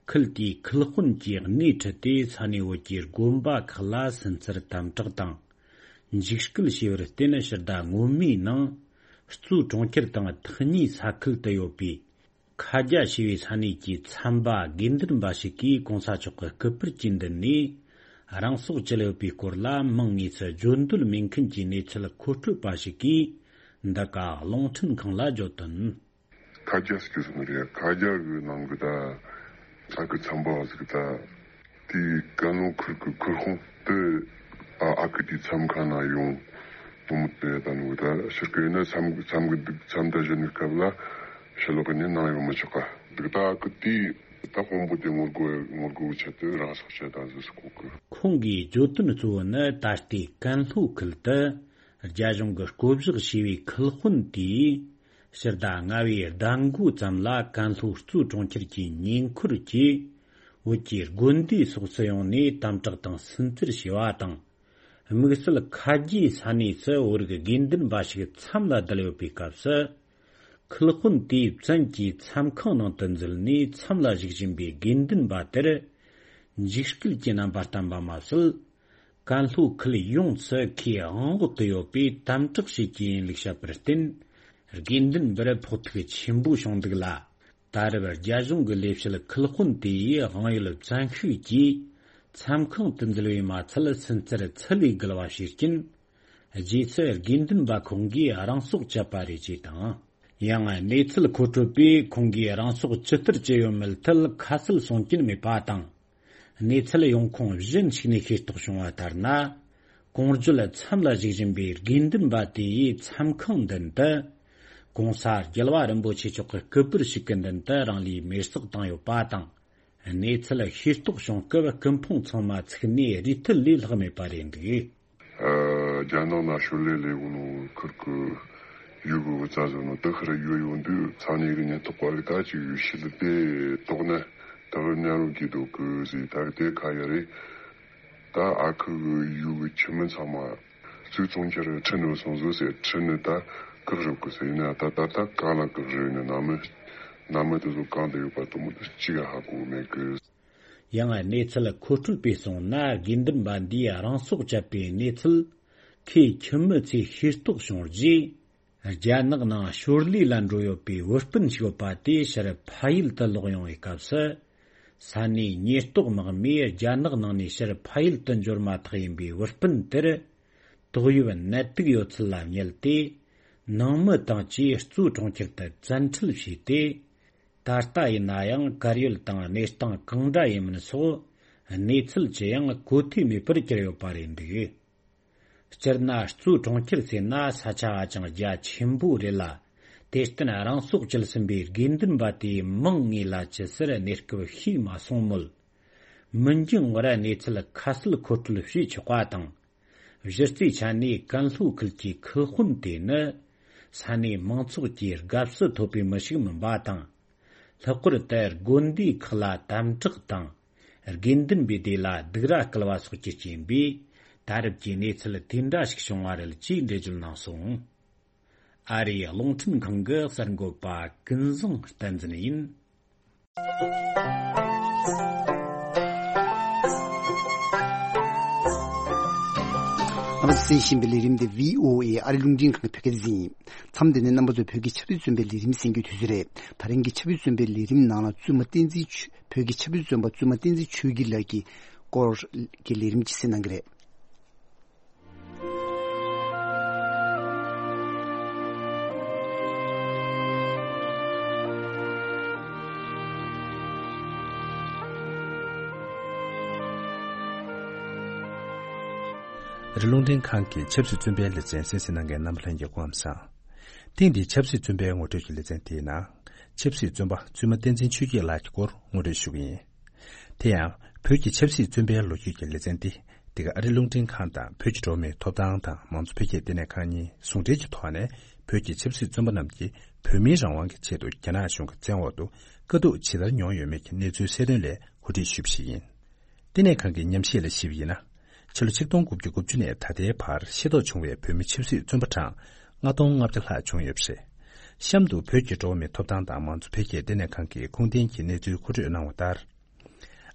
ཁུལ་དེའི་ཁུལ་དཔོན་གྱིས་སྣེ་ཁྲིད་དེ་ས་གནས་བོད་ཀྱི་དགོན་པ་ཁག་ལ་སུན་གཙེར་དམ་དྲག་དང་། འཇིགས་སྐུལ་བྱས་པར་བརྟེན། ཕྱི་ཟླ་སྔོན་མའི་ནང་། གཙོས་གྲོང་ཁྱེར་དང་ཐག་ཉེའི་ས་ཁུལ་དུ་ཡོད་པའི་ཁ་རྒྱ་ཞེས་པའི་ས་གནས་ཀྱི་ཚན་པ་དགེ་འདུན་པ་ཞིག་གིས་གོང་ས་མཆོག་གི་སྐུ་པར་གྱི་མདུན་ནས་རང་སྲོག་བཅད་ཡོད་པའི་སྐོར་ལ་མིང་དངོས་སུ་བརྗོད་འདོད་མེད་མཁན་གྱི་གནས་ཚུལ་མཁོ་སྤྲོད་པ་ཞིག་གིས་འདི་ག་རླུང་འཕྲིན་ཁང་ལ་བརྗོད་དོན། ཁ་རྒྱ་ཟེར་གྱི་སོང་རེད། ཁ་རྒྱ་གི་ནང་གི་ད་ས་ཁུལ་ཚན་པ་ཟིག་ད་དེའི་ཀན་ལྷོ་ཁུལ་གི་ཁུལ་དཔོན་དེ་ཨ་ཨ་ཁུ་དེའི་མཚམས་ཁང་ན་ཡོང་དུ་མོ་དེ་ད་ནུ་ད་ཕྱིར་གི་ནི་མཚམས་མཚམས་གི་འདུག་མཚམས་ད་གཞོན་ནུའི་སྐབས་ལ་ཕྱི་ལོགས་གི་ནི་ནང་ཡོང་མི་ཆོག་ག་འདུག་ད་ཨ་ཁུ་དེའི་ད་དཔོན་པོ་དེ་ངོ་རྒོལ་ངོ་རྒོལ་བྱེད་དུ་རང་སྲོག་བཅད་ད་ཟེར་སྐོར་གི། ཁོང་གིས་བརྗོད་དོན་གཙོ་བོ་ནི་ད་ལྟའི་ཀན་ལྷོ་ཁུལ་དུ། རྒྱ་གཞུང་གིས་བསྐོ་བཞག་བྱས་པའི་ཁུལ་དཔོན་དེས་ཕྱི་ཟླ་ལྔ་པའི་ཟླ་མགོ་ཙམ་ལ་ཀན་ལྷོ་གཙོས་གྲོང་ཁྱེར་གྱི་ཉེ་འཁོར་གྱི་བོད་ཀྱི་དགོན་སྡེ་སོགས་སུ་ཡོང་ནས་དམ་དྲག་དང་སུན་གཙེར་བྱས་པ་དང་། དམིགས་བསལ་ཁ་རྒྱའི་ས་གནས་སུ་བོད་རིགས་དགེ་འདུན་པ་ཞིག་མཚམས་ལ་བསྡད་ཡོད་པའི་སྐབས་སུ། ཁུལ་དཔོན་དེས་བཙན་གྱིས་མཚམས་ཁང་ནང་དུ་འཛུལ་ནས་མཚམས་ལ་བཞུགས་བཞིན་པའི་དགེ་འདུན་པ་དེར་འཇིགས་སྐུལ་གྱི་རྣམ་པ་བསྟན་པ་མ་ཟད། ཀན་ལྷོ་ཁུལ་ཡོངས་སུ་ཁོས་དབང་འོག་ཏུ་ཡོད་པས་དམ་དྲག་བྱེད་ཀྱི་ཡིན་ལུགས་བཤད་པར་བརྟེན། དགེ་འདུན་པར་ཕོག་ཐུག་ཆེན་པོ་བྱུང་འདུག་ལ། ད་རེབ་རྒྱ་གཞུང་གི་ལས་བྱེད་ཁུལ་དཔོན་དེ་ཡིས་དབང་ཡོད་བཙན་ཤུགས་ཀྱིས་ མཚམས་ཁང་དུ་འཛུལ་བས་མ་ཚད་སུན་གཙེར་ཚུལ་ལས་བརྒལ་བ་བྱས་རྐྱེན། རྗེས་སུ་དགེ་འདུན་པ་ཁོང་གིས་རང་སྲོག་བཅད་པ་རེད་ཅེས་དང་། ཡང་གནས་ཚུལ་མཁོ་སྤྲོད་པས་ཁོང་གིས་རང་སྲོག་ཇི་ལྟར་བཅད་ཡོད་མེད་ཐད་ཁ་གསལ་གསུང་རྐྱེན་མེད་པ་དང་། གནས་ཚུལ་ཡོང་ཁུངས་གཞན་ཞིག་ནས་ཤེས་རྟོགས་བྱུང་བ་ལྟར་ན། གོང་བརྗོད་མཚམས་ལ་བཞུགས་བཞིན་པའི་དགེ་འདུན་པ་དེ་ཡིས་མཚམས་ཁང་མདུན་དུ། གོང་ས་རྒྱལ་བ་རིན་པོ་ཆེ་མཆོག་གི་སྐུ་པར་ཞིག་གི་མདུན་དུ་རང་ལུས་མེར་སྲེག་བཏང་ཡོད་པ་དང་། གནས་ཚུལ་ཤེས་རྟོགས་བྱུང་སྐབས་སྐུ་ཕུང་ཚང་མ་ཚུགས་ནས་རུས་མཐུད་ལས་ལྷག་མེད་པ་རེད་འདུག། ཨ། རྒྱ་ནག་ནང་ཞོར་ལས་ལས་གོ་ནོ་ཁུར་གི་ཡུལ་གི་བུ་ཚ་ཟེར་ནོ་དེ་ཁར་ཡོད་ཡོང་དུས་ས་གནས་གི་ཉེན་རྟོག་པ་གི་ད་ཅིག་ཡུལ་ཤུལ་དེ་དོགས་ནས་དེ་གར་མཉམ་རུབ་ཀྱི་འདུག་གི་ཟེར། ད་གི་དེ་ཁ་ཡ་རེད། ད་ཨ་ཁུ་གི་ཡུལ་གི་ཁྱིམ་མི་ཚང་མ་གཙུག་གཙོང་ཁྱེར་ཁྲིད་ནས་སོང་ཟོ་ཟེར། ཁྲིད་ནས་ད་བཀག་རོགས་གི་ཟེར། ཡིན་ན་ད་ད་ད་གང་ལ་བཀག་རོགས་ཡིན་ན་ནང་མི་ནང་མི་དེ་ཚོ་གང་དུ་ཡོད་པ་དེ་མོ་དེ་གཅིག་ག་ཧ་གོ་མེད་གི། ཡང་གནས་ཚུལ་མཁོ་སྤྲོད་པས་གསུངས་ན། དགེ་འདུན་པ་འདིས་རང་སྲོག་བཅད་པའི་གནས་ཚུལ་ཁོའི་ཁྱིམ་མི་ཚོས་ཤེས་རྟོགས་བྱུང་རྗེས། རྒྱ་ནག་ནང་ཞོར་ལས་ལ་འགྲོ་ཡོད་པའི་བུ་སྤུན་ཞིག་ཡོད་པ་དེ་ཕྱིར་ཕ་ཡུལ་དུ་ལོག་ཡོང་བའི་སྐབས་སུ། ས་གནས་ཉེན་རྟོག་དམག་མིས་རྒྱ་ནག་ནང་ནས་ཕྱིར་ཕ་ཡུལ་དུ་འབྱོར་མ་ཐག་ཡིན་པའི་བུ་སྤུན་དེར། ཏོག་དབྱིབས་ནད་དུག་ཡོད་ཚུལ་ལ་བསྙད་དེ། ནང་མི་དང་བཅས་གཙོས་གྲོང་ཁྱེར་དུ་བཙན་ཁྲིད་བྱས་ཏེ། ད་ལྟ་ཡིན་ན་ཡང་གར་ཡོད་དང་གནས་སྟངས་གང་འདྲ་ཡིན་མིན་སོགས་གནས་ཚུལ་ཅི་ཡང་གོ་ཐོས་མེད་པར་གྱུར་ཡོད་པ་རེད་འདུག། སྤྱིར་ན་གཙོས་གྲོང་ཁྱེར་ཟེར་ན་ས་ཆ་ཧ་ཅང་རྒྱ་ཆེན་པོ་རེད་ལ། དེར་བརྟེན་རང་སྲོག་བཅད་ཟིན་པའི་དགེ་འདུན་པ་དེའི་མིང་ངོས་ལ་ཇི་སྲིད་གནས་སྐབས་ཤེས་མ་སོང་མོད། མི་འགྱངས་བར་གནས་ཚུལ་ཁ་གསལ་མཁོ་སྤྲོད་བྱེད་ཆོག་པ་དང་། གཞི་རྩའི་ཆ་ནས་ཀན་ལྷོ་ཁུལ་གྱི་ཁུལ་དཔོན་དེ་ནི། ས་གནས་མང་ཚོགས་ཀྱི་དགའ་བསུ་ཐོབ་པའི་མི་ཞིག་མིན་པ་དང་། ལྷག་པར་དུ་དགོན་སྡེ་ཁག་ལ་དམ་དྲག་དང་། དགེ་འདུན་པའི་སྡེ་ལ་སྡིགས་ར་སྐུལ་བ་སོགས་ཀྱི་རྐྱེན་པས། ད་རེབ་ཀྱི་གནས་ཚུལ་དེ་འདྲ་ཞིག་བྱུང་བ་རེད་ཅེས་འགྲེལ་བརྗོད་གནང་སོང་། ཨ་རིའི་རླུང་འཕྲིན་ཁང་གི་གསར་འགོད་པ་ཀུན་བཟང་བསྟན་འཛིན་ཡིན། ང་གསན་བཞིན་པའི་ལས་རིམ་དེ་བྷི་ཨོ་ཨེ་ཨ་རི་རླུང་འཕྲིན་ཁང་གི་བོད་སྐད་སྡེ་ཚན་ཡིན། མཚམས་འདི་ནས་རྣམ་པ་ཚོས་བོད་ཀྱི་ཆབ་སྲིད་བཙོན་པའི་ལས་རིམ་གསན་རྒྱུའི་དུས་ཚོད་རེད། ད་རིང་གི་ཆབ་སྲིད་བཙོན་པའི་ལས་རིམ་ནང་ལ་བཙུན་མ་བསྟན་འཛིན་ཆོས། བོད་ཀྱི་ཆབ་སྲིད་བཙོན་པ་བཙུན་མ་བསྟན་འཛིན་ཆོས་སྐྱིད་ལགས་ཀྱི་སྐོར་གྱི་ལས་རིམ་ཅིག་གསན་གནང་གི་རེད། རི་རླུང་འཕྲིན་ཁང་གི་ཆབ་སྲིད་བཙོན་པའི་ལེ་ཚན་གསན་གཟིགས་གནང་མཁན་རྣམ་པ་ལྷན་རྒྱས་སྐུ་ཁམས་བཟང་། ཐེངས་འདིའི་ཆབ་སྲིད་བཙོན་པའི་ངོ་སྤྲོད་ཀྱི་ལེ་ཚན་དེའི་ནང་། ཆབ་སྲིད་བཙོན་པ་བཙུན་མ་བསྟན་འཛིན་ཆོས་སྐྱིད་ལགས་ཀྱི་སྐོར་ངོ་སྤྲོད་ཞུ་གི་ཡིན། དེ་ཡང་བོད་ཀྱི་ཆབ་སྲིད་བཙོན་པའི་ལོ་རྒྱུས་ཀྱི་ལེ་ཚན་འདི། འདི་ག་ཨ་རི་རླུང་འཕྲིན་ཁང་དང་བོད་ཀྱི་འགྲོ་བ་མིའི་ཐོབ་ཐང་དང་མང་གཙོ་འཕེལ་རྒྱས་ལྟེ་གནས་ཁང་གཉིས་ཟུང་འབྲེལ་གྱི་ཐོག་ནས། བོད་ཀྱི་ཆབ་སྲིད་བཙོན་པ་རྣམས་ཀྱིས་བོད་མིའི་རང་དབང་གི་ཆེད་དུ་རྒྱ་ནག་གཞུང་གི་བཙན་འོག་ཏུ་དཀའ་སྡུག་ཇི་ལྟར་མྱོང་ཡོད་མེད་ཀྱི་གནས་ཚུལ་གསལ་སྟོན་སླད་གོ་སྒྲིག་ཞུས་པ་ཞིག་ཡིན། ལྟེ་གནས་ཁང་གི་ཉམས་ཞིབ་ལ་གཞིགས་པ་ཡིན་ན། ཕྱི་ལོ་ཆིག་སྟོང་དགུ་བརྒྱ་དགུ་བཅུ་ནས་ད་ལྟའི་བར་ཤེས་རྟོགས་བྱུང་བའི་བོད་མི་ཆབ་སྲིད་བཙོན་པ་གྲངས་ལྔ་སྟོང་ལྔ་བརྒྱ་ལྷག་བྱུང་ཡོད་པ་རེད། གཤམ་དུ་བོད་ཀྱི་འགྲོ་བ་མིའི་ཐོབ་ཐང་དང་མང་གཙོ་འཕེལ་རྒྱས་ལྟེ་གནས་ཁང་གིས་ཁུངས་ལྡན་གྱི་གནས་ཚུལ་མཁོ་སྤྲོད་གནང་བ་ལྟར།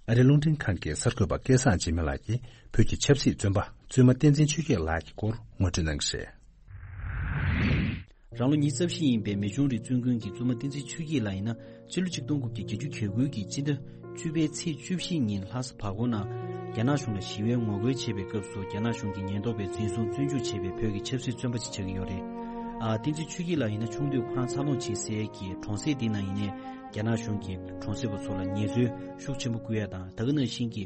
ཨ་རི་རླུང་འཕྲིན་ཁང་གི་གསར་འགོད་པ་སྐལ་བཟང་འཇིགས་མེད་ལགས་ཀྱིས་བོད་ཀྱི་ཆབ་སྲིད་བཙོན་པ་བཙུན་མ་བསྟན་འཛིན་ཆོས་སྐྱིད་ལགས་ཀྱི་སྐོར་ངོ་སྤྲོད་གནང་གི་རེད། རང་ལོ་ཉི་ཤུ་རྩ་བཞི་ཡིན་པའི་མི་ཆུང་རིགས་བཙུན་དགོན་གྱི་བཙུན་མ་བསྟན་འཛིན་ཆོས་སྐྱིད་ལགས་ཡིན་ན། ཕྱི་ལོ་ཆིག་སྟོང་དགུ་བརྒྱ་བརྒྱད་ཅུ་གྱ་དགུ་གི་སྤྱི་ཟླ་བཅུ་པའི་ཚེས་བཅུ་བཞི་ཉིན་ལྷ་ས་བར་སྐོར་ནང་རྒྱ་ནག་གཞུང་ལ་ཞི་བའི་ངོ་རྒོལ་བྱེད་པའི་སྐབས་སུ། རྒྱ་ནག་གཞུང་གི་ཉེན་རྟོག་པས་འཛིན་བཟུང་བཙོན་འཇུག་བྱས་པའི་བོད་ཀྱི་ཆབ་སྲིད་བཙོན་པ་ཅིག་ཆགས་ཀྱི་ཡོད་རེད། ཨ། བསྟན་འཛིན་ཆོས་སྐྱིད་ལགས་ཡིན་ན་ཆུང་དུས་ཁོ་རང་འཚར་ལོངས་བྱེད་སའི་གི་གྲོང་གསེབ་འདི་ནང་ཡིན་ནའི། རྒྱ་ནག་གཞུང་གིས་གྲོང་གསེབ་པ་ཚོ་ལ་ངལ་རྩོལ་ཤུགས་ཆེན་པོ་བསྐུལ་ཡ་དང་། ད་ག་ནང་བཞིན་གྱི་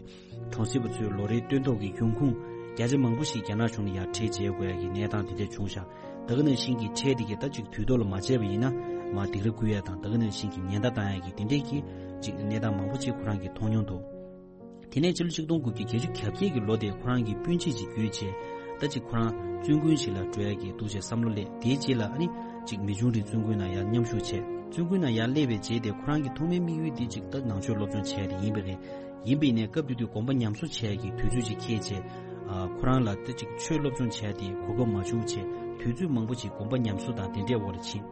གྲོང་གསེབ་པ་ཚོའི་ལོ་རེའི་སྟོན་ཐོག་གི་ཡོང་ཁུངས་བརྒྱ་ཆ་མང་པོ་ཞིག་རྒྱ་ནག་གཞུང་ལ་ཡར་ཁྲལ་འཇལ་དགོས་ཡ་གི་གནས་སྟངས་དེ་འདྲ་བྱུང་ཤག་ད་ག་ནང་བཞིན་གྱི་ཁྲལ་དེ་གའི་ད་ཅིག་དུས་ཐོག་ལ་མ་འཇལ་བ་ཡིན་ན་མར་སྡིགས་ར་བསྐུལ་ཡ་དང་། ད་ག་ནང་བཞིན་གྱི་ཉེན་བརྡ་བཏང་ཡ་གི་དེ་འདྲས་ཀྱི་ཅིག་གནས་སྟངས་མང་པོ་ཅིག་ཁོ་རང་གིས་མཐོང་མྱོང་འདུག་དེ་ནས་ཕྱི་ལོ་ཆིག་སྟོང་དགུ་བརྒྱ་བརྒྱད་ཅུ་གྱ་བརྒྱད་ཀྱི་ལོ་དེ་ཁོ་རང་གི་སྤུན་མཆེད་ཅིག་བརྒྱུད་བྱས། ད་ཅིག་ཁོ་རང་བཙུན་དགོན་ཞིག་ལ་འགྲོ་ཡ་གི་འདུག་ཅེས་བསམ་བློ་སླེབས། དེའི་རྗེས་ལ་ཨ་ནི་ཅིག་མི་ཆུང་རིགས་བཙུན་དགོན་ནང་ཡར་མཉམ་ཞུགས་བྱས། བཙུན་དགོན་ནང་ཡར་སླེབས་པའི་རྗེས་དེ་ཁོ་རང་གི་ཐོག་མའི་དམིགས་ཡུལ་དེ་ཅིག་ད་ནང་ཆོས་སློབ་སྦྱོང་བྱས་ཏེ་ཡིན་པ་རེད། ཡིན་པ་ཡིན་ནའི་སྐབས་དེ་དུས་དགོན་པ་ཉམས་གསོ་བྱས་ཀྱི་དུས་ཚོད་ཅིག་འཁེལ་བྱས། ཨ། ཁོ་རང་ལ་ད་ཅིག་ཆོས་སློབ་སྦྱོང་བྱས་ཏེ་གོ་སྐབས་མ་བྱུང་བྱས། དུས་ཚོད་མང་པོ་ཅིག་དགོན་པ་ཉམས་གསོ་དང་དེ་འདྲའི་འོག་ལ་ཕྱིན།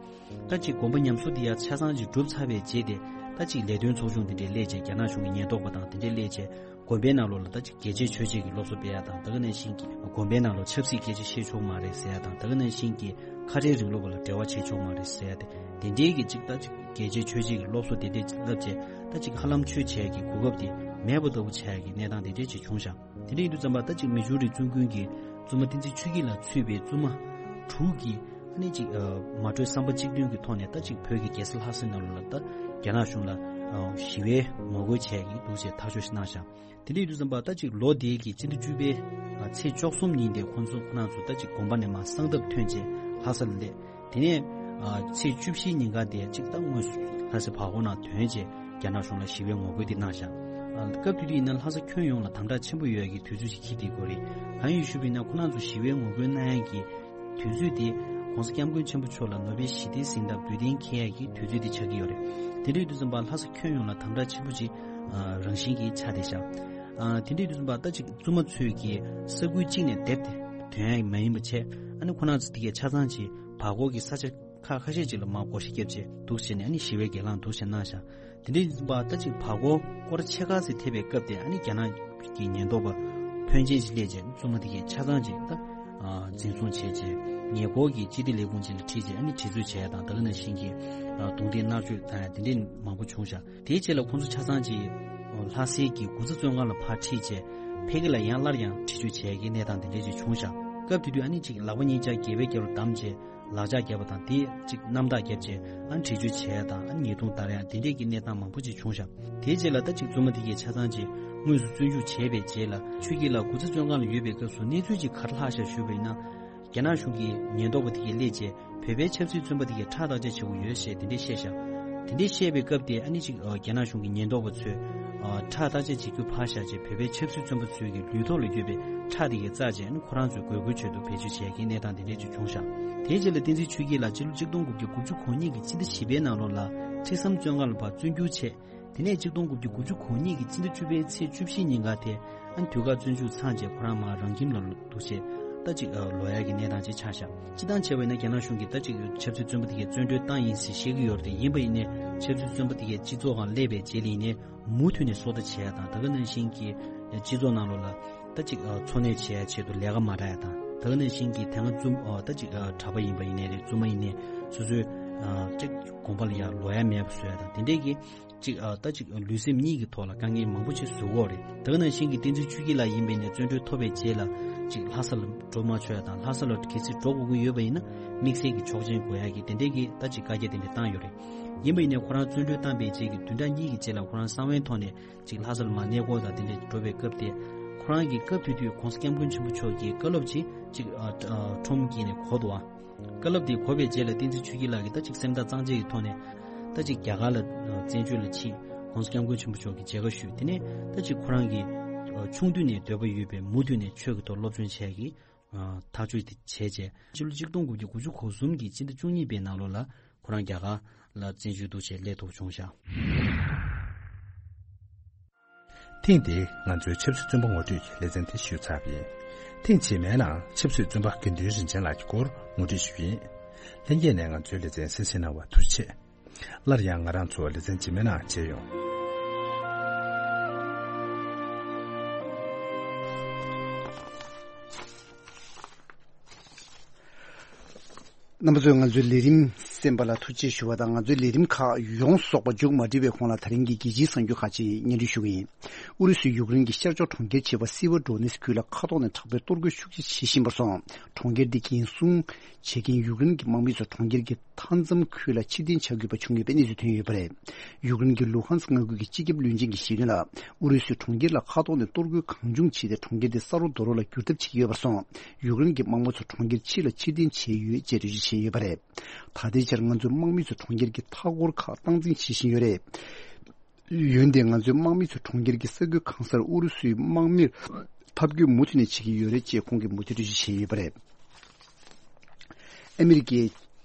ད་ཅིག་དགོན་པ་ཉམས་གསོ་དེ་ཡར་ཆ་ཚང་ཅིག་གྲུབ་ཚར་བའི་རྗེས་དེ། ད་ཅིག་ལས་དོན་ཚོགས་ཆུང་དེ་འདྲས་སླེབས་བྱས། རྒྱ་ནག་གཞུང་གི་ཉེན་རྟོག་པ་དང་དེ་འདྲས་སླེབས་བྱས། དགོན་པའི་ནང་ལོགས་ལ་ད་ཅིག་རྒྱལ་གཅེས་ཆོས་གཅེས་ཀྱི་སློབ་གསོ་སྤེལ་ཡ་དང་། ད་ག་ནང་བཞིན་གྱི་དགོན་པའི་ནང་ལོགས་ཆབ་སྲིད་སྐད་ཆ་བཤད་ཆོག་མ་རེད་ཟེར་ཡ་དང་། ད་ག་ནང་བཞིན་གྱི་ཁ་བྲལ་རིང་ལུགས་པ་ལ་འབྲེལ་བ་བྱེད་ཆོག་མ་རེད་ཟེར་ཡ་དེ། དེ་འདྲའི་གི་ཅིག་ད་ཅིག་རྒྱལ་གཅེས་ཆོས་གཅེས་ཀྱི་སློབ་གསོ་དེ་འདྲས་ཅིག་བསླབ་བྱས། ད་ཅིག་ཧ་ལམ་ཆོས་བྱེད་ཀྱི་གོ་སྐབས་དེ་ མེད་པ་ལྟ་བུ་ཆགས་ཡག་གི་གནས་སྟངས་དེ་འདྲས་ཅིག་བྱུང་ཤག་དེ་འདྲས་ཡིན་དུས་ཙམ་པ་ད་ཅིག་མི་ཇུ་རི་བཙུན་དགོན་གྱི་བཙུན་མ་བསྟན་འཛིན་ཆོས་སྐྱིད་ལགས་གཙོས་པའི་བཙུན་མ་དྲུག་གིས་ཨ་ནི་ཅིག་ཨ་མ་གྲོས་བསམ་པ་གཅིག་མཐུན་གྱི་ཐོག་ནས་ད་ཅིག་བོད་ཀྱི་རྒྱལ་ས་ལྷ་སའི་ནང་ལོགས་ལ་ད་རྒྱ་ནག་གཞུང་ལ་ཨ་ཞི་བའི་ངོ་རྒོལ་བྱས་ཀྱི་འདུག་ཅེས་ཐག་གཅོད་ཞིག་གནང་ཤག་དེ་འདྲ་ཡིན་དུས་ཙམ་པ་ད་ཅིག་ལོ་འདིའི་གི་སྤྱི་ཟླ་བཅུ་པའི་ཨ་ཚེས་བཅུ་གསུམ་ཉིན་དེ་ཁོང་ཚོ་ཁོ་རང་ཚོ་ད་ཅིག་དགོན་པ་ནས་མར་གསང་སྟབས་ཐོན་རྗེས་ལྷ་ས་ལ་སླེབས། དེ་ནས་ཨ་ཚེས་བཅུ་བཞི་ཉིན་ཀ་དེ་ཅིག་ད་དངོས་སུ་ལྷ་ས་བར་སྐོར་ནང་ཐོན་རྗེས་རྒྱ་ནག་གཞུང་ལ་ཞི་བའི་ངོ་རྒོལ་དེ་གནང་ཤག་ཨ་སྐབས་དེ་དུས་ཡིན་ན་ལྷ་ས་ཁྱོན་ཡོངས་ལ་དམ་དྲག་ཆེན་པོ་ཡོད་ཡག་གི་དུས་ཚོད་ཅིག་འཁེལ་བསྡད་ཡོད་རེད། གང་ཡིན་ཞུས་པ་ཡིན་ན་ཁོ་རང་ཚོ་ཞི་བའི་ངོ་རྒོལ་གནང་ཡག་གི་དུས་ཚོད་དེ་༸གོང་ས་༸སྐྱབས་མགོན་ཆེན་པོ་མཆོག་ལ་ནོ་བེལ་ཞི་བདེའི་གཟེངས་རྟགས་འབུལ་གཏན་འཁེལ་ཡག་གི་དུས་ཚོད་དེ་ཆགས་ཀྱི་ཡོད་རེད། དེ་འདྲ་ཡིན་དུས་ཙམ་པ་ལྷ་ས་ཁྱོན་ཡོངས་ལ་དམ་དྲག་ཆེན་པོ་ཅིག་ཨ་རང་བཞིན་གྱིས་ཆགས་བསྡད་ཤག་ཨ་དེ་འདྲ་ཡིན་དུས་ཙམ་པ་ད་ཅིག་བཙུན་མ་ཚོས་ཀྱི་ས་ཁུལ་གཅིག་ནས་དེབ་དེ་ཐོན་ཡག་མ་ཡིན་པ་བྱས། ཨ་ནི་ཁོ་རང་ཚོ་དེ་གའི་ཆ་ཚང་ཅིག་བར་སྐོར་གྱི་ས་ཆ་ཁག་ཁ་ཤས་ཅིག་ལ་མར་སྒོ་ཕྱེ་བརྒྱབ་བྱས་འདུག་བྱས་ནས་ཨ་ནི་ཞི་བའི་གྱེན་ལངས་འདུག་བྱས་གནང་ཤག་དེ་འདྲ་ཡིན་པ་ད་ཅིག་བར་སྐོར་སྐོར་ཕྱེད་ཀ་ཙམ་ཐེབས་པའི་སྐབས་དེ་ཨ་ནི་རྒྱ་ནག་གི་ཉེན་རྟོག་པ་ཕོན་ཆེན་ཞིག་སླེབས་རྗེས་བཙུན་མ་དེ་གའི་ཆ་ཚང་ཅིག་ད་ཨ་འཛིན་བཟུང་བྱས་རྗེས་ཉེ་འཁོར་གྱི་སྤྱི་བདེ་ལས་ཁུངས་ཅིག་ལ་ཁྲིད་རྗེས་ཨ་ནི་དྲི་རྩད་བྱས་དང་། ད་ག་ནང་བཞིན་གྱི་ཨ་རྡུང་རྡེག་མནར་གཅོད་དང་དེ་འདྲའི་མང་པོ་བྱུང་ཤག་དེའི་རྗེས་ལ་ཁོང་ཚོ་ཆ་ཚང་ཅིག་ལྷ་སའི་གི་དགུ་རྩ་བཙོན་ཁང་ལ་ཕར་ཁྲིད་རྗེས་ཕ་གི་ལ་ཡང་སླར་ཡང་འདྲི་གཅོད་བྱས་ཀྱི་གནས་སྟངས་དེ་འདྲ་ཅིག་བྱུང་ཤག་སྐབས་དེ་དུས་ཨ་ནི་ཅིག་ལག་པ་གཉིས་ཆ་སྒལ་པའི་རྒྱབ་ལ་བསྡམས་རྗེས་ལག་ལྕགས་བརྒྱབ་པ་དང་། དེ་ཅིག་རྣམ་དག་བརྒྱབ་རྗེས་ཨ་ནི་འདྲི་གཅོད་བྱས་དང་། ཨ་ནི་ཉེས་རྡུང་བརྡར་ཡག་དེ་འདྲས་ཀྱི་གནས་སྟངས་མང་པོ་ཅིག་བྱུང་ཤག་དེའི་རྗེས་ལ་ད་ཅིག་བཙུན་མ་དེ་གའི་ཆ་ཚང་ཅིག་དངོས་སུ་བཙོན་འཇུག་བྱས་པའི་རྗེས་ལ་ཆོས་སྐྱིད་ལགས་དགུ་རྩ་བཙོན་ཁང་ལ་ཡོད་པའི་སྐབས་སུ་གནས་ཚུལ་ཅིག་ག་རེ་ལྷག་ཤག་ཞུས་པ་ཡིན་ན། རྒྱ་ནག་གཞུང་གི་ཉེན་རྟོག་པ་དེ་གས་སླེབས་རྗེས་བོད་པའི་ཆབ་སྲིད་བཙོན་པ་དེ་གས་ཁྲག་བརྟག་དཔྱད་བྱེད་དགོས་ཡོད་ཞེས་དེ་འདྲས་བཤད་ཤག་དེ་འདྲས་བཤད་པའི་སྐབས་དེ་ཨ་ནི་ཅིག་ཨ་རྒྱ་ནག་གཞུང་གི་ཉེན་རྟོག་པ་ཚོས་ཨ་ཁྲག་བརྟག་དཔྱད་བྱེད་རྒྱུ་ཕར་བཞག་རྗེས་བོད་པའི་ཆབ་སྲིད་བཙོན་པ་ཚོའི་གི་ལུས་ཐོག་ལ་ཡོད་པའི་ཁྲག་དེ་གས་བཙགས་རྗེས་ཨ་ནི་ཁོ་རང་ཚོའི་དགོས་མཁོའི་ཆེད་དུ་བེད་སྤྱོད་བྱས་ཀྱི་གནས་སྟངས་དེ་འདྲས་ཅིག་བྱུང་ཤག་དེའི་རྗེས་ལ་བསྟན་འཛིན་ཆོས་སྐྱིད་ལགས་ཕྱི་ལོ་ཆིག་སྟོང་དགུ་བརྒྱ་དགུ་བཅུ་གོ་གཉིས་ཀྱི་སྤྱི་ཟླ་བཞི་པའི་ནང་ལོགས་ལ་ཁྲི་ཟམ་བཙོན་ཁང་ལ་ཕར་བཙོན་འཇུག་བྱས། དེ་ནས་ཆིག་སྟོང་དགུ་བརྒྱ་དགུ་བཅུ་གོ་གཉིས་ཀྱི་སྤྱི་ཟླ་བཅུ་པའི་ཚེས་བཅུ་བཞི་ཉིན་ཀ་དེ་ཨ་ནི་དུས་བཀག་བཙོན་འཇུག་ཚང་རྗེས་ཁོ་རང་མར་རང་ཁྱིམ་ལ་འདུག་བྱས་ད་ཅིག་ཨ་ལོག་ཡག་གི་གནས་སྟངས་ཅིག་ཆགས་ཤག་སྤྱིར་བཏང་བྱས་པ་ཡིན་ན་རྒྱ་ནག་གཞུང་གིས་ད་ཅིག་ཆབ་སྲིད་བཙོན་པ་དེ་གས་བཙོན་གྲོལ་བཏང་ཡིན་ཟེར་བཤད་ཀྱི་ཡོད་རེད་དེ། ཡིན་པ་ཡིན་ནའི་ཆབ་སྲིད་བཙོན་པ་དེ་གས་སྤྱི་ཚོགས་ཁང་སླེབས་པའི་རྗེས་ལ་ཡིན་ནའི་མུ་མཐུད་ནས་སོ་ལྟ་བྱས་ཡག་དང་། ད་ག་ནང་བཞིན་གྱི་སྤྱི་ཚོགས་ནང་ལོགས་ལ་ད་ཅིག་ཨ་འཚོ་གནས་བྱེད་ཡག་ཆེད་དུ་ལས་ཀ་མ་རག་ཡག་དང་། ད་ག་ནང་བཞིན་གྱི་དེ་སྔ་བཙུན་ཨ་ད་ཅིག་ཨ་གྲྭ་པ་ཡིན་པ་ཡིན་ནའི་རེད། བཙུན་མ་ཡིན་ནའི་སོ་སོའི་ཨ་ཅིག་དགོན་པ་ལ་ཡར་ལོག་ཡག་མེད་པ་བཟོ་ཡག་དང་། དེ་འདྲས་ཀྱི་ཅིག་ཨ་ད་ཅིག་ལུས་སེམས་གཉིས་ཀྱི་ཐོག་ལ་དཀའ་ངལ་མང་པོ་ཅིག་བཟོ་གི་ཡོད་རེད། ད་ག་ནང་བཞིན་གྱི་བསྟན་འཛིན་ཆོས་སྐྱིད་ལགས་ཡིན་པ་ཡིན་ནའི་བཙོན་གྲོལ་ཐོབ་པའི་རྗེས་ལ་ཅིག་ལྷ་ས་ལ་འགྲོ་མ་ཆོག་ཡག་དང་། ལྷ་ས་ལ་གལ་སྲིད་འགྲོ་དགོས་ཀྱི་ཡོད་པ་ཡིན་ན་དམིགས་བསལ་གྱི་ཆོག་མཆན་དགོས་ཡག་གི་དེ་འདྲས་ཀྱི་ད་ཅིག་བཀའ་རྒྱ་དེ་འདྲས་བཏང་ཡོད་རེད། ཡིན་པ་ཡིན་ནའི་ཁོ་རང་བཙོན་གྲོལ་བཏང་པའི་རྗེས་ཀྱི་བདུན་ཕྲག་གཉིས་ཀྱི་རྗེས་ལ་ཁོ་རང་གསང་བའི་ཐོག་ནས་ཅིག་ལྷ་ས་ལ་མར་གནས་སྐོར་དང་དེ་འདྲས་འགྲོ་བའི་སྐབས་དེ། ཁོ་རང་གིས་སྐབས་དེ་དུས་༸གོང་ས་༸སྐྱབས་མགོན་ཆེན་པོ་མཆོག་གི་བཀའ་སློབ་ཅིག་ཅིག་ཨ་ཨ་ཁྲོམ་དཀྱིལ་ནས་གོ་འདུག་ཨ། བཀའ་སློབ་དེ་གོ་བའི་རྗེས་ལ་བསྟན་འཛིན་ཆོས་སྐྱིད་ལགས་ཀྱིས་ད་ཅིག་སེམས་ཐག་གཙང་བཅད་ཀྱི་ཐོག་ནས་ད་ཅིག་རྒྱ་གར་ལ་ཨ་བཙན་བྱོལ་ལ་ཕྱིན། ༸གོང་ས་༸སྐྱབས་མགོན་ཆེན་པོ་མཆོག་གི་མཇལ་ཁ་ཞུས། དེ་ནས་ད་ཅིག་ཁོ་རང་གིས་ཨ་ཆུང་དུས་ནས་འདོད་པ་ཡོད་པའི་མུ་མཐུད་ནས་ཆོས་ཀྱི་ཐོག་སློབ་སྦྱོང་བྱས་ཀྱི་ཨ་ཐག་གཅོད་དེ་བྱས་རྗེས་ཕྱི་ལོ་ཆིག་སྟོང་དགུ་བརྒྱ་དགུ་བཅུ་གོ་གསུམ་གྱི་སྤྱི་ཟླ་བཅུ་གཉིས་པའི་ནང་ལོགས་ལ་ཁོ་རང་རྒྱ་གར་ལ་བཙན་བྱོལ་དུ་ཆེད་སླེབས་ཐུབ་བྱུང་ཤག་ཐེངས་འདིའི་ང་ཚོའི་ཆབ་སྲིད་བཙོན་པ་ངོ་སྤྲོད་ཀྱི་ལེ་ཚན་དེ་ཞུས་ཚར་བ་ཡིན། ཐེངས་རྗེས་མའི་ནང་ཆབ་སྲིད་བཙོན་པ་དགེ་འདུན་རིན་ཆེན་ལགས་ཀྱི་སྐོར་ངོ་སྤྲོད་ཞུ་གི་ཡིན། ལྷན་རྒྱས་ནས་ང་ཚོའི་ལེ་ཚན་གསན་གཟིགས་གནང་བར་ཐུགས་རྗེ་ཆེ། སླར་ཡང་ང་རང་ཚོ་ལེ་ཚན་རྗེས་མའི་ནང་མཇལ་ཡོང་། རྣམ་པ་ཚོས་ང་ཚོའི་ལས་རིམ་གསན་པ་ལ་ཐུགས་རྗེ་ཞུ་བ་དང་། ང་ཚོའི་ལས་རིམ་ཁག་ཡོངས་རྫོགས་པ་མཇུག་མ་སྒྲིལ་བའི་གོང་ལ་དེ་རིང་གི་རྒྱལ་སྤྱིའི་གསར་འགྱུར་ཁག་ཅིག་སྙན་སྒྲོན་ཞུ་གི་ཡིན། ཨུ་རུ་སུའི་ཡུཀ་རེན་གྱི་ཤར་ཕྱོགས་གྲོང་ཁྱེར་བྱེད་པ་སེ་ཝེར་ཌོ་ནེ་སི་ཁུལ་ལ་མཁའ་ཐོག་ནས་དྲག་པོའི་གཏོར་རྒོལ་ཤུགས་ཆེ་བྱེད་བཞིན་པར་སོང་། གྲོང་ཁྱེར་འདི་འགན་སྲུང་བྱེད་མཁན་ཡུཀ་རེན་གྱི་དམག་མི་ཚོ་གྲོང་ཁྱེར་གྱི་མཐའ་མཚམས་ཁུལ་ལ་ཕྱིར་འཐེན་བྱ་དགོས་པ་བྱུང་ཡོད་པའི་གནས་ཚུལ་ཐོན་ཡོད་པ་རེད། ཡུཀ་རེན་གྱི་ལུ་ཧན་སི་མངའ་ཁུལ་གྱི་སྤྱི་ཁྱབ་བློན་ཆེན་གྱིས་བཤད་དོན་ལ། ཨུ་རུ་སུས་གྲོང་ཁྱེར་ལ་མཁའ་ཐོག་ནས་གཏོར་རྒོལ་གང་བྱུང་བྱས་ཏེ་གྲོང་ཁྱེར་དེ་ས་རོ་རྡོ་རོ་ལ་བསྒྱུར་ཐབས་བྱེད་ཀྱི་ཡོད་པར་སོང་། ཡུཀ་རེན་གྱི་དམག་མི་ཚོ་གྲོང་ཁྱེར་ཕྱི་ལ་ཕྱིར་འཐེན་བྱས་ཡོད་ཅེས་འགྲེལ་བརྗོད་བྱས་ཡོད་པ་རེད། ད་ལྟའི་ཆར་ང་ཚོའི་དམག་མི་ཚོས་གྲོང་ཁྱེར་གྱི་མཐའ་འཁོར་ཁག་སྟངས་འཛིན་བྱེད་བཞིན་ཡོད་རེད། འོན་ཏེ་ང་ཚོའི་དམག་མི་ཚོས་གྲོང་ཁྱེར་གྱི་ས་ཁུལ་གང་སར་ཨུ་རུ་སུའི་དམག་མིར་འཐབ་རྒོལ་མུ་མཐུད་ནས་བྱེད་ཀྱི་ཡོད་རེད་ཅེས་ཁོང་གིས་མུ་མཐུད་འགྲེལ་བརྗོད་བྱས་ཡོད་པ་རེད། ཨ་མི་རི་ཀའི་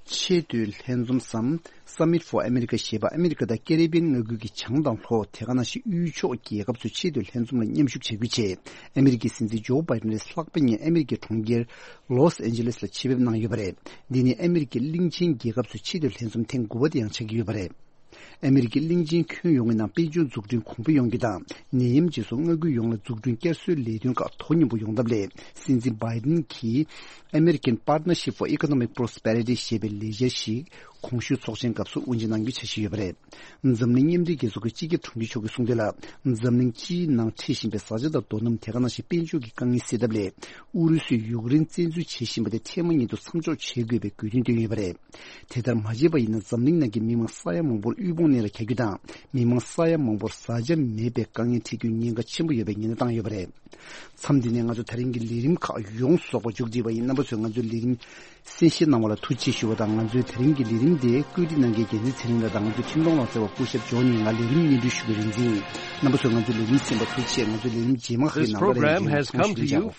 ཆེས་མཐོའི་ལྷན་འཛོམས་སམ། Summit for America ཞེས་པ་ཨ་མི་རི་ཀ་དང་ཀེ་རི་བི་ཡན་མངའ་ཁུལ་གྱི་བྱང་དང་ལྷོ། དེ་ག་ནང་བཞིན་དབུས་ཕྱོགས་རྒྱལ་ཁབ་ཚོའི་ཆེས་མཐོའི་ལྷན་འཛོམས་ལ་མཉམ་ཞུགས་བྱ་རྒྱུའི་ཆེད། ཨ་མི་རི་ཀའི་སྲིད་འཛིན་ཇོ་བྷའི་ཌེན་ལས་ལྷག་པའི་ཉིན་ཨ་མི་རི་ཀའི་གྲོང་ཁྱེར་ལོས་ཨན་ཇེ་ལེས་ལ་ཆེད་ཕེབས་གནང་ཡོད་པ་རེད། འདི་ནི་ཨ་མི་རི་ཀའི་གླིང་ཆེན་རྒྱལ་ཁབ་ཚོའི་ཆེས་མཐོའི་ལྷན་འཛོམས་ཐེངས་དགུ་པ་དེ་ཡང་ཆགས་ཀྱི་ཡོད་པ་རེད། ཨ་མི་རི་ཀའི་གླིང་ཆེན་ཁྱོན་ཡོངས་ཀྱི་ནང་དཔལ་འབྱོར་འཛུགས་སྐྲུན་གོང་འཕེལ་ཡོང་རྒྱུ་དང་། ནད་ཡམས་རྗེས་སུ་མངའ་ཁུལ་ཡོངས་ལ་འཛུགས་སྐྲུན་བསྐྱར་གསོའི་ལས་དོན་ཁག་དོ་མཉམ་པོ་ཡོང་ཐབས་སླད། སྲིད་འཛིན་བྷའི་ཌེན་གྱིས་American Partnership for Economic Prosperity ཞེས་པའི་ལས་འཆར་ཞིག་ གོང་ཞུས་ཚོགས་ཆེན་སྐབས་སུ་དབུ་འབྱེད་གནང་རྒྱུ་འཆར་གཞི་ཡོད་པ་རེད། འཛམ་གླིང་མཉམ་འབྲེལ་རྒྱལ་ཚོགས་ཀྱི་སྤྱི་ཁྱབ་དྲུང་ཆེ་མཆོག་གིས་གསུངས་དོན་ལ། འཛམ་གླིང་སྤྱིའི་ནང་འཕྲད་བཞིན་པའི་བཟའ་བཅའ་དང་རྡོ་སྣུམ། དེ་ག་ནང་བཞིན་དཔལ་འབྱོར་གྱི་དཀའ་ངལ་སེལ་ཐབས་ལས། ཨུ་རུ་སུས་ཡུཀ་རེན་བཙན་འཛུལ་བྱེད་བཞིན་པ་དེ་འཕྲལ་མ་ཉིད་དུ་མཚམས་འཇོག་བྱེད་དགོས་པའི་དགོས་འདུན་བཏོན་ཡོད་པ་རེད། དེ་ལྟར་མ་བྱས་པ་ཡིན་ན། འཛམ་གླིང་ནང་གི་མི་མང་ས་ཡ་མང་པོར་དབུལ་ཕོངས་གནས་ལ་གྱར་རྒྱུ་དང་། མི་མང་ས་ཡ་མང་པོར་བཟའ་བཅའ་མེད་པའི་དཀའ་ངལ་འཕྲད་རྒྱུའི་ཉེན་ཁ་ཆེན་པོ་ཡོད་པའི་ཉེན་བརྡ་བཏང་ཡོད་པ་རེད། མཚམས་འདི་ནས་ང་ཚོ་དེ་རིང་གི་ལས་རིམ་ཁག་ཡོངས་རྫོགས་པ་མཇུག་བསྒྲིལ་བ་ཡིན། རྣམ་པ་ཚོས་ང་ཚོའི་ལས་རིམ་གསན་བཞེས་གནང་བ་ལ་ཐུགས་རྗེ་ཆེ་ཞུ་བ་དང་། ང་ཚོའི་དེ་རིང་གི་ལས་རིམ་དེ་བཀོད་སྒྲིག་གནང་མཁན་རྒྱལ་མཚན་ཚེ་རིང་ལགས་དང་། ང་ཚོའི་འཕྲིན་གཏོང་ལག་རྩལ་བ་སྐུ་ཞབས་ཇོ་ནི། ང་ལས་རིམ་སྙན་སྒྲོན་ཞུ་བའི་རིག་འཛིན་ཡིན། རྣམ་པ་ཚོས་ང་ཚོའི་ལས་རིམ་གསན་པར་ཐུགས་རྗེ་ཆེ། ང་ཚོའི་ལས་རིམ་རྗེས་མ་ཁག་གི་ནང་པར་ལས་རིམ་གསན་ཞུ་བྱ་འོ།